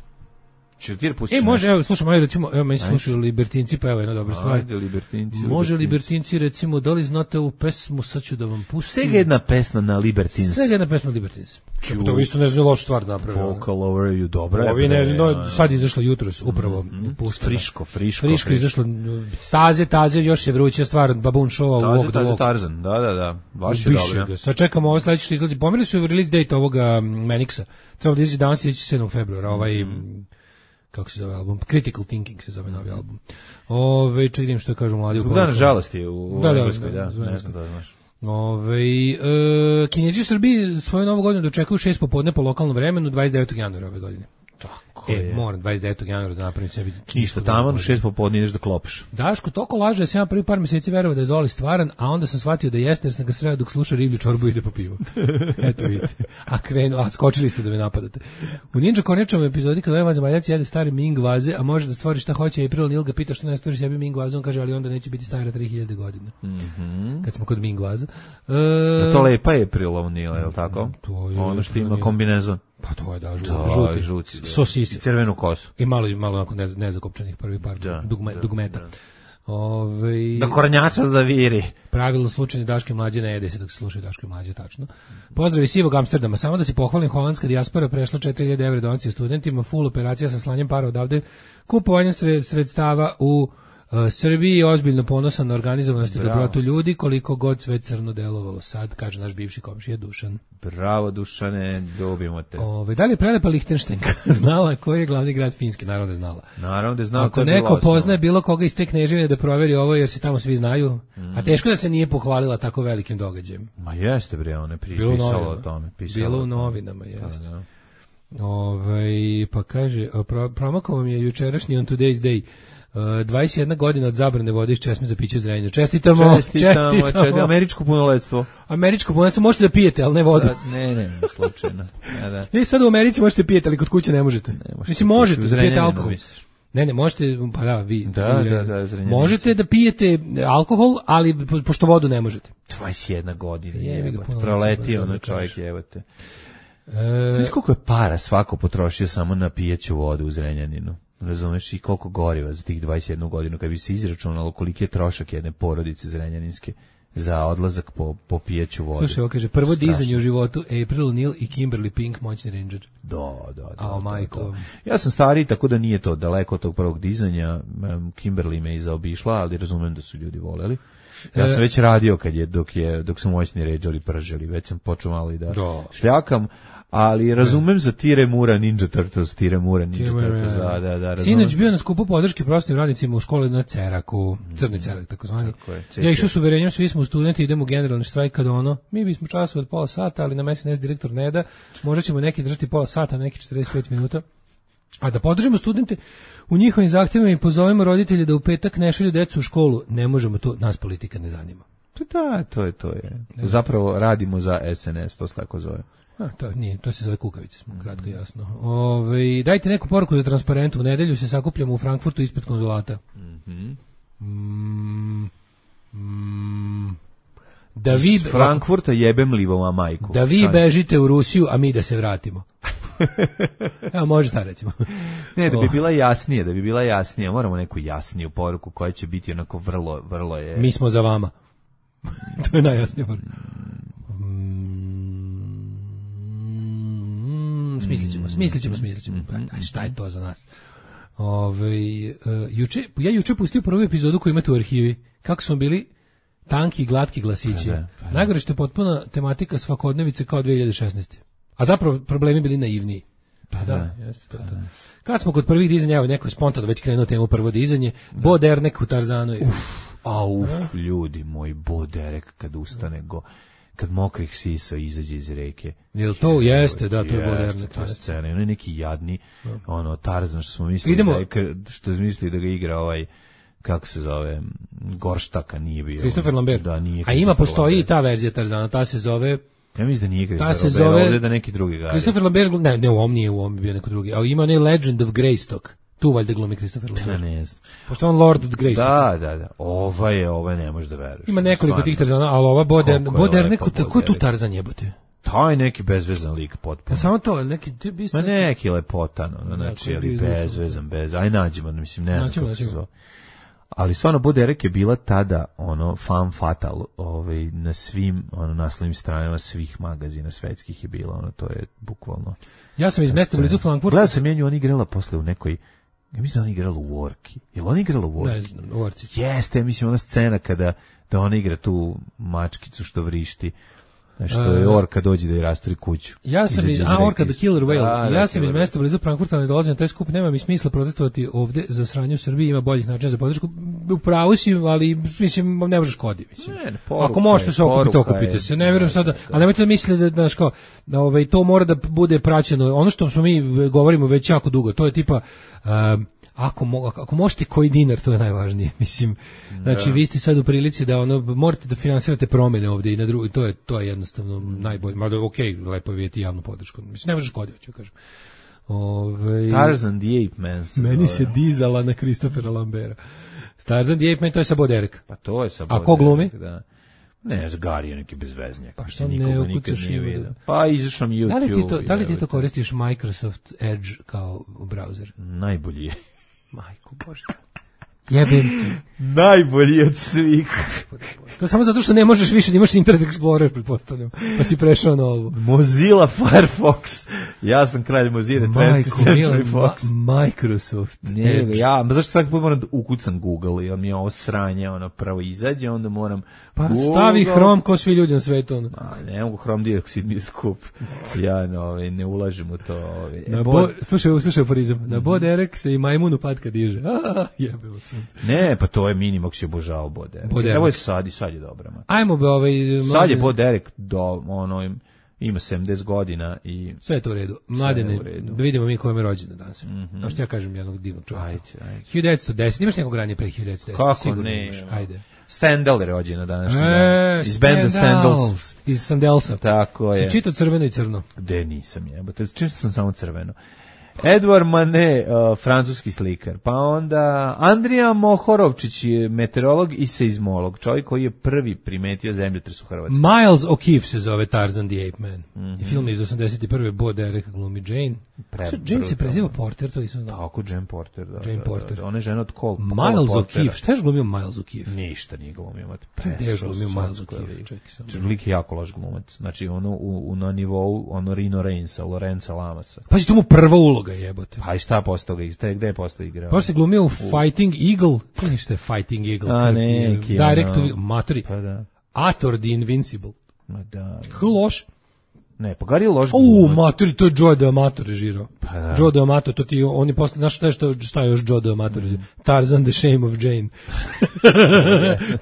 Češ ti da pustiš E, može, nešto? evo, slušamo, evo, recimo, evo, meni se slušaju Libertinci, pa evo jedna dobra stvar. Ajde, Libertinci. Može Libertinci, recimo, da li znate ovu pesmu, sad ću da vam pustim. Svega jedna pesma na Libertins. Svega jedna pesma na Libertins. Ču, to isto ne znam lošu stvar napravio. Vocal over you, dobra. Ovi ne znam, no, sad je izašlo jutros, upravo. Mm, puštena. friško, friško. Friško je izašlo, taze, taze, još je vruća stvar, Baboon Show, taze, Walk the taze, Walk. Tarzan, da, da, da, baš je dobro. Sad čekamo ovo sledeće što izlazi. Pomerili su release date ovoga Manixa. Trebalo da izađe danas, izaći sedmog februara, ovaj... Mm. Kako se zove album? Critical Thinking se zove novi album. Ove, čekaj što kažu mladi. Zbog dana žalosti u da, Engleskoj, da, da, ne znam da znaš. Ove, e, Kinezi u Srbiji svoju novu godinu dočekuju šest popodne po lokalnom vremenu, dvadeset devetog januara ove godine. Tako e, je. Moram dvadeset devetog januara da napravim sebi. Ništa, tamo u šest popodne ideš da klopiš. Daško toliko laže da sam ja prvi par mjeseci verovao da je Zoli stvaran, a onda sam shvatio da jeste jer sam ga sreo dok sluša riblju čorbu i ide po pivo. Eto vidite. A krenu, a skočili ste da me napadate. U Ninja Kornjačovom epizodi kada ovaj zemaljac jede stari Ming vaze, a može da stvori šta hoće, April Neil ga pita što ne stvori sebi Ming vaze, on kaže ali onda neće biti stara tri hiljade godina. Mhm. Kad smo kod Ming vaza. E, da to lepa je April Neil, je li tako? To je, ono što ima kombinezon. Pa to je da, žuti, da, žuti, žuti sosise. I crvenu kosu. I malo, malo onako nez, nezakopčanih prvi par da, dugme, da, dugmeta. Da. Ove, da kornjača zaviri. Pravilno slučajni Daške mlađe ne jede se dok se slušaju Daške mlađe, tačno. Pozdrav iz Sivog Amsterdama. Samo da se pohvalim, holandska dijaspora prešla četiri hiljade evra donacije studentima, full operacija sa slanjem para odavde, kupovanjem sred, sredstava u uh, Srbiji, ozbiljno ponosan na organizovanost i dobrotu ljudi, koliko god sve crno delovalo sad, kaže naš bivši komšija Dušan. Bravo Dušane, dobimo te. Ove, da li je prelepa Lihtenštajnka znala koji je glavni grad Finjske? Naravno da je znala. Naravno da je znala. Ako neko poznaje bilo koga iz te kneževine da proveri ovo jer se tamo svi znaju, mm. a teško da se nije pohvalila tako velikim događajem. Ma jeste bre, ona pri, pisala o tome. Pisala bilo u novinama, jeste. Da, da. Ove, pa kaže, pro, promakao vam je jučerašnji on today's day. Uh, dvadeset jedna godina od zabrane vode iz česme za piće Zrenjaninu. Čestitamo, čestitamo. čestitamo. Američko punoletstvo. Američko punoletstvo možete da pijete, ali ne vodu. Sad, ne, ne, slučajno. Ja, da. I sad u Americi možete pijete, ali kod kuće ne možete. Ne možete. Mislim, možete da pijete alkohol. Misliš. Ne, ne, možete, pa da, vi. Da, vi, da, da, da možete da pijete alkohol, ali po, pošto vodu ne možete. dvadeset jedna godina, jebate. Proletio ono čovjek, jebate. E... Sve koliko je para svako potrošio samo na pijeću vodu u Zrenjaninu. Razumeš i koliko goriva za tih dvadeset jednu godinu, kad bi se izračunalo koliki je trošak jedne porodice zrenjaninske za odlazak po, po pijeću vodu. Slušaj, ovo kaže, prvo dizanje u životu, April Neil i Kimberly Pink, moćni ranger. Da, da, da. A, majko. Ja sam stariji, tako da nije to daleko od tog prvog dizanja. Kimberly me i zaobišla, ali razumem da su ljudi voleli. Ja sam već radio kad je, dok, je, dok su moćni rangeri prželi, već sam počeo malo i da, da. šljakam. Ali razumem za Tire Mura Ninja Turtles, Tire Mura Ninja Turtles, da, da, da. Sinoć bio na skupu podrške prostim radnicima u školi na Ceraku, Crni Cerak, takozvani. Ja išao s uverenjem, svi smo studenti, idemo u generalni štrajk kada ono, mi bismo časove od pola sata, ali nam es en es direktor ne da, možda ćemo neki držati pola sata, neki četrdeset pet minuta. A da podržimo studente u njihovim zahtjevima i pozovemo roditelje da u petak ne šalju decu u školu, ne možemo to, nas politika ne zanima. Da, to je, to je. Zapravo radimo za es en es, to se tako zove. A, to nije, to se zove kukavice, smo kratko jasno. Ove, dajte neku poruku za transparentu, u nedelju se sakupljamo u Frankfurtu ispred konzulata. Mm-hmm. Mm, mm, da vi iz Frankfurta jebem livoma majku. Da vi bežite u Rusiju, a mi da se vratimo. Evo, može ta recimo. Ne, da bi bila jasnije, da bi bila jasnije, moramo neku jasniju poruku koja će biti onako vrlo, vrlo je... Mi smo za vama. To je najjasnija poruka. Smislit ćemo, smislit ćemo, smislit ćemo. A šta je to za nas? Ove, uh, juče, ja juče pustio prvu epizodu koju imate u arhivi. Kako smo bili tanki, glatki glasići. Pa da, pa da. Najgore što je potpuna tematika svakodnevice kao dve hiljade šesnaeste. A zapravo problemi bili naivniji. Pa da, da jeste to. Da. Kad smo kod prvih dizanja, evo neko je spontano već krenuo temu prvo dizanje, da. Bo Derek u Tarzanu. Uf, a uf, ljudi moji, Bo Derek kad ustane go, kad mokrih sisa izađe iz reke. Jel to je, jeste, da, to je Bo Derek. To je scena, ono je neki jadni, da. Ono, Tarzan što smo mislili, Idemo. Da je, što smo mislili da ga igra ovaj, kako se zove, Gorštaka nije bio. Christopher Lambert. Da, nije. A ima, postoji i ta verzija Tarzana, ta se zove... Ja mislim da nije Christopher Lambert, zove, ovdje da neki drugi gari. Christopher Lambert, ne, ne, u ovom nije, u ovom bio neko drugi, ali ima onaj Legend of Greystock, tu valjda glumi Christopher Lambert. Da, ne znam. Pošto on Lord of Greystock. Da, da, da, ova je, ova ne možeš da veruješ. Ima nekoliko tih Tarzana, ali ova Boder, Boder, neko, ko je tu Tarzan jebote? Taj neki bezvezan lik potpuno. Ja samo to, neki... Ma neki lepotan, ono, znači, ali bezvezan, bez, aj nađemo, mislim, ne znam kako se zove. Ali stvarno Bo Derek je bila tada ono fan fatal, ovaj na svim ono naslovnim stranama svih magazina svetskih je bila, ono to je bukvalno. Ja sam iz mesta blizu Frankfurta. Gledao sam nju, ona igrala posle u nekoj, ja mislim da ona igrala u Worki. Jel ona igrala u Worki? Ne znam, u Worci. Jeste, mislim ona scena kada da ona igra tu mačkicu što vrišti. Što je orka dođe da je rasturi kuću. Ja sam iz, a orka the killer whale. Ja sam iz mesta blizu Frankfurta, ne dolazim na taj skup, nema mi smisla protestovati ovde za sranje u Srbiji, ima boljih načina za podršku. U pravu si, ali mislim ne može škodi, mislim. Ne, ne, ako možete se okupiti, okupite se. Ne verujem sada, a nemojte da mislite da znaš kao, da ovaj to mora da bude praćeno. Ono što smo mi govorimo već jako dugo, to je tipa um, Ako, mo, ako možete koji dinar, to je najvažnije. Mislim, znači da. Vi ste sad u prilici da ono morate da finansirate promene ovdje i na drugi, to je to je jednostavno najbolje. Mada okej, okay, lepo vidjeti javnu podršku. Mislim ne možeš koditi, hoću kažem. Ovaj Tarzan the Ape Man. Meni se dizala na Christophera Lambera. Tarzan the Ape Man, to je sa Bo Derek. Pa to je sa Bo A ko glumi? Da. Ne, Gari je neki bezveznjak. Pa što ne ukucaš nije. Pa izašao mi YouTube. Da li ti to, da li ti to koristiš Microsoft Edge kao browser? Najbolji je. Majko Bože. Jebem ti. Najbolji od svih. To samo zato što ne možeš više da imaš Internet Explorer, pretpostavljam. Pa si prešao na ovo. Mozilla Firefox. Ja sam kralj Mozilla, twentieth Century Fox. Ma, Microsoft. Ne, ja, ma zašto svaki put moram da ukucam Google, jer mi je ovo sranje, ono prvo izađe, onda moram pa Google. Stavi Chrome ko svi ljudi na svetu. Ono. Ma, ne mogu Chrome dioksid mi je skup. Ja no, ne ulažem u to. Ove. Na bo, slušaj, slušaj aforizam. Na mm-hmm. Bo Derek se i majmunu patka diže. Jebeo sam. Ne, pa to je Minimox je obožao Bo Derek. Bo Derek. Evo je sad i sad je dobra. Ma. Ajmo be ovaj... Sad je Bo Derek do, ono, ima sedamdeset godina i... Sve je to u redu. Mladene, da vidimo mi ko je rođena danas. Mm-hmm. No što ja kažem jednog divnog čovjeka. Ajde, ajde. hiljadu devetsto deset, imaš nekog ranije pre hiljadu devetsto deset? Kako sigurno ne? Imaš. Ajde. Stendhal je rođena današnji e, dan. Iz benda Stendhals. Iz Sandelsa. Tako je. Si čitao Crveno i crno? De nisam jebote, čitao sam samo Crveno. Edward Manet, uh, francuski slikar, pa onda Andrija Mohorovčić je meteorolog i seizmolog, čovjek koji je prvi primetio zemljotres u Hrvatskoj. Miles O'Keefe se zove Tarzan the Ape Man. Mm-hmm. Film iz osamdeset prve Bo Derek glumi Jane. Pre, Jane se preziva Porter, to nisam znao. Tako, Jane Porter, da. Jane Porter. Da, da. Ona je žena od Cole. Miles O'Keefe, šta je glumio Miles O'Keefe? Ništa nije glumio. Gde je glumio Miles O'Keefe? Lik je jako loš glumac. Znači, ono u, u, na nivou ono Rino Reinsa, Lorenza Lamasa. Pa si to mu prva uloga jebote. Pa i šta postao ga, gde je postao igrao? Pa si glumio u Fighting Eagle. To je ništa je Fighting Eagle. A ne, Direct to Matori. Pa da. Ator the Invincible. Ma da. Kako loš? Ne, pa Gari je loš U, Matori, to je Joe D'Amato režirao. Pa da. Joe D'Amato, to ti, on je posle, znaš šta je, što, šta je još Joe D'Amato režirao? Tarzan the Shame of Jane.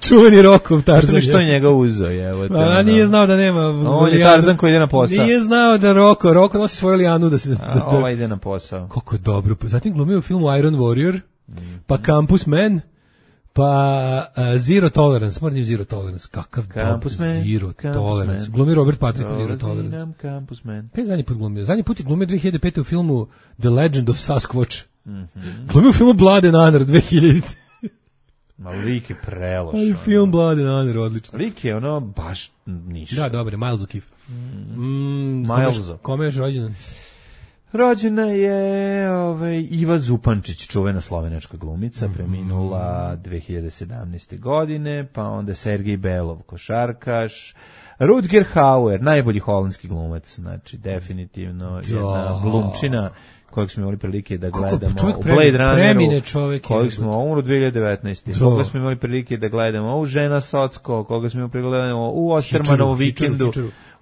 Čuveni Rokov Tarzan. Što je njega uzeo, evo. A nije znao da nema... On je Tarzan koji ide na posao. Nije znao da Roko, Roko nosi svoju lijanu da se... Da, A, ova ide na posao. Kako je dobro. Zatim glumio u filmu Iron Warrior, pa Campus Man, pa uh, Zero Tolerance, moram Zero Tolerance, kakav Campus dob, Man, Zero Campus Tolerance. Man. Glumi Robert Patrick Zero Tolerance. Nam Campus Man. Kaj je zadnji put glumio? Zadnji put je glumio dve hiljade pete u filmu The Legend of Sasquatch. Mm-hmm. Glumio u filmu Blood and Honor dve hiljade. Ma lik je preloš. Ali film Blood and Honor, odlično. Lik je ono baš ništa. Da, dobro, Miles O'Keefe. Mm, Miles. Kome je još rođendan? Rođena je ovaj, Iva Zupančić, čuvena slovenačka glumica, mm-hmm. preminula dve hiljade sedamnaeste godine, pa onda Sergej Belov, košarkaš, Rutger Hauer, najbolji holandski glumac, znači definitivno jedna glumčina kojeg smo imali prilike da gledamo u Blade Runneru, kojeg smo umru dve hiljade devetnaeste. Koga smo imali prilike da gledamo u Žena Socko, koga smo imali prilike da gledamo u Ostermanovu vikendu,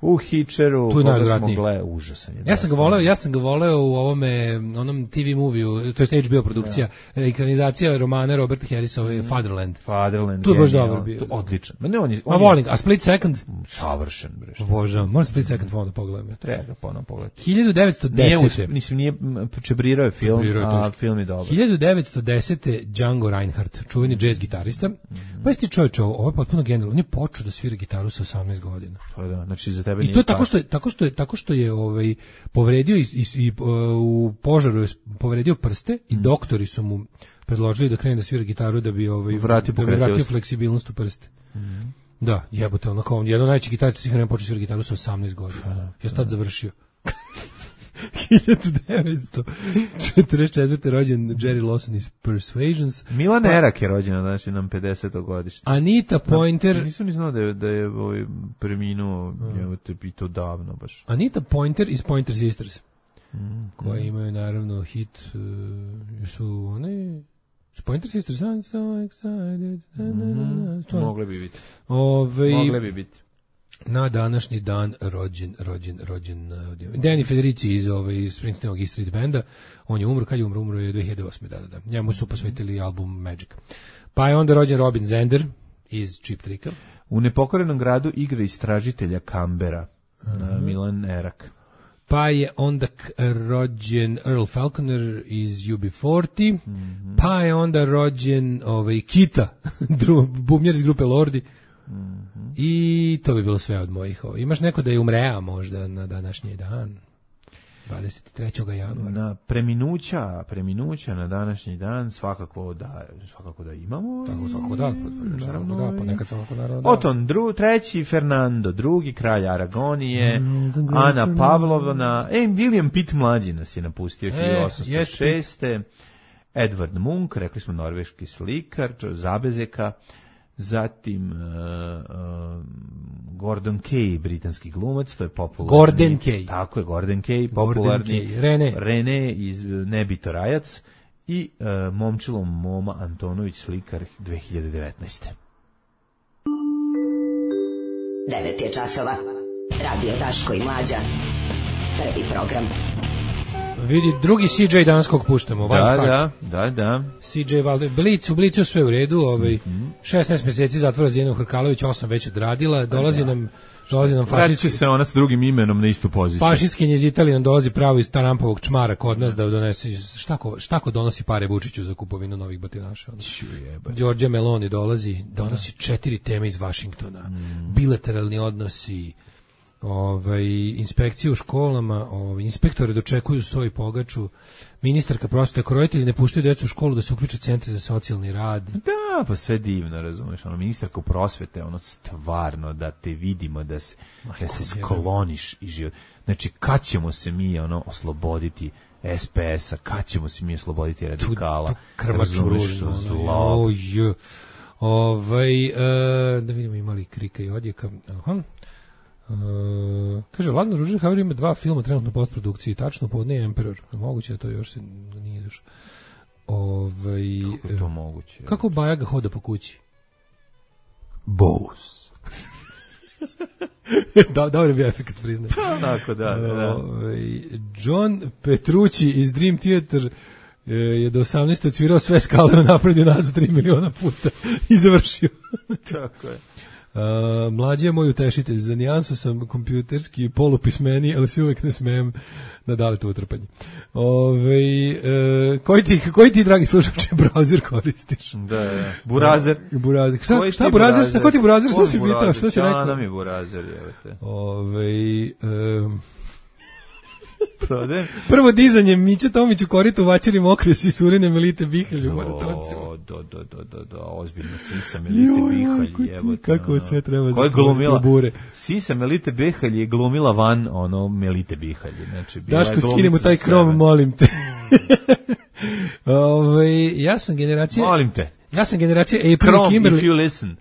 u Hitcheru, koga smo gledali, užasan je. Ja sam ga voleo, ja sam ga voleo u ovome, onom T V moviju, to je H B O produkcija, ekranizacija romana Roberta Harrisova Fatherland. Fatherland. Tu je baš dobar bio. Odličan. Ma ne, on je, on a volim, a Split Second? Savršen, bre. Božam, moram Split Second ponovno pogledam. Treba ga ponovno pogledati. hiljadu devetsto desete. Mislim, nije čebrirao je film, a film je dobar. hiljadu devetsto desete. Django Reinhardt, čuveni jazz gitarista. Mm-hmm. Pa jesi ti čovječe, ovo je potpuno genijalno. On je počeo da svira gitaru sa osamnaest godina. Pa da, znači za tebe I to je tako što je, tako što je, tako što je ovaj, povredio i, i, i u požaru je povredio prste mm. i doktori su mu predložili da krene da svira gitaru da bi, ovaj, vratio, da bi vratio fleksibilnost u prste. Mm. Da, jebote, onako, on jedan od najvećih gitarista svih vremena počeo svira gitaru sa osamnaest godina. Ja sam tad završio. hiljadu devetsto četrdeset četvrte. rođen Jerry Lawson iz Persuasions. Milan pa, Erak je rođena, znači nam pedeseto godište. Anita Pointer. Da, nisam ni znao da je, da je ovaj preminuo, mm. i to davno baš. Anita Pointer iz Pointer Sisters. Mm. Koji mm. imaju naravno hit, uh, su one... Pointer Sisters, I'm so excited. Mm-hmm. Mogle bi biti. Ove, Mogle bi biti. Na današnji dan rođen, rođen, rođen uh, Danny Federici iz, ove, iz Springsteenog East Street Banda. On je umro, kad je umro? Umro je dve hiljade osme. Da, da, da. Njemu su posvetili album Magic. Pa je onda rođen Robin Zender iz Cheap Tricka. U nepokorenom gradu igra istražitelja Kambera, uh-huh. Milan Erak. Pa je onda rođen Earl Falconer iz U B četrdeset. Mm-hmm. Pa je onda rođen ovaj, Kita, bubnjar iz grupe Lordi. Mm-hmm. I to bi bilo sve od mojih. Ovaj. Imaš neko da je umrea možda na današnji dan? dvadeset trećeg januara. Na preminuća, preminuća na današnji dan svakako da, svakako da imamo. Tako svakako da, naravno da, ponekad svakako naravno da. Oton dru, treći, Fernando drugi, kralj Aragonije, mm, Ana Pavlovna, e, William Pitt mlađi nas je napustio hiljadu osamsto šeste. Edward Munch, rekli smo norveški slikar, Zabezeka, zatim uh, uh, Gordon Kay, britanski glumac, to je popularni. Gordon Kay. Tako je, Gordon Kay, popularni. Gordon Kay. Rene. Rene iz Nebito Rajac i uh, momčilo Moma Antonović, slikar dve hiljade devetnaeste. devet je časova. Radio Daško i Mlađa. Prvi program. Vidi, drugi C J danas kog puštamo. Da, da, da, da. C J Valde, Blic, u Blicu sve u redu, ovaj, mm-hmm. šesnaest mjeseci zatvora za Jelenu Hrkalović, osam već odradila, dolazi da. nam... Dolazi nam fašistski... se ona s drugim imenom na istu poziciju. Fašistkinje iz Italije nam dolazi pravo iz Tarampovog čmara kod nas da donese... Šta ko, šta ko donosi pare Vučiću za kupovinu novih batinaša? Đorđe Meloni dolazi, donosi četiri teme iz Vašingtona. Mm. Bilateralni odnosi, ovaj, inspekcije u školama, ovaj, inspektore dočekuju svoj pogaču, ministarka prosvete, ako roditelji ne puštaju djecu u školu da se uključe centri za socijalni rad. Da, pa sve divno, razumeš, ono, ministarka prosvete, ono, stvarno, da te vidimo, da se, Majko, da se skloniš i život. Znači, kad ćemo se mi, ono, osloboditi S P S-a, kad ćemo se mi osloboditi radikala? Tu, tu krvaču ružno, zlo. Oj, ovaj, e, da vidimo imali krika i odjeka. Aha. Uh, kaže, Ladno Ružin Haver ima dva filma trenutno u postprodukciji, tačno Podne i Emperor. Moguće da to još se nije izašlo. Ovaj, kako je to moguće? Kako Bajaga hoda po kući? Bose. da, dobro bi efekt priznat. Onako, da, da, da. Ovaj, John Petrucci iz Dream Theater je do osamnaeste odsvirao sve skale, napravio nazad tri miliona puta i završio. Tako je. Uh, mlađi je moj utešitelj, za nijansu sam kompjuterski polupismeni, ali se uvek ne smijem na daleto utrpanje. Ove, uh, koji, ti, koji ti, dragi slušače, browser koristiš? Da, da. Burazer. Burazer. Šta, šta burazer? Šta, ko ti burazer? Šta si pitao? Šta si rekao? Šta nam je burazer, jevete? Ove, um, Prodem. Prvo dizanje Mića Tomić u koritu vaćeri mokre si surine Melite Bihalj u maratoncima. Do, do, do, do, do, ozbiljno sisa Melite Bihalj, jebote. Kako sve treba za glumila bure. Sisa Melite Bihalj je glumila van ono Melite Bihalj. Znači, Daško, skinemo taj krom, molim te. Ove, ja sam generacija... Molim te. Ja sam generacija April Krom, Kimberly. if you listen.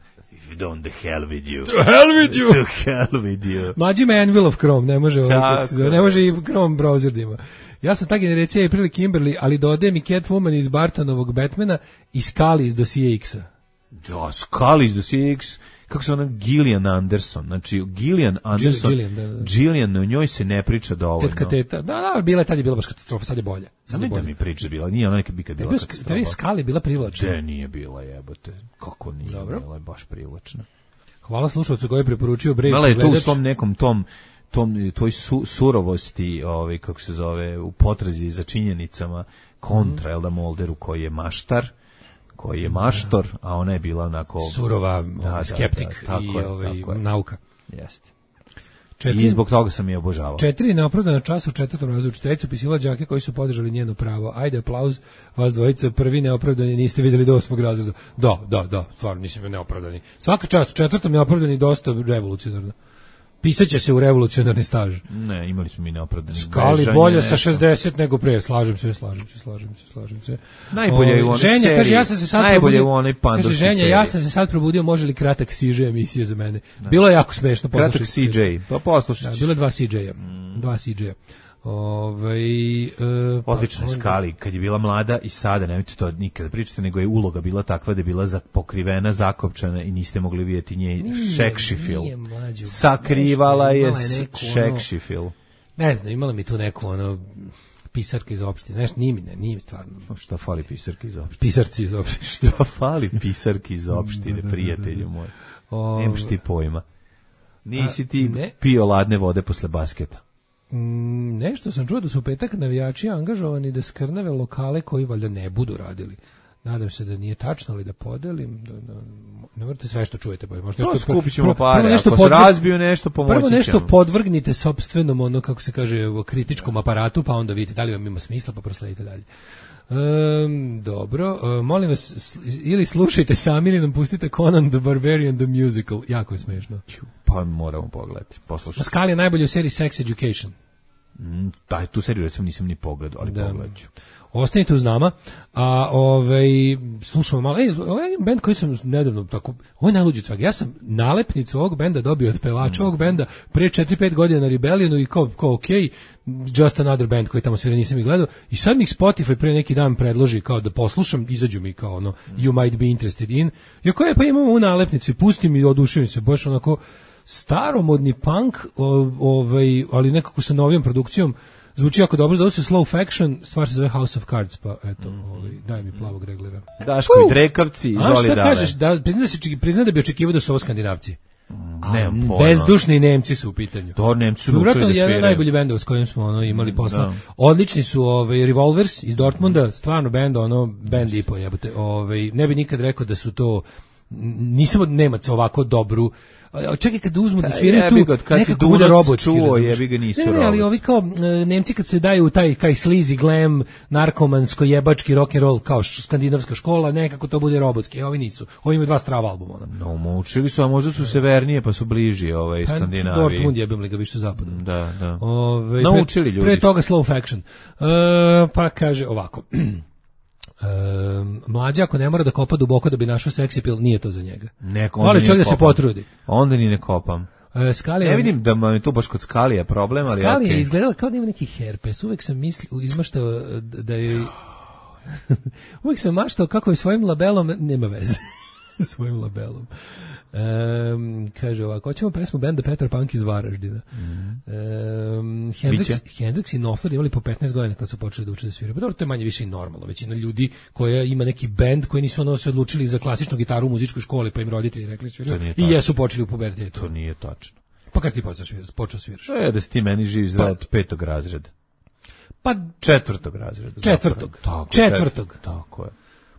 on the hell with you. To hell with you. To hell with you. Mlađi ima Anvil of Chrome, ne može, ovaj, Tako. ne može i Chrome browser da ima. Ja sam ta generacija i prilike Kimberly, ali dodajem i Catwoman iz Bartonovog Batmana i Scully iz Dosije X-a. Da, Scully iz Dosije X, kako se ona Gillian Anderson, znači Gillian Anderson, Gillian, da, da. Gillian, o njoj se ne priča dovoljno. Tetka teta, da, da, bila je tad je bila baš katastrofa, sad je bolja. Sad je Ne da bolja. mi priča bila, nije ona nekad bi kad bila Bio katastrofa. Tebi Scully bila privlačna. De, nije bila jebote, kako nije Dobro. bila, je baš privlačna. Hvala slušalcu koji je preporučio Brave Imala je tu u pregledač. svom nekom tom tom toj su, surovosti, ovaj kako se zove, u potrazi za činjenicama kontra Elda Molderu koji je maštar, koji je maštor, a ona je bila onako surova, Da, ovaj, da, skeptik da, tako i je, ovaj, tako je. nauka. Jeste. Četiri, I zbog toga sam je obožavao. četiri neopravdana časa u četvrtom razredu učiteljicu pisila đake koji su podržali njeno pravo. Ajde, aplauz, vas dvojica, prvi neopravdani niste vidjeli do osmog razreda. Da, da, da, stvarno nisam neopravdani. Svaka čast, u četvrtom neopravdani dosta revolucionarno. Pisaće se u revolucionarni staž. Ne, imali smo mi neopravdani Skali bežanje, bolje sa nešto. šezdeset nego pre, slažem se, slažem se, slažem se, slažem se. Najbolje je u O, onoj Ženja seriji, kaže ja sam se sad najbolje probudio. u onoj Kaže pandurskoj Ženja, seriji. ja sam se sad probudio, može li kratak C J emisije za mene? Bilo je jako smešno, Kratak poslušajte. C J, pa poslušaj. Da, bilo je dva C J-a. Dva C J-a. Ovaj e, pa Odlično je onda- Skali, kad je bila mlada i sada, nemojte to nikada pričati, nego je uloga bila takva da je bila za- pokrivena, zakopčana i niste mogli vidjeti nje Nije, šekšifil. nije, mlađo. Sakrivala Nešto, je imala je neku, ono- šekšifil. Ne znam, imala mi tu neku ono pisarka iz opštine. Nešto nije mi, ne, nije mi stvarno. Šta fali pisarki iz opštine? Pisarci iz opštine. Šta fali pisarki iz opštine, prijatelju moj? O, Nemaš ti pojma. Nisi ti ne. pio ladne vode posle basketa. Mm, nešto sam čuo da su u petak navijači angažovani da skrnave lokale koji valjda ne budu radili. Nadam se da nije tačno, ali da podelim. Da, da, ne morate sve što čujete. Pa možete To nešto, skupit ćemo prvo- pare, prvo nešto ako se podvrg- razbiju nešto, pomoći Prvo nešto ćemo. podvrgnite sopstvenom, ono, kako se kaže, kritičkom aparatu, pa onda vidite da li vam ima smisla, pa prosledite dalje. Um, dobro, uh, molim vas, s- ili slušajte sami ili nam pustite Conan the Barbarian the Musical, jako je smešno. Pa moramo pogledati, poslušati. Pascal je najbolji u seriji Sex Education. Mm, taj, tu seriju recimo nisam ni pogledao, ali Da. pogledat ću. Ostanite uz nama, a ovaj slušamo malo. Ej, ovaj bend koji sam nedavno tako, ovo je najluđi od svega. Ja sam nalepnicu ovog benda dobio od pevača ovog benda pre četiri pet godina na Rebellionu i kao, kao ok, just another band koji tamo svira, nisam ih gledao. I sad mi ih Spotify pre neki dan predloži kao da poslušam, izađu mi kao ono, you might be interested in. I ako je, pa imamo u nalepnicu i pustim i oduševim se, baš onako staromodni punk, o- ovaj, ali nekako sa novijom produkcijom. Zvuči jako dobro, zove se Slow Faction, stvar se zove House of Cards, pa eto, ovaj, daj mi plavog reglera. Daškovi Uh! drekavci, A izvoli šta dalje. kažeš, da, priznam da, se, očeki- priznam da bi očekivao da su ovo Skandinavci. A Nemam pojma. bezdušni Nemci su u pitanju. To Nemci su Vjerojatno naučili da jedan sviraju. najbolji bendova s kojim smo ono imali posla. Da. Odlični su ovaj Revolvers iz Dortmunda, stvarno bend, ono bend i po jebote. Ovaj ne bi nikad rekao da su to nisam od Nemaca ovako dobru. A čekaj kad uzmu da Pa sviraju jebi tu, ga, kad si nekako bude Dunac robotski. čuo, razumeš? jebi ga, nisu Ne, ne, ali robotski. ovi kao e, Nemci kad se daju u taj kaj sleazy glam, narkomansko jebački rock and roll kao š- skandinavska škola, nekako to bude robotski. A ovi nisu. Ovi imaju dva strava albuma. Ono. No, naučili su, a možda su severnije, pa su bliži ovaj Pa, Skandinaviji. Dortmund jebem li ga više zapada. Da, da. Ove, Naučili pre, ljudi. Pre toga Slow Faction. E, pa kaže ovako. E, mlađa ako ne mora da kopa duboko da bi našao seksi pil, nije to za njega. Neko, onda Voli ni čovjek ne da se kopam. potrudi. Onda ni ne kopam. E, Skalija, Ne vidim da vam je tu baš kod Skalija problem, ali Skalija je okej. izgledala kao da ima neki herpes. Uvek sam mislio, izmaštao da je... Uvek sam maštao kako je svojim labelom, nema veze, svojim labelom. Um, kaže ovako, hoćemo pesmu benda Petar Punk iz Varaždina. Um, Hendrix, Biće. Hendrix i Knopfler imali po petnaest godina kad su počeli da uče da sviraju. Pa dobro, to je manje više i normalno. Većina ljudi koja ima neki bend koji nisu ono se odlučili za klasičnu gitaru u muzičkoj školi, pa im roditelji rekli sviraju To nije i tačno. jesu počeli u pubertetu. To nije tačno. Pa kad si ti počeo sviraš? Počeo sviraš? E, da si ti meni živ zdrav od petog razreda. Pa Četvrtog razreda. Četvrtog. zapravo. Tako, Četvrtog. Tako je.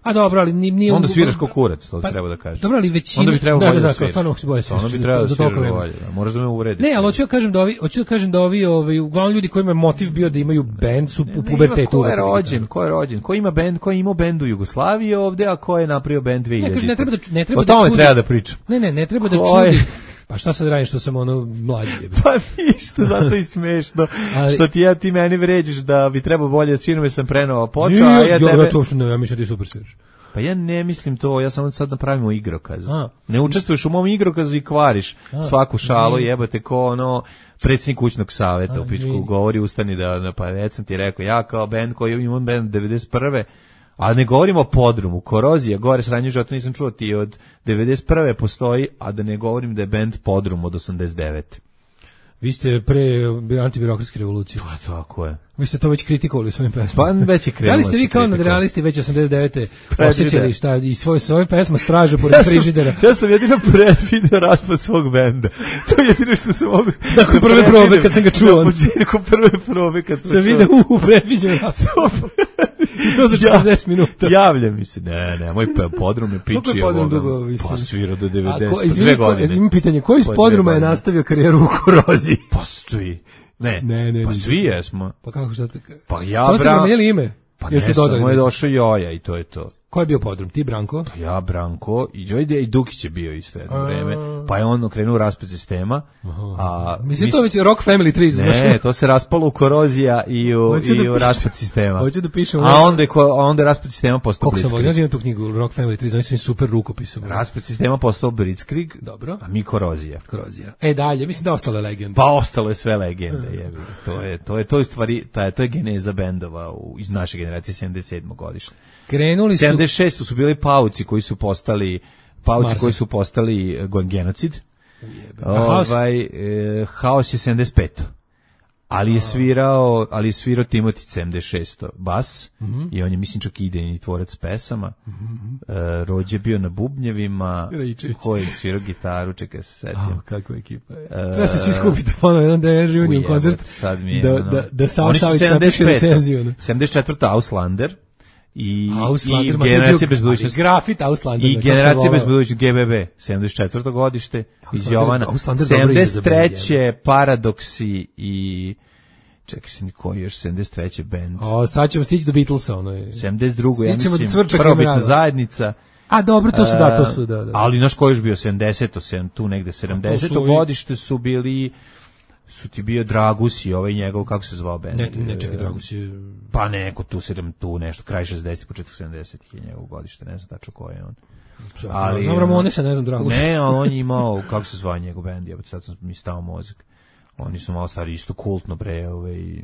A dobro, ali ni- nije... Onda sviraš ko kurac, to Pa, treba da kažeš. Dobro, ali većina... Onda bi trebalo da, bolje da, da da, sviraš. stvarno bolje sviraš Onda bi za- trebalo da za sviraš toliko vremena. bolje. da. Moraš da me uvrediš. Ne, ali hoću da kažem da ovi, hoću da kažem da ovi, ovaj, uglavnom ljudi kojima je motiv bio da imaju bend su u Ne, pubertetu. ima ko je uvatili rođen, gitaru. ko je rođen, ko ima bend, ko je imao bend u Jugoslaviji ovde, a ko je napravio bend dve hiljadite. Ne, kažem, ne treba da, ne treba O da tome čudi. treba da pričam. Ne, ne, ne treba da Ko je? čudi. Pa šta sad radim što sam ono mlađi? jebe? Pa ništa, zato i smešno. Ali- Što ti ja ti meni vređaš da bi trebao bolje da sviram jer sam prenova počeo, Nije, a ja ja, tebe... ja to što ne, ja mislim da ti super sviraš. Pa ja ne mislim to, ja samo sad napravimo igrokaz. A. Ne učestvuješ u mom igrokazu i kvariš A, svaku šalu, zim. jebate ko ono predsjednik kućnog saveta A, u pičku zim. govori, ustani da, da pa već sam ti rekao, ja kao bend koji imam bend devedeset prve a ne govorimo o podrumu, Korozija, gore sranje života nisam čuo ti od devedeset prve postoji, a da ne govorim da je bend Podrum od osamdeset devete Vi ste pre antibirokratske revolucije. Pa tako je. Vi ste to već kritikovali u svojim pesmama. Pa već je krenulo. Da li ste vi kao nadrealisti već osamdeset devete osjećali šta i svoje svoje pesma straže pored frižidera? Ja sam jedino predvideo raspad svog benda. To je jedino što sam mogu. Nakon prve probe kad sam ga čuo. Na početku prve probe kad sam se vide u predviđen raspad. I to za četrdeset minuta. Javlja mi se. Ne, ne, moj Podrum je piči. Kako je Podrum dugo visio? Pa svirao do devedeset, Izvini, dve godine. Imam pitanje, koji iz Podruma je nastavio karijeru u Koroziji? Postoji. Ne, ne, ne, pa ne, svi jesmo. Pa kako šta ste? Pa ja, Samo ste Bran... promijenili ime? Pa Jeste ne, dodali samo je neki? došao Joja i to je to. Ko je bio Podrum? Ti, Branko? Pa ja, Branko, i Đojde i Dukić je bio isto jedno vreme. Pa je on okrenuo u raspad sistema. A, Mislim, to već je Rock Family tri, znaš? Ne, to se raspalo u Korozija i u, Hoću i da u pišem- raspad sistema. Hoću da pišem- A onda je, ko- a onda je raspad sistema postao Koliko sam volio, Blitzkrieg. ja tu knjigu Rock Family tri, znači sam super rukopisom. Raspad sistema postao Blitzkrieg, Dobro. a mi Korozija. Korozija. E dalje, mislim da ostale legende. Pa ostalo je sve legende, jebi. To je to je to je stvari, ta to je geneza bendova u, iz naše generacije sedamdeset sedmog godište. Krenuli su sedamdeset šeste su bili pauci koji su postali pauci Marsa. koji su postali e, genocid. A Haos? Ovaj e, Haos je sedamdeset pete Ali je svirao, ali je svirao Timoti sedamdeset šeste bas i on je mislim čak i idejni tvorac pesama. E, Rođe je bio na bubnjevima, Raičević. ko je svirao gitaru, čekaj se setim. A, kakva ekipa je. Treba se svi skupiti ponovo jedan da je reunion Ujebote, koncert. sad mi je, Da, ono- da, da Sav Oni su Savić napiše recenziju. ono. sedamdeset četvrte Auslander i, Auslander, i ma to je Generacija bio- bez budućnosti. ali grafit Auslander, I kako sam Generacija bez volao. budućnosti G B B, sedamdeset četvrto godište iz Auslander- Jovana. Auslander dobro ide za sedamdeset treće Paradoksi i čekaj se koji još sedamdeset treće bend. O, sad ćemo stići do Beatlesa, ono je. sedamdeset drugo ja Stićemo do mislim Cvrčaka i prvobitna Mrava. zajednica. A dobro, to su, da, to su, da, da. Ali naš koji još bio sedamdeseto sedam tu negde sedamdeseto i- godište su bili su ti bio Dragus i ovaj njegov, kako se zvao bend? Ne, ne, čekaj, Dragus je... Pa neko tu sedam tu nešto kraj šezdesetih početak sedamdesetih je njegov godište, ne znam tačno ko je on. Ali, znam Ramonesa, ne znam Dragus. Ne, ali on je imao, kako se zvao njegov bend, jebote, sad sam mi stao mozak. Oni su malo stari, isto kultno bre, ovaj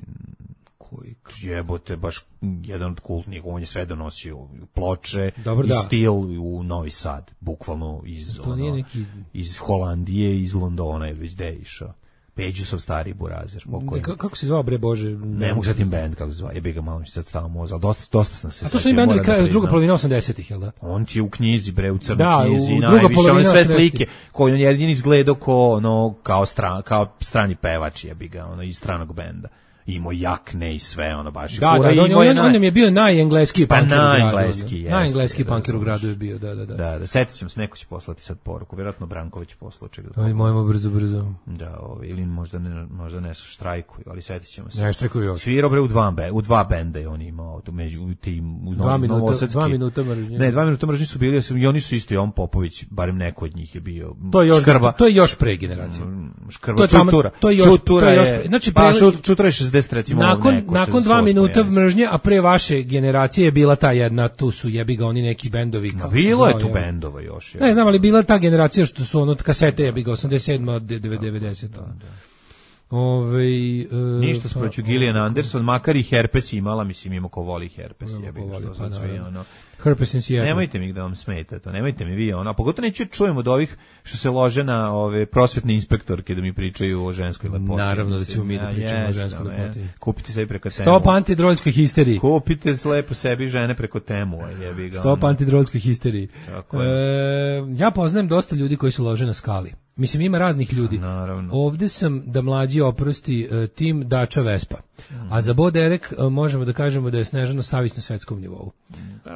koji jebote, baš jedan od kultnih, on je sve donosio ploče Dobro, i da. stil u Novi Sad, bukvalno iz, To nije ono, neki- iz Holandije, iz Londona je već gde išao. Peđusov stari burazer. Ne, ka- kako se zvao, bre, Bože? Ne mogu setim bend kako se zva. Jebi ga, malo mi se sad stao mozak, ali dosta, dosta sam se A to su setio, i bendovi moram da kraja, druga priznam. polovina osamdesetih, jel da? On ti je u knjizi, bre, u crnoj Da, u knjizi, druga najviše, one polovina sve osamdesetih. slike, koji on jedini izgledao ko, ono, kao, stran, kao strani pevač, jebi ga, ono, iz stranog benda. Imao jakne i sve, ono, baš. i Da, da, fura, da, on, imao je on, naj- on nam je bio najengleski Pa punker u gradu. najengleski, ono. jeste, Najengleski da, punker u da, gradu baš. je bio, da, da, da. Da, da, setit ćemo se, neko će poslati sad poruku, vjerojatno Branković poslao čega da Aj, mojmo brzo, brzo. Da, ovaj, ili možda ne, možda ne štrajkuju, ali setit ćemo se. Ne, štrajkuju još. Svirao bre u dva, be, u dva benda je on imao, tu među u tim, u Dva Novo- minuta- Novosadski. dva minuta mržnje. Ne, dva minuta mržnje su bili, i oni su isto, i on Popović, barem neko od njih je bio. To je još, Škrba, to je još pre generacije. Škrba, to je tamo- Čutura. to je još- Čutura to je još je, pre- znači, pa, pre- Šu- Čutura je šezdeset, recimo, Nakon, neko, nakon dva šezdeset osam, minuta jesu. mržnje, a pre vaše generacije je bila ta jedna, tu su jebi ga oni neki bendovi. Ma, kako se bilo je zvao, tu jel? bendova još. je. Ne znam, ali bila ta generacija što su ono kasete jebi ga osamdeset sedam od devedeset. Ovaj e, Ništa s proću Gillian Anderson, makar i herpes imala, mislim, ima ko voli herpes, Ima jebi ko ga, voli, što pa sad svi, naravno. ono. Herpes in Seattle. Nemojte mi da vam smeta to, nemojte mi vi ono, a pogotovo neću čujem od ovih što se lože na ove prosvetne inspektorke da mi pričaju o ženskoj lepoti. Naravno da ćemo mi da Mislim, pričamo o jeste, ženskoj ono, lepoti. je. Kupite sebi preko temu. Stop antidroljskoj histeriji. Kupite lepo sebi žene preko temu, a jebi ga. Stop ono. antidroljskoj histeriji. Tako E, ja poznajem dosta ljudi koji se lože na skali. Mislim, ima raznih ljudi. Naravno. Ovde sam da mlađi oprosti e, tim Dača Vespa. A za Bo Derek e, možemo da kažemo da je Snežana Savić na svetskom nivou.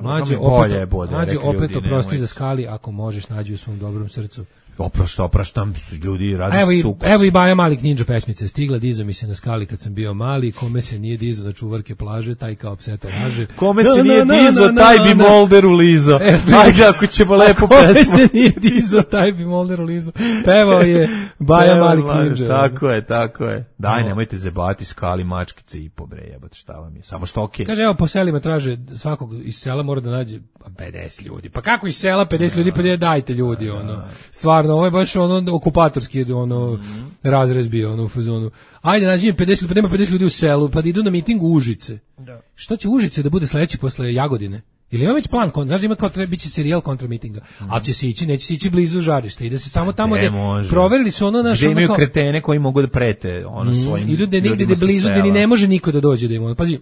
Mlađe mi bolje opet, je Bo Derek, mlađe opet ljudi, oprosti nemojte. za skali ako možeš nađi u svom dobrom srcu. Oprošta, opraštam, ljudi radi Evo i, sukus. evo i Baja Malik Ninja pesmica je stigla, dizo mi se na skali kad sam bio mali, kome se nije dizo na čuvarke plaže, taj kao pseto laže. Kome Na, se na, nije na, dizo, na, na, taj bi na. Molderu lizo. E, Ajde, ako ćemo lepo Kome pesmu. se nije dizo, taj bi Molderu lizo. Pevao je Baja Evo, Malik Malik, Ninja. Tako je, tako je. Daj, No. nemojte zebati skali mačkice i pobre, jebate, šta vam je. Samo što okej. Kaže, evo, po selima traže svakog iz sela mora da nađe pedeset ljudi. Pa kako iz sela pedeset ljudi, pa gdje dajte ljudi, ono. Stvarno, ovo je baš ono okupatorski, ono, razrez bio, ono, u fazonu. Ajde, nađi mi pedeset ljudi, pa nema pedeset ljudi u selu, pa da idu na miting u Užice. Da. Što će Užice da bude sledeći posle Jagodine? Ili ima već plan, znaš da ima kao treba biće serijal kontra mitinga, mm. ali će se ići, neće se ići blizu žarišta i da se samo tamo gde proverili su ono naš gde imaju kao, kretene koji mogu da prete ono svojim i ljudi negde ljudima gde blizu sa gde ni sela. ne može niko da dođe da ima. Pazi,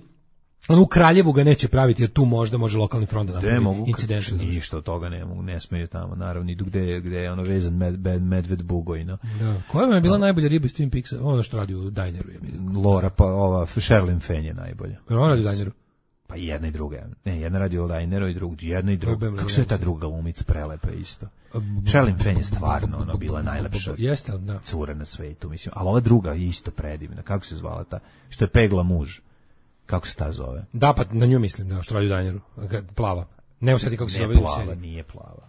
ono u Kraljevu ga neće praviti jer tu možda može lokalni front da Gde napravi mogu, incident. ništa od toga ne mogu, ne smeju tamo, naravno, idu gde, gde je ono vezan med, med, medved bugojno. Da. Koja vam je bila najbolja riba iz Twin Peaksa? Ono što radi u Dineru. Je bilo. Lora, pa ova, Sherilyn Fenn je najbolja. Ona radi u Dineru? Pa jedna i druga. Ne, jedna radi u Dineru i druga, jedna i druga. Problem, Kako se je ta druga glumica prelepa isto. Sherilyn Fenn je stvarno ono bila najlepša Jeste, da. cura na svetu, mislim. Ali ova druga je isto predivna. Kako se zvala ta? Što je pegla muž. Kako se ta zove? Da, pa na nju mislim, da, što radi u Dineru. Plava. Ne osjeti kako se zove. Ne plava, nije plava.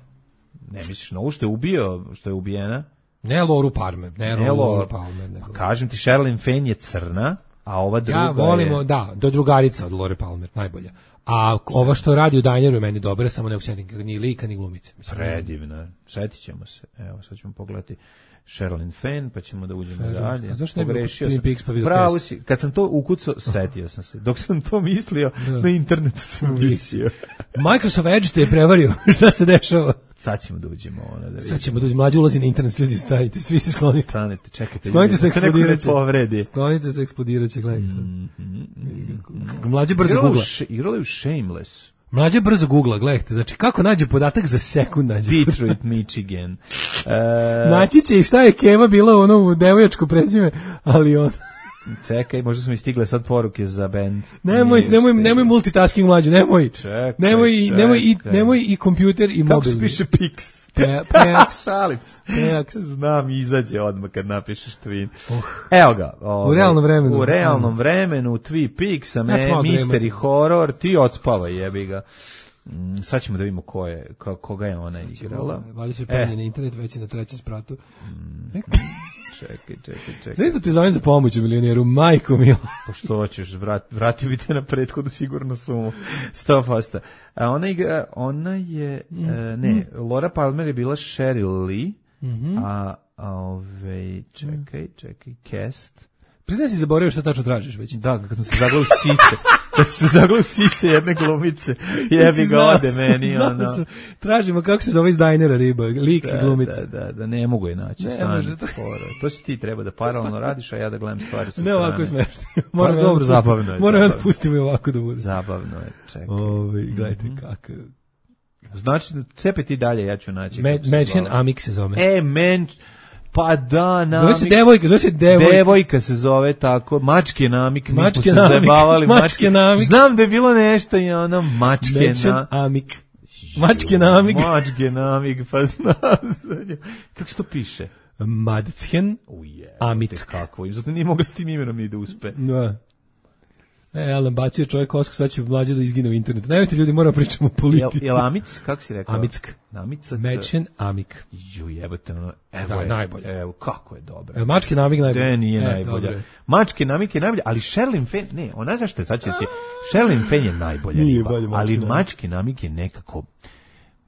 Ne misliš na ovu što je ubio, što je ubijena? Ne Loru Palmer, ne, ne Loru Palmer. Nego. Kažem ti, Sherilyn Fenn je crna, a ova druga ja volimo, je... da, do drugarica od Lore Palmer, najbolja. A ova što radi u Dineru je meni dobra, samo ne usjetim ni lika, ni glumice. Mislim, predivna, setit ćemo se. Evo, sad ćemo pogledati Sherilyn Fenn, pa ćemo da uđemo Sherilyn. dalje. A zašto ne bi Twin Peaks pa vidio Bravo si, kad sam to ukucao, setio sam se. Dok sam to mislio, da. Na internetu sam mislio. Microsoft Edge te je prevario, šta se dešava? Sad ćemo da uđemo ona da vidimo. Sad ćemo da uđemo, mlađi ulazi na internet, ljudi stavite, svi se sklonite. Stanete, čekajte. Sklonite se, eksplodirat će. Povredi. Sklonite se, eksplodirat će, gledajte. Mm -hmm. Mlađe brzo googla. Igrali u Shameless. Mlađe brzo googla, gledajte, znači kako nađe podatak za sekund nađe. Detroit, Michigan. Uh, Naći će i šta je Keva bila ono u devojačko prezime, ali on... Čekaj, možda su mi stigle sad poruke za band. Nemoj, nemoj, nemoj multitasking mlađe, nemoj. Čekaj, nemoj, čekaj. Nemoj, i, nemoj i kompjuter i mobilni. Kako se piše Pix? Peaks. Šalim se. Peaks. Znam, izađe odmah kad napišeš Twin. Uh. Evo ga. Ovaj, u realnom vremenu. U realnom vremenu, Twin Peaks, a me, Mystery Horror, ti odspavaj, jebi ga. Mm, sad ćemo da vidimo ko je, ko, koga je ona igrala. Vali se penje e. na internet, već je na trećem spratu. Mm. Čekaj, čekaj, čekaj. Znaš da te zovem za pomoć u milionijeru, majko milo. Pa što hoćeš, vrat, vratio bi te na prethodu sigurno sumu. sto posto. A ona, igra, ona je, mm. e, ne, Laura Palmer je bila Sheryl Lee, mm -hmm. a, a ove, čekaj, čekaj, cast. Priznaj si zaboravio šta tačno tražiš već. Da, kad sam se zaglao u sise, kad sam se zaglao u sise jedne glumice, jebi ga ode meni, ono. Tražimo kako se zove iz Dinera riba, lik i glumica. Da, da, da, ne mogu je naći. Ne može to. To si ti treba da paralelno radiš, a ja da gledam stvari sa ne strane. Ne ovako je smešno. Moram pa, dobro, zabavno je. Moram da pustimo i ovako da bude. Zabavno je, čekaj. Ove, gledajte mm -hmm. kako. Znači, cepe ti dalje, ja ću naći. Madchen Amik se zove. E, men... Pa da, namik. Zove se devojka, zove se devojka. Devojka se zove tako, mačke namik, mi mačke smo se namik, zabavali. Mačke, mačke namik. Znam da je bilo nešto i ono, mačke namik. Amik. Mačke namik. Mačke namik, pa znam. Kako se to piše? Madchen Amick. Kako, zato nije mogao s tim imenom ni da uspe. Da. E, Alan bacio čovjek kosku, sad će mlađe da izgine u internetu. Nemojte ljudi, moramo pričamo o politici. Jel, jel Amic, kako si rekao? Amick. Namicak. Madchen Amik. Ju, jebate, ono, evo da, je, najbolje. Evo, kako je dobro. E, Mačke Namik najbolje. Ne, nije e, najbolja. Dobre. Mačke Namik je najbolja, ali Sherilyn Fenn, ne, ona zašto je, sad će ti, Sherilyn Fenn je najbolja nije riba, bolje, ali Mačke Namik je nekako,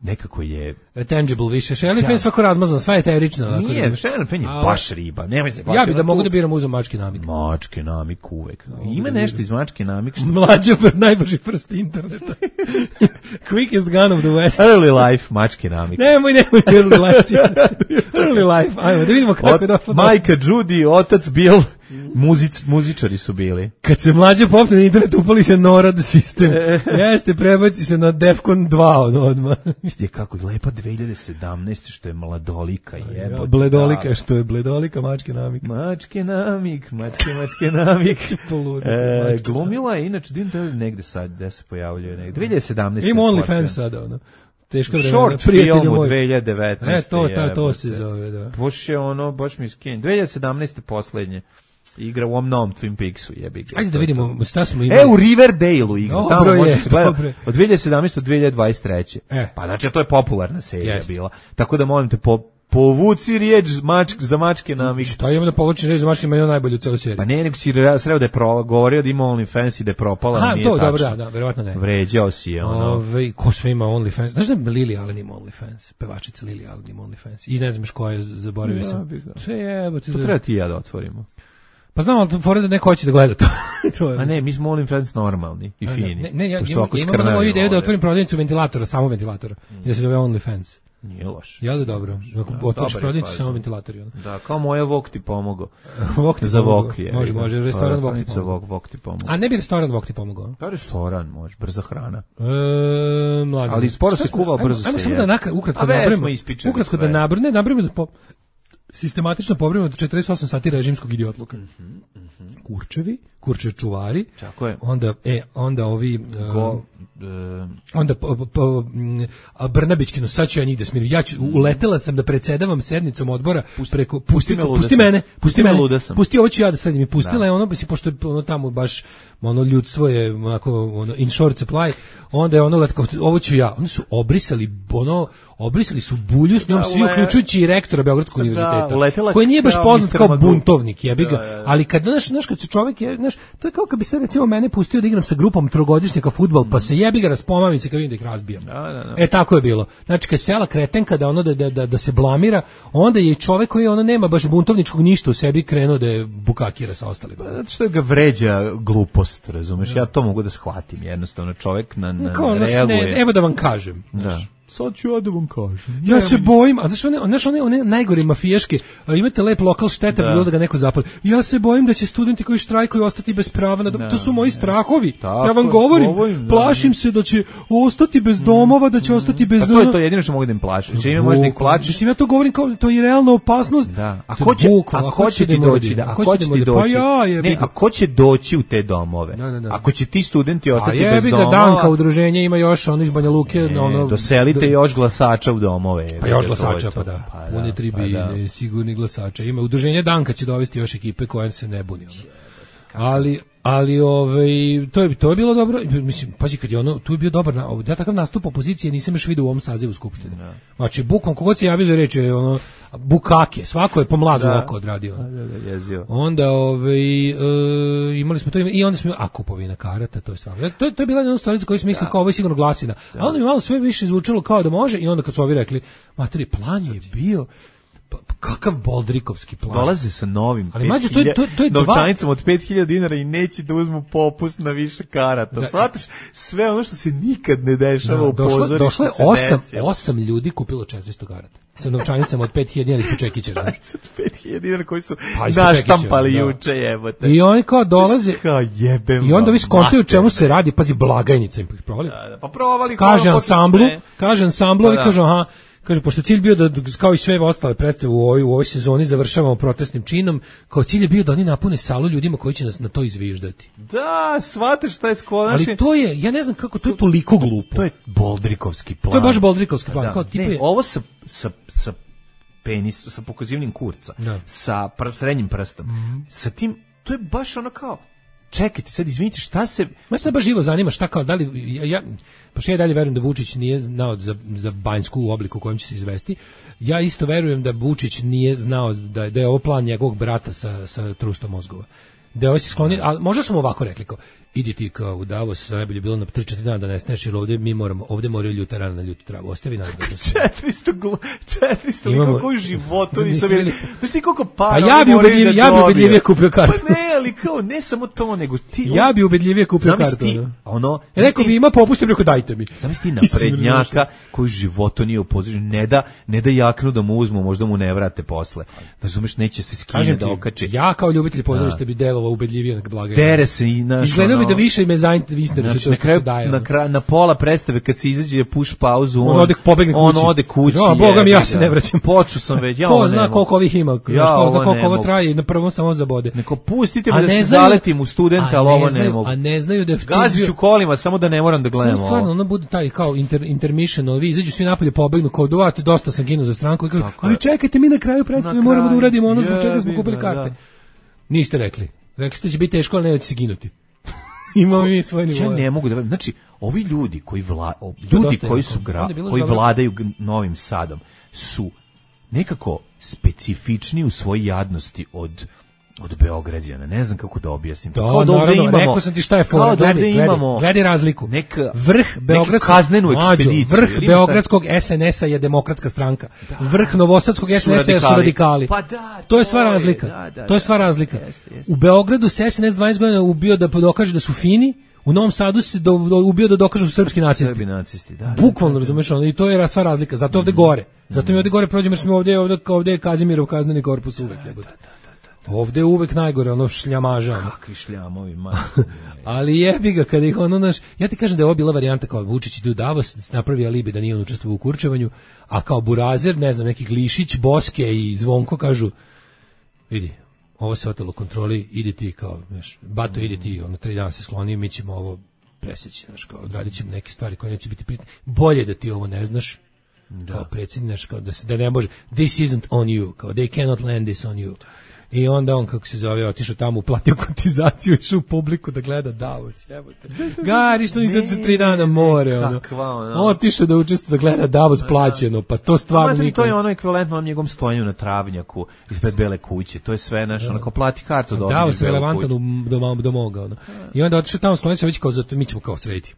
nekako je tangible više. Sherilyn Fenn svako razmazan, sva je eterična. Nije, Sherilyn Fenn je baš riba. Nemoj se ja bih da mogu da biram uzem Mačke Namik. Mačke Namik uvek. Ima nešto iz Mačke Namik. Mlađe najbrži prst interneta. Quickest gun of the West. Early life Mačke Namik. Nemoj, nemoj early life. Early life. Ajmo da vidimo kako je došlo. Majka Judy, otac Bill, muzic, muzičari su bili. Kad se mlađe popne na internet, upali se NORAD sistem. Jeste, prebaci se na Defcon dva odmah. Vidite kako je lepa dve hiljade sedamnaeste što je mladolika, jebote. Bledolika, što je bledolika, Mačke Namik. Mačke Namik, mačke, mačke Namik. e, glumila je, inače, dim da negde sad, gde se pojavljuje negde, dve hiljade sedamnaeste. Ima OnlyFans sada, ono. Teška vremena, Short prijatelju film u moj. dve hiljade devetnaeste. E, to, ta, to jebote. se zove, da. Baš je ono, baš mi je skenj. dve hiljade sedamnaeste poslednje. Igra u ovom novom Twin Peaksu, jebi ga. Ajde da vidimo, šta smo imali. E, u Riverdale-u igra. Dobro Tamo je, može se gleda dobro je. od dve hiljade sedamnaeste do dve hiljade dvadeset treće. E. Pa znači, to je popularna serija Jeste. bila. Tako da molim te, po, povuci riječ mačk, za mačke na Šta imamo da povučem reći za mačke, ima je najbolju u celoj seriji. Pa ne, nego si re- sreo da je pro, govorio da ima OnlyFans i da je propala, Aha, nije to, tačno. dobro, da, da, verovatno ne. Vređao si je, ono. Ove, ko sve ima OnlyFans? Znaš da Lily Allen ima OnlyFans? Pevačica Lily Allen ima OnlyFans. I ne znaš koja je, zaboravio Ja sam. bih ga. Sve jebote. To treba ti i ja da otvorimo. Pa znam, ali fora da neko hoće da gleda to. To je. A ne, mi smo OnlyFans normalni i fini. Ne, ne, ja, Pošto imam, ako imam skrnavimo moju ideju da ovde. otvorim prodavnicu ventilatora, samo ventilatora. I da se zove OnlyFans. Nije loš. Ja da dobro. Ako Da, otvoriš dobar je prodavnicu, fazon. samo ventilatori. Ono. Da, kao moja Vok ti pomogao. Vok ti Za pomogao. Vok je. Može, može, restoran Vok ti Za pomogao. Vok, Vok ti pomogao. A ne bi restoran Vok ti pomogao? Pa restoran može, brza hrana. E, mladi. Ali sporo Šta se smo- kuva, ajmo- brzo ajmo se samo jede. da nakra, ukratko A već nabrojimo. smo ispričali Ukratko sve. da nabrojimo, ne, nabrojimo da po, sistematično pobrojimo od četrdeset osam sati režimskog idiotluka. Kurčevi, kurče čuvari. Tako je. Onda, e, onda ovi... Go, e, e, onda po, po, po, m, a Brnabićkino, sad ću ja njih da smirim. Ja ću, uletela sam da predsedavam sednicom odbora preko, pusti, me, luda pusti sam. mene, pusti Pusti me, mene, luda sam. pusti ovo ću ja da sad mi pustila je ono, bi si, pošto je ono tamo baš, ono ljudstvo je onako, ono, in short supply, onda je ono, letko, ovo ću ja, oni su obrisali, ono, obrisali su bulju s njom, Da, svi ule- uključujući i rektora Beogradskog univerziteta, uletela koji nije baš kao poznat mister kao Magoo. buntovnik, jebi ga, Da, da, da. ali kad, znaš, znaš, kad se čovjek, je, znaš, to je kao kad bi se recimo mene pustio da igram sa grupom trogodišnjaka fudbal, pa se jebi ga, raspomamim se kad vidim da ih razbijam. Da, da, da. E tako je bilo. Znači kad sela kretenka da ono da, da, da, da se blamira, onda je i čovjek koji ono nema baš buntovničkog ništa u sebi krenuo da je bukakira sa ostalima. Zato što ga vređa glupost, razumeš? Ja to mogu da shvatim, jednostavno čovjek na, na Kao, ono, reaguje. ne, evo da vam kažem. Da. Sad ću ja da vam kažem. Ja se bojim, a znaš one, znaš one, one najgore mafijaške, a, imate lep lokal šteta, Da. bilo da ga neko zapali. Ja se bojim da će studenti koji štrajkuju ostati bez prava, na, Da, to su moji strahovi. Tako ja vam je, govorim, govorim, da. plašim se da će ostati bez domova, da će ostati bez... Pa to je ono- to jedino što mogu da im plašim. Čime možeš da ih Bukvalno. plašiš? Mislim, ja to govorim kao, to je realna opasnost. Da. A To je ko će, bukvalno, a ko će ti da doći? mora Da, da- a ko ko će će da ti mora- doći? Pa ja, jebi Ne, ga. a ko će doći u te domove? Da, da, da. Ako će ti studenti A ostati bez jebi ga, domova, Danka udruženje ima još ono iz Banja Luke, e, ono doselite do- još glasača u domove. Pa još To je glasača, to. pa da. Pa Pune tri pa da. biljne, sigurni glasača. Ima udruženje Danka će dovesti još ekipe koja se ne buni. Ono. Ali, ali ovaj, to, je, to je bilo dobro. Mislim, pazi, kad je ono, tu je bio dobar, na, ja takav nastup opozicije nisam još vidio u ovom sazivu Skupštine. Znači, bukom, kogod se javio za reč je ono, bukake, svako je pomlazu Da. oko odradio. Da, da, da, jezio. Onda ovaj, e, imali smo to i onda smo a kupovina karata, to je stvarno. To, je- to je bila jedna stvar za koju smo mislili kao ovo je sigurno glasina. A onda mi malo sve više zvučalo kao da može i onda kad su ovi rekli, materi, plan je bio pa, pa kakav boldrikovski plan. Dolaze sa novim Ali, mađo, to je- to je- to je dva- novčanicom od pet hiljada dinara i neće da uzmu popust na više karata. Da. Shvataš sve ono što se nikad ne dešava Da, u došlo, pozorištu došlo je se osam, desilo. osam ljudi kupilo četiristo karata. Sa novčanicama od pet hiljada dinara ispod čekića. znaš. pet hiljada dinara koji su Pa, ispod naštampali čekića, da. juče, jebote. I oni kao dolaze Kao jebem i onda vam vi skontaju o mater. čemu se radi, pazi, blagajnica im ih provali. Da, da, pa provali Kaže kola posle ansamblu, sve. kaže ansamblovi, Pa da. kaže aha, kaže pošto cilj bio da kao i sve ostale predstave u ovoj u ovoj sezoni završavamo protestnim činom, kao cilj je bio da oni napune salu ljudima koji će nas na to izviždati. Da, shvataš šta je skonaš. Ali to je, ja ne znam kako to je toliko glupo. To je Boldrikovski plan. To je baš Boldrikovski plan, Da, kao tipa ne, je- ovo sa, sa, sa penis, sa pokazivnim kurca, Da. Mhm. sa pr, srednjim prstom, sa tim, to je baš ono kao, čekajte, sad izvinite, šta se... Me sad baš živo zanima šta kao, da li, ja, ja, pa što ja dalje verujem da Vučić nije znao za, za Banjsku u obliku u kojem će se izvesti. Ja isto verujem da Vučić nije znao da, je- da je ovo plan njegovog brata sa, sa trustom mozgova. Da je ovo se skloni, ali možda smo ovako rekli kao, idi ti kao u Davos, najbolje bilo na tri četiri dana da nesneš, jer ovdje mi moramo, ovdje moraju ljuta rana na ljutu travu, ostavi nas da se... četiristo, glu, četiristo Imamo- lika koji životu Nisam nisam vidjeli. vidjeli. Znaš ti koliko para A ja oni bi moraju ubedljivije- da ja bi dobiju? ubedljivije kupio kartu. Pa ne, ali kao, ne samo to, nego ti... Ja bi ubedljivije kupio Zamisli kartu. ti, ono. ono... E, neko bi ima popust, rekao dajte mi. Zamisli ti naprednjaka koji životu nije u poziciji, ne da, ne da jaknu da mu uzmu, možda mu ne vrate posle. Razumeš, neće se skine Kažem da ti, okači. ja kao ljubitelj pozorišta bi deo delova ubedljivije nek blagajna. Tere se i naš. Izgledao bi ono, da više me zainteresuje znači, to na što kraju, se daje. na, kraju, na pola predstave kad se izađe push pauzu, on, On ode pobegne on kući. ode kući. Ja, boga mi, ja jebi se ga. ne vraćam. Počeo sam već, ja Ko ovo zna ne koliko mogu. ovih ima, Ja ko zna ovo koliko ne ovo mogu. traje, na prvom samo zabode. Neko pustite A me da ne se znaju- zaletim u studenta, a ali ne ovo ne znaju- mogu. A ne znaju da je Gazit ću kolima, samo da ne moram da gledam Samo stvarno, ovo. ono bude taj kao inter, intermission, ovi izađu svi napolje, pobegnu, kao dovate, dosta sam ginuo za stranku i kažu, Tako ali je. čekajte, mi na kraju predstave Na moramo da kraju, uradimo ono zbog čega smo jebi kupili ga, karte. da. Niste rekli. Rekli ste da će biti teško, ali neće se ginuti. Imamo mi svoje Ja nivoje. ne mogu da verujem. Znači, ovi ljudi koji vla, o, To je ljudi dosta koji jako. su gra, Onda je bilo koji dobro. vladaju g- Novim Sadom su nekako specifični u svojoj jadnosti od od Beograđana. Ne znam kako da objasnim. Da, Kao da ovde naravno, imamo- rekao sam ti šta je fora. kao da Gledaj, ovde gledaj, imamo gledaj razliku. neka- Vrh Beogradskog kaznenu Mlađo, ekspediciju. vrh Ili ima šta- Beogradskog S N S-a je demokratska stranka. Vrh Novosadskog S N S-a su radikali. radikali. Pa da, to je to sva je, razlika. da, da, to je da. sva razlika. Jeste, jeste. U Beogradu se S N S dvadeset godina ubio da dokaže da su fini, u Novom Sadu se do, do, ubio da dokažu da su srpski nacisti. Srbi nacisti, da. da, Bukvalno, da, da. razumeš, ono, i to je sva razlika. Zato ovde gore. Zato mi ovde gore prođemo jer smo ovde, ovde, ovde je Kazimirov kazneni korpus uvek. jebote. Ovde je uvek najgore, ono šljamaža. ono. Kakvi šljamovi, man. Ali jebi ga kada ih ono naš, ja ti kažem da je ovo bila varijanta kao Vučić ide u Davos, napravi alibi da nije on učestvovao u kurčevanju, a kao Burazer, ne znam, neki Glišić, Boske i Zvonko kažu, vidi, ovo se otelo kontroli, ide ti kao, znaš, Bato, ide ti, ono, tri dana se skloni, mi ćemo ovo presjeći, znaš, kao, odradit ćemo neke stvari koje neće biti pritne. Bolje da ti ovo ne znaš, kao predsjednik, znaš, kao da, se, da ne može, this isn't on you, kao, they cannot land this on you. I onda on, kako se zove, otišao tamo, uplatio kotizaciju, išao u publiku da gleda Davos, jebote. Gari, što nisi otišao tri dana na more, ono. Kakva, ono. Otišao da učestvuje da gleda Davos plaćeno, pa to stvarno Mater, niko... to je ono ekvivalentno onom njegovom stojanju na travnjaku ispred Bele kuće. To je sve naš, onako plati kartu da Davos obiđeš je Belu relevantan kuću. u, do, do moga, ono. I onda otišao tamo, sklonio se već kao, zato mi ćemo kao srediti.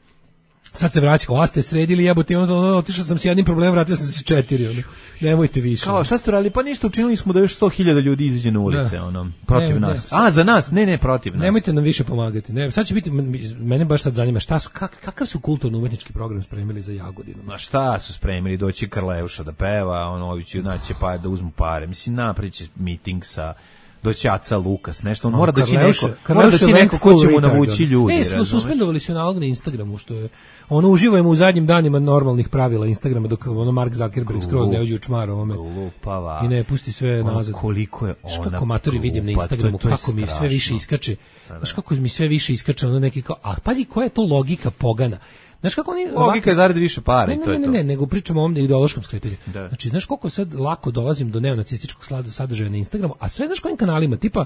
Sad se vraća, kao, a ste sredili, jebote, ono, ono, otišao sam s jednim problemom, vratio sam se s četiri, ono. Nemojte više. Kao, šta ste radili? Pa ništa, učinili smo da još sto hiljada ljudi izađe na ulice, Da. ono, protiv Ne, ne, nas. sad- A, za nas? Ne, ne, protiv nas. Nemojte nam više pomagati. Ne, sad će biti, mene baš sad zanima šta su, kak, kakav su kulturno-umetnički program spremili za Jagodinu. Ma šta su spremili, doći Karleuša da peva, ono, ovi će naći pa da uzmu pare. Mislim, naprići miting sa doći Aca Lukas, nešto, on mora doći neko, mora doći neko ko će mu navući ljudi. E, smo razumeš? suspendovali su nalog na Instagramu, što je, ono, uživajemo u zadnjim danima normalnih pravila Instagrama, dok ono Mark Zuckerberg skroz ne uđe u čmar ovome Lupava. i ne pusti sve Ono, nazad. koliko je Znaš ona kako matori vidim na glupa, to je- Instagramu, to je kako mi sve strašno. više iskače. Znaš kako mi sve više iskače, ono neki kao, a pazi koja je to logika pogana. Znaš kako oni... Logika je zaradi više para Ne, i ne, to je ne, to. ne, ne, nego pričamo o ovom ideološkom skretanju. Da. Znači, znaš koliko sad lako dolazim do neonacističkog slada- sadržaja na Instagramu, a sve znaš kojim kanalima, tipa,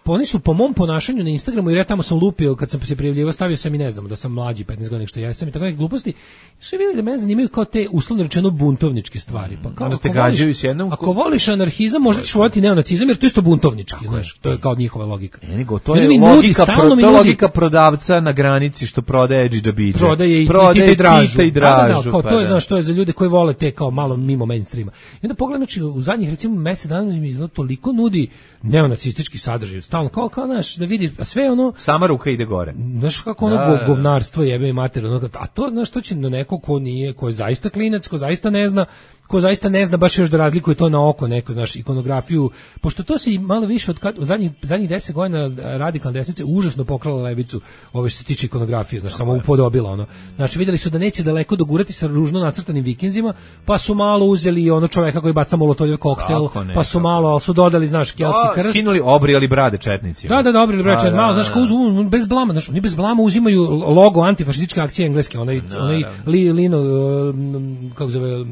pa oni su po mom ponašanju na Instagramu, jer ja tamo sam lupio, kad sam se prijavljivao, stavio sam i ne znam, da sam mlađi petnaest godina što ja sam i tako neke gluposti, su vidjeli da mene zanimaju kao te, uslovno rečeno, buntovničke stvari. Pa kao, Onda te ako voliš- gađaju s jednom- Ako voliš anarhizam, možda ćeš voliti neonacizam, jer to je isto buntovnički, znaš, to je kao njihova logika. E, nego, to I je onda mi nudi, logika, stalno pro, mi to je nudi- logika prodavca na granici što prodaje džidžabidže. Prodaje i prodaje Tita i Dražu. Tita i Da, da, da, Dražu, kao pa to je, da. znaš, to je za ljude koji vole te kao malo mimo mainstreama. I onda pogledam, znači, u zadnjih recimo mjesec dana mi izgleda toliko nudi neonacistički sadržaj, stalno kao, kao, znaš, da vidiš, a sve ono, Sama ruka ide gore. znaš kako ono Da, go- da, da. govnarstvo jebe i mater, ono, a to, znaš, to će na neko ko nije, ko je zaista klinac, ko zaista ne zna, ko zaista ne zna baš još da razlikuje to na oko, neko, znaš, ikonografiju, pošto to se i malo više od kad, u zadnjih, zadnjih deset godina radikalna desnica užasno pokrala levicu, ove što se tiče ikonografije, znaš, samo upodobila, ono. Znači, vidjeli su da neće daleko dogurati sa ružno nacrtanim vikinzima, pa su malo uzeli ono čoveka koji baca molotovljev koktel, Tako, pa su nekako. malo, ali su dodali, znaš, keltski A, krst. skinuli, obrijali brade četnici. Da, da, dobro, ili braće, Da, malo, da, znaš, da. kao uz, uz- bez blama, znaš, oni bez blama uzimaju logo antifašističke akcije engleske, onaj, onaj li, lino, uh, kako se zove,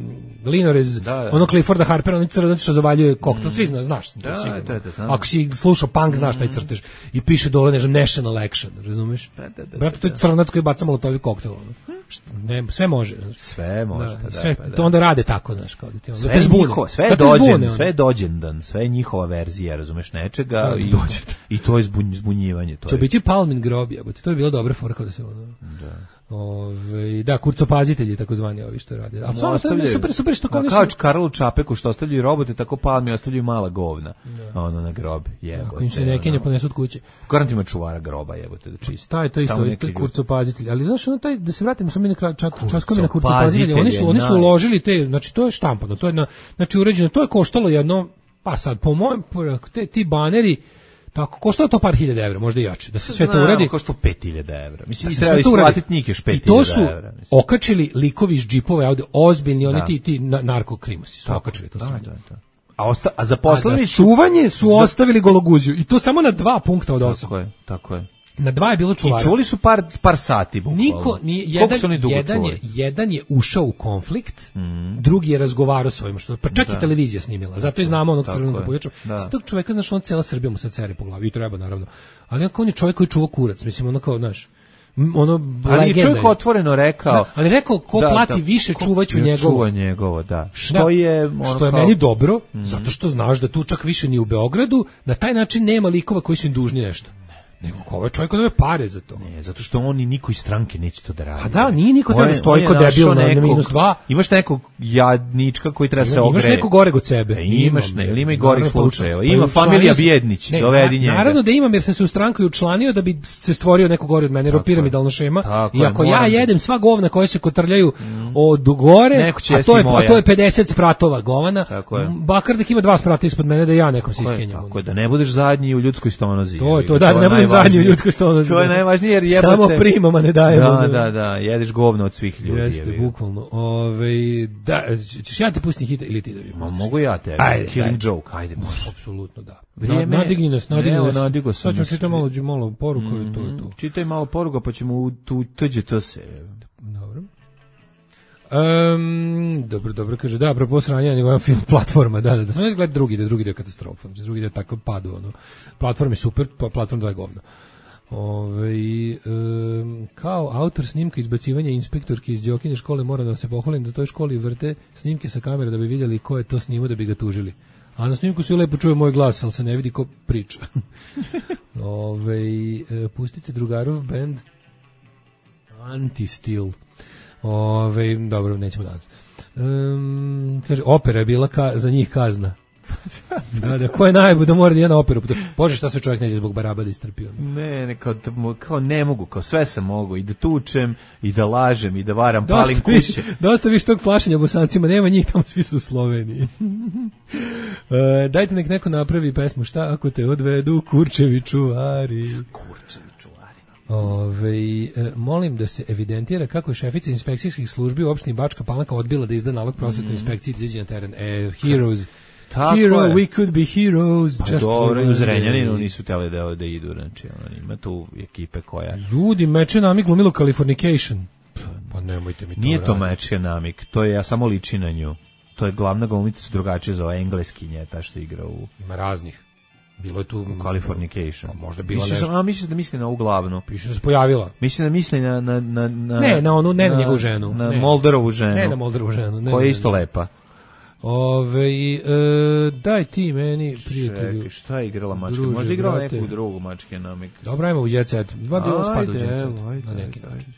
linorez, Da, da. ono Clifforda Harpera, onaj crnac što zavaljuje koktel, svi zna, znaš, to Da, sigurno. da, da, znam. Ako si slušao punk, znaš taj crtež. I piše dole, ne znam, National Action, razumeš? Da, da, da, Brate, to je crnac koji baca molotovi koktel, ono. Šta, ne, sve može, znaš. Sve može, Da, pa da, sve, pa da. to onda rade tako, znaš, kao da ti onda Sve te je zbune. njihova, sve je Da te zbune, dođen, ono. sve je dođendan, sve je njihova verzija, razumeš, nečega Da, i, dođendan. i to je zbunj, zbunjivanje. To To je. biće Palmin grob, jebote. To je bilo dobra fora kada se ono. Da. Ove, da, kurcopazitelji takozvani ovi što rade. A stvarno to je super, super što kao A oni kao su- Karlu Čapeku što ostavljaju robote, tako Palmi ostavljaju mala govna. Ono na grob, jebote. Ako im se ne kenja, ponesu od kuće. Garant ima čuvara groba, jebote, da čisti. Taj, to je isto, Stalno to neki je ljudi. kurcopazitelj. Ali znaš, ono taj, da se vratimo samo mi na kraj, čak, časkovi na Kurcopazitelj kurcopazitelje, oni su, oni su je naj- uložili te, znači to je štampano, to je na, znači uređeno, to je koštalo jedno, pa sad, po mojem, te, ti baneri, Tako, koštalo to par hiljada evra, možda i jače, da se sve to Znam, uradi. koštalo pet hiljada evra. Mislim, Da i se treba sve to uradi. isplatiti njih još pet I to hiljada su evra. Mislim. okačili likovi iz džipova, ovde ozbiljni, oni Da. ti, ti na- narkokrimusi su Tako, okačili to da, sve. da, da. A, osta, a A zaposleni za su... čuvanje su za- ostavili gologuziju i to samo na dva punkta od osam. Tako je, tako je. Na dva je bilo čuvara. I čuli su par, par sati, bukvalno. Niko nije, Koliko jedan, su oni dugo jedan, je, čuli? jedan je ušao u konflikt, drugi je razgovarao s ovim, što, pa čak Da. i televizija snimila, zato i znamo onog Tako crvenog je. pojača. Da. S tog čoveka, znaš, on cijela Srbija mu sad sere po glavi, i treba, naravno. Ali on je čovjek koji čuva kurac, mislim, ono kao, znaš, m, ono, Ali je legenda čovjek otvoreno rekao... Da, ali rekao, ko Da, plati da, više, ko- čuvaću ja njegovo. Čuva njegovo, da. Što Da, je... Ono što je kao- meni dobro, zato što znaš da tu čak više ni u Beogradu, na taj način nema likova koji su im dužni nešto. Nego ko ovaj čovjek koji pare za to. Ne, zato što oni niko iz stranke neće to da radi. A da, nije niko On treba je- da stoji on je ko debil našao na- na nekog- minus dva. Imaš nekog jadnička koji treba se Ima- ogreje. Imaš nekog goreg od sebe. E, imaš, ne, ili ima i gorih Naravno, slučajeva. pa Ima učlanio familija sam- Bjednić, Ne, dovedi na- njega. Naravno da imam jer sam se u stranku i učlanio da bi se stvorio neko gore od mene, jer Tako piramidalna šema. Tako I je, ako ja moram da- jedem sva govna koja se kotrljaju od gore, Neko će a jesti to je moja. a to je pedeset spratova govana. Tako je. Bakardek ima dva sprata ispod mene da ja nekom se Tako je, iskenjam. tako je, da ne budeš zadnji u ljudskoj stonozi. To je jebi to, ga, da, ne budem najvažnije. zadnji u ljudskoj stonozi. To je da. najvažnije jer jebote. Samo primama ne dajemo. Da, da, da, jedeš govno od svih ljudi. Jeste, jebi ga. bukvalno. Ove, da, ćeš ja te pustim hita ili ti da vi Ma pustiš? mogu ja te. Ajde, Killing ajde. joke, ajde, može. Apsolutno da. Vrijeme- Nadigni nas, nadigni Evo, nas. nadigo sam Sad ćemo nas. čitati malo, malo poruku i to je to. Čitaj malo poruga pa ćemo u tu tuđe to se. Dobro. Um, dobro, dobro, kaže, da, apropo sranja nivoja film platforma, da, da, da sam ne gledati drugi, da drugi dio katastrofa, drugi dio tako padu, ono, platform je super, pa platform dva je govno. Ove, um, kao autor snimka izbacivanja inspektorke iz Đokine škole moram da se pohvalim da toj školi vrte snimke sa kamere da bi vidjeli ko je to snimao da bi ga tužili. A na snimku se lepo čuje moj glas, ali se ne vidi ko priča. Ove, e, pustite drugarov band Anti-Steel. Ove, dobro, nećemo danas. Um, kaže, opera je bila ka, za njih kazna. Da, da, ko je najbolj da mora da je na operu? Bože, šta sve čovjek neće zbog baraba da istrpio? Ne, ne, kao, kao ne mogu, kao sve sam mogu, i da tučem, i da lažem, i da varam, Dosta palim više, kuće. dosta više tog plašenja Bosancima, nema njih, tamo svi su u Sloveniji. e, dajte nek neko napravi pesmu, šta ako te odvedu Kurčevi čuvari. Kurčevi čuvari. Ove, e, molim da se evidentira kako je šefica inspekcijskih službi u opštini Bačka Palanka odbila da izda nalog prosvetnoj inspekciji da izađe na teren. E, heroes. Tako Hero, je. we could be heroes. Pa just dobro, for i u one Zrenjaninu day. nisu teli da, da idu, znači, ono, ima tu ekipe koja... Ljudi, meče nami glumilo Californication. Pa nemojte mi to Nije to raditi. mečke namik, to je, ja samo liči na nju. To je glavna glumica su drugačije za engleskinje, ta što igra u, Ima raznih. Bilo je tu... u Californication. Pa možda bila Mislim, nešto. a mislim da misli na ovu glavnu. Piše da se pojavila. Mislim da misli na... na, na, na Ne, na onu, ne na njegovu ženu. Na Ne. Molderovu ženu. Ne na Molderovu ženu. Ne, koja ne, je isto ne. lepa. Ove, e, daj ti meni, prijatelju. Čekaj, šta je igrala mačke? Druže, Možda je igrala brate. neku drugu mačke namik. Dobro, ajmo u Jet Set. Dva bi ovo spada u Ajde, Jet Set. evo, ajde, Na neki ajde, način.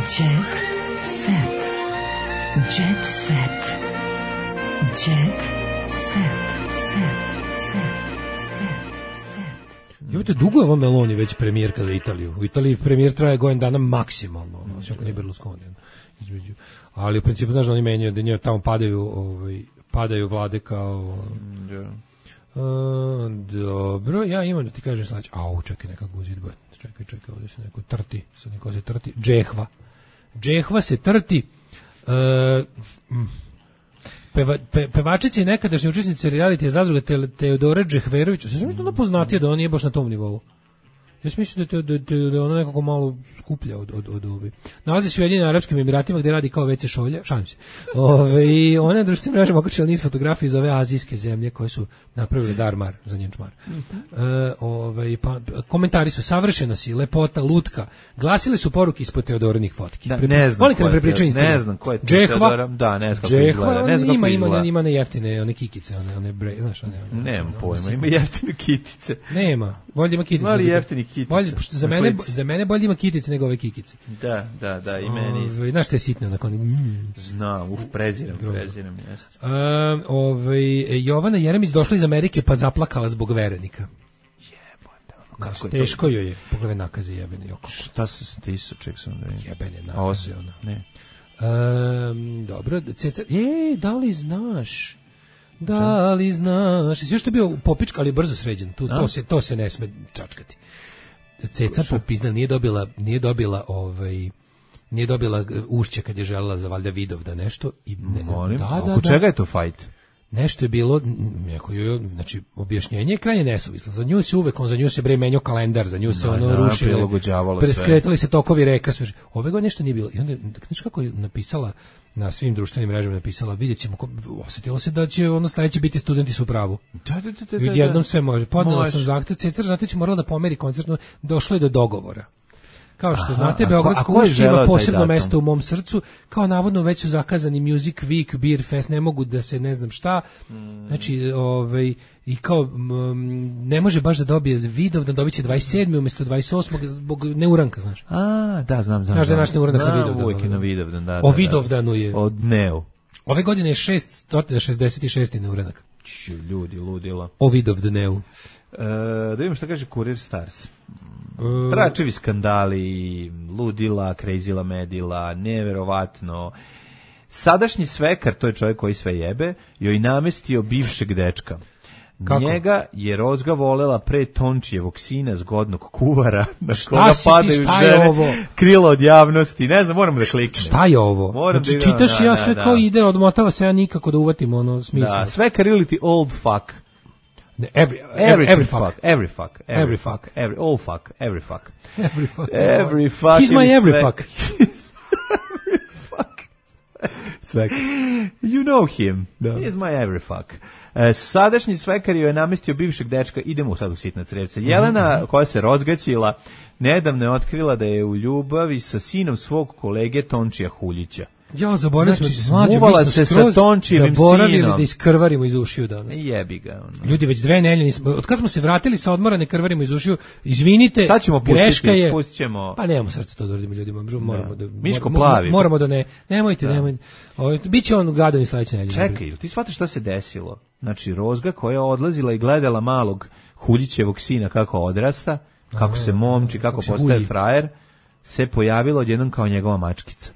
Jet set. Jet set. Jet set. Set. Set. Set. Set. Jovite, dugo je ova Meloni već premijerka za Italiju. U Italiji premijer traje godin dana maksimalno, ono, osim ako nije Berlusconi. ono, između. Ali u principu, znaš da oni menjaju, da njoj tamo padaju, ovaj, padaju vlade kao... Uh, dobro, ja imam da ti kažem sledeće. Au, čekaj, neka guzidba. Čekaj, čekaj, ovdje se neko trti. Sad neko se trti. Džehva. Džehva se trti. Uh, mm. Peva, pe, pevačici nekadašnji učesnici reality zadruge te, Teodore Džehverović. Sve sam mislila da poznatije da on nije baš na tom nivou. Ja sam mislio da, da, da, da je ona nekako malo skuplja od, od, od ove. Nalazi se u Ujedinjenim Arapskim Emiratima gde radi kao veće šolja, šalim se. Ove, i ona je društvenim mrežama okačila niz fotografija iz ove azijske zemlje koje su napravile darmar za njen čmar. E, ove, pa, komentari su savršena si, lepota, lutka. Glasile su poruke ispod Teodorinih fotki. Da, Pre- ne znam Volite ko da je prepričam Teo- istinu? ne znam ko je Džehva, Teodora, da, ne znam kako Džehva, izgleda, ne znam kako ima, ima, izgleda. ima ne jeftine, one kikice, one, one bre, znaš, one, one, Nemam one, pojma, one, ima jeftine kitice. Nema, bolje ima kitice. Mali nego- jeftini kitice. Bolje, pošto za Na mene, slici. za mene bolje ima kitice nego ove kikice. Da, da, da, i meni isto. Ove, znaš što je sitno onako, oni, mm. Znam, uf, preziram, Grozno. preziram, jeste. Um, ovaj, Jovana Jeremić došla iz Amerike pa zaplakala zbog verenika. Kako Znaš, je to? teško joj je, pogledaj nakaze jebeni oko. Šta se stisao, ček sam da vidim. Jebene A ovo nakaze, se- ona. Ne. Um, dobro, Cecar, ej, da li znaš? Da li znaš? Sve što je bio popička, ali brzo sređen. Tu, to, se, to se ne sme čačkati. Ceca popizna nije dobila, nije dobila ovaj... nije dobila ušće kad je želela za valjda Vidovda nešto. I ne, Molim, da, oko da, da. čega je to fajt? Nešto je bilo, neko joj, znači, objašnjenje je krajnje nesuvislo. Za nju se uvek, on za nju se bre menjao kalendar, za nju se Da, ono da, rušilo, prilagođavalo sve. preskretali se tokovi reka, sve. Ove godine nešto nije bilo. I onda, znaš kako je napisala na svim društvenim mrežama, napisala, vidjet ćemo, ko- osetilo se da će ono sledeće biti studenti su u pravu. Da, da, da, da, I odjednom sve može. Podnela Može. sam zahtev, Cecar, znate, će morala da pomeri koncertno, došlo je do dogovora. Kao što Aha, znate, a ko- Beogradsko a ko je ušće želeo ima taj posebno datum? mesto u mom srcu, kao navodno već su zakazani Music Week, Beer Fest, ne mogu da se ne znam šta, znači, ovaj, i kao, mm, ne može baš da dobije Vidov, da dobit će dvadeset sedmog umjesto dvadeset osmog zbog neuranka, znaš. A, da, znam, znam. Znaš da je znam. naš neuranak na Znam, Vidovdanu, uvijek je na da. Vidovdan, da, da. O da. Vidovdanu je, Od dnevu. ove godine je šeststo šezdeset šesti neuranak. Ću, ljudi, ludila. O Vidovdanu. E, da vidimo šta kaže Kurir Stars. Tračevi skandali, ludila, krejzila medila, neverovatno. Sadašnji svekar, to je čovjek koji sve jebe, joj namestio bivšeg dečka. Kako? Njega je Rozga volela pre Tončijevog sina, zgodnog kuvara, na Šta koga si ti, padaju šta je žene, ovo? krilo od javnosti. Ne znam, moramo da kliknem. Šta je ovo? Moram Znači, da idem, čitaš da, i ja da, sve da. kao ide, odmotava se ja nikako da uvatim ono smisla. Da, svekar ili ti old fuck. Ne, every, Every, every, every fuck. fuck. Every fuck. Every fuck. Every, all fuck. Every fuck. Every fuck. Every fuck. He's my ili every sve- fuck. Svekar. You know him. Da. He's my every fuck. E, sadašnji svekar joj je namestio bivšeg dečka. Idemo sad u sitna crevca. Jelena, koja se rozgaćila, nedavno je otkrila da je u ljubavi sa sinom svog kolege Tončija Huljića. Ja, zaboravili Znači, smo, mlađo, mi smuvala smo se sa skroz Tončijevim zaboravili sinom. da iskrvarimo iz ušiju danas. Jebi ga. Ono. Ljudi, već dve nedelje nismo, od kad smo se vratili sa odmora, ne krvarimo iz ušiju, izvinite, Sad ćemo pustiti, greška je, pustit ćemo. pa nemamo srce to da uradimo ljudima, moramo da, Miško mor- Plavi. moramo da ne, nemojte, nemojte, Ovo, biće on gadan i sledeće nedelje. Čekaj, jel ti shvataš šta se desilo? Znači, Rozga koja je odlazila i gledala malog Huljićevog sina kako odrasta, kako se momči, kako kako se postaje hulji. frajer, se pojavila odjednom kao njegova mačkica.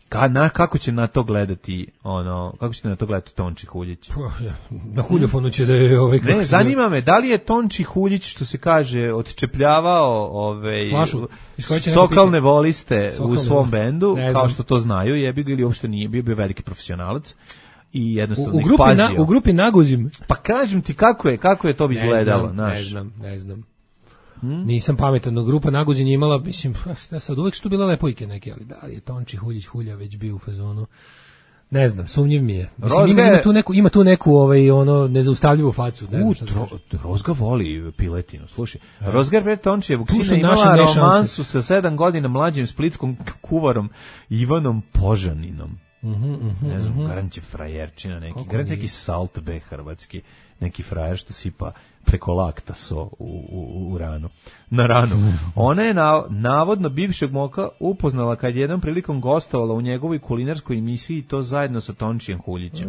Ka, na, kako će na to gledati, ono, kako će na to gledati Tonči Huljić? Pa, ja, na huljofonu će da je ovaj kako Ne, se zove, zanima me, da li je Tonči Huljić, što se kaže, odčepljavao ove, Flašu, iz koje će neko sokalne piti. voliste Sokalne u svom voliste. bendu, Ne kao znam. što to znaju, jebi ga ili uopšte nije, bio bio veliki profesionalac i u, jednostavno u ih grupi pazio. na, u grupi Naguzim. Pa kažem ti kako je, kako je to bi Ne izgledalo, znam, znaš. ne znam, ne znam. Nisam pametan, no grupa Naguzin je imala, mislim, šta sad, uvek su tu bile lepojke neke, ali da li je Tonči Huljić Hulja već bio u fazonu? Ne znam, sumnjiv mi je. Mislim, Rozga ima, je- ima tu neku, ima tu neku ovaj, ono, nezaustavljivu facu. Ne znam U, šta da tro, kažem. Rozga voli piletinu, slušaj. Rozga pre Tončijevog Tu su sina naše imala nešanse. romansu sa sedam godina mlađim splitskom kuvarom Ivanom Požaninom. Ne znam, garant je frajerčina neki, Kako garant nije? neki salt be hrvatski, neki frajer što sipa preko lakta so u, u, u ranu, na ranu. Ona je na, navodno bivšeg moka upoznala kad je jednom prilikom gostovala u njegovoj kulinarskoj emisiji i to zajedno sa Tončijem Huljićem.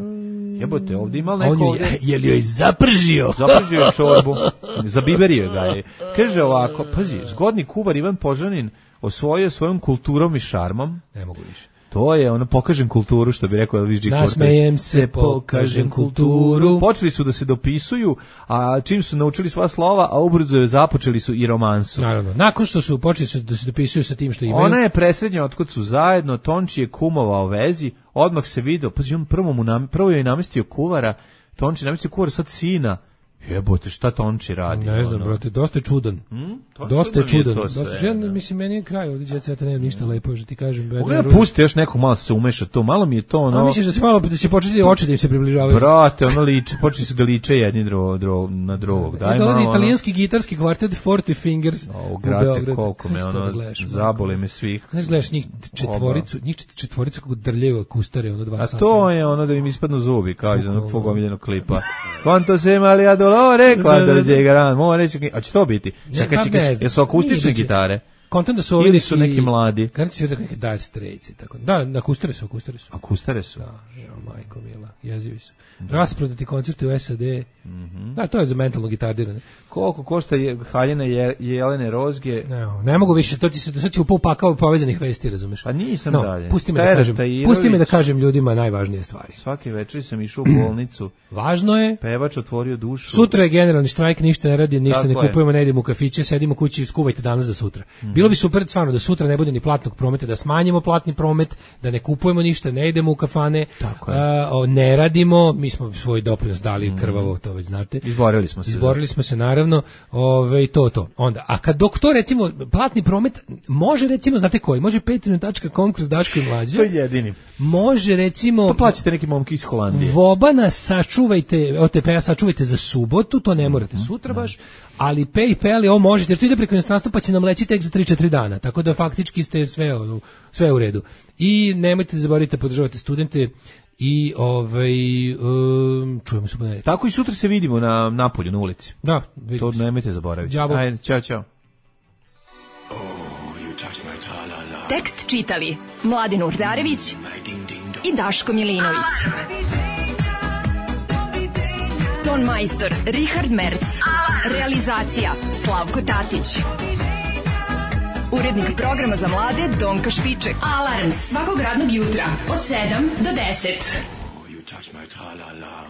Jebote, ovdje imala A neko on ju ovdje... je, je li joj zapržio? Zapržio je čorbu, zabiberio ga je. Kaže ovako, pazi, zgodni kuvar Ivan Požanin osvojio svojom kulturom i šarmom. Ne mogu više. To je, ono, pokažem kulturu, što bi rekao Elvis G. Cortez. Nasmejem se, pokažem kulturu. Počeli su da se dopisuju, a čim su naučili sva slova, a ubrzo je započeli su i romansu. Naravno, nakon što su počeli su da se dopisuju sa tim što imaju. Ona je presrednja otkud su zajedno, Tonči je kumovao vezi, odmah se video, pazi, on prvo, mu nam, prvo je namestio kuvara, Tonči je namestio kuvara, sad sina. Jebote, šta Tonči radi? Ne znam, ono? brate, dosta je čudan. To Dosta je čudno mi je čudan. to Dosta, sve, žen, da. mislim, meni je kraj ovdje djeceta, nema ništa lepo, že ti kažem. Mogu ja pusti još nekog malo se umeša to, malo mi je to ono... A misliš da će malo da će početi oči da im se približavaju? Brate, ono liče, počeli su da liče jedni drugo, drugo, na drugog. Daj I dolazi malo, italijanski gitarski kvartet Forty Fingers ono, o, u grate, Beograd. koliko me, Znaš to ono, da gledaš, ono? zabole me svih. Znaš, gledaš njih četvoricu, njih četvoricu kako drljaju akustare, ono dva A sata. to je ono da im ispadnu zubi, kao iz onog tvog omiljenog klipa. Quanto se mali a dolore, quando se llegarán, mo reći, a će to biti? Čekaj, pa čekaj, ne znam. jesu akustične Nije da će- gitare? Kontent da su ovi Ili su neki mladi? Garanti se da neke Dire Straits i tako. Da, na akustare su, akustare su. Akustare su. Da, jo, majko mila, jezivi su. Rasprodati koncerti u S A D. Mhm. Da, to je za mentalno gitardiranje. Koliko košta je haljena je, Jelene Rozge? Ne, ne mogu više, to ti se sad će upao pakao povezanih vesti, razumeš? Pa nisam no, dalje. Pusti me, da kažem, pusti me da kažem ljudima najvažnije stvari. Svake večeri sam išao u bolnicu. Važno je. Pevač otvorio dušu. Sutra je generalni štrajk, ništa ne radi, ništa Tako ne kupujemo, ne idemo u kafiće, sedimo kući, skuvajte danas za sutra. Mm. Bilo bi super stvarno da sutra ne bude ni platnog prometa, da smanjimo platni promet, da ne kupujemo ništa, ne idemo u kafane, a, o, ne radimo, mi smo svoj doprinos dali mm. krvavo, to već znate. Izborili smo se. Izborili smo se naravno, ove, to to. Onda, a kad dok to recimo platni promet može recimo, znate koji, može patreon tačka com kroz Daško i Mlađa. To je jedini. Može recimo. Pa plaćate neki momki iz Holandije. Vobana sačuvajte, O T P-a sačuvajte za subotu, to ne morate sutra baš, ali PayPal je ovo možete, jer to ide preko inostranstva pa će nam leći tek za tri četiri dana, tako da faktički ste sve, sve u redu. I nemojte da zaboravite podržavate studente i ovaj um, čujemo se ponedeljak. Tako i sutra se vidimo na napolju na ulici. Da, to nemojte zaboraviti. Đavo. Ajde, ćao, ćao. Tekst čitali Mladin Urdarević i Daško Milinović. Ton majstor Richard Merc. Realizacija Slavko Tatić. Urednik programa za mlade Donka Špiček. Alarms svakog radnog jutra od sedam do deset. Oh, you touch my tra-la-la.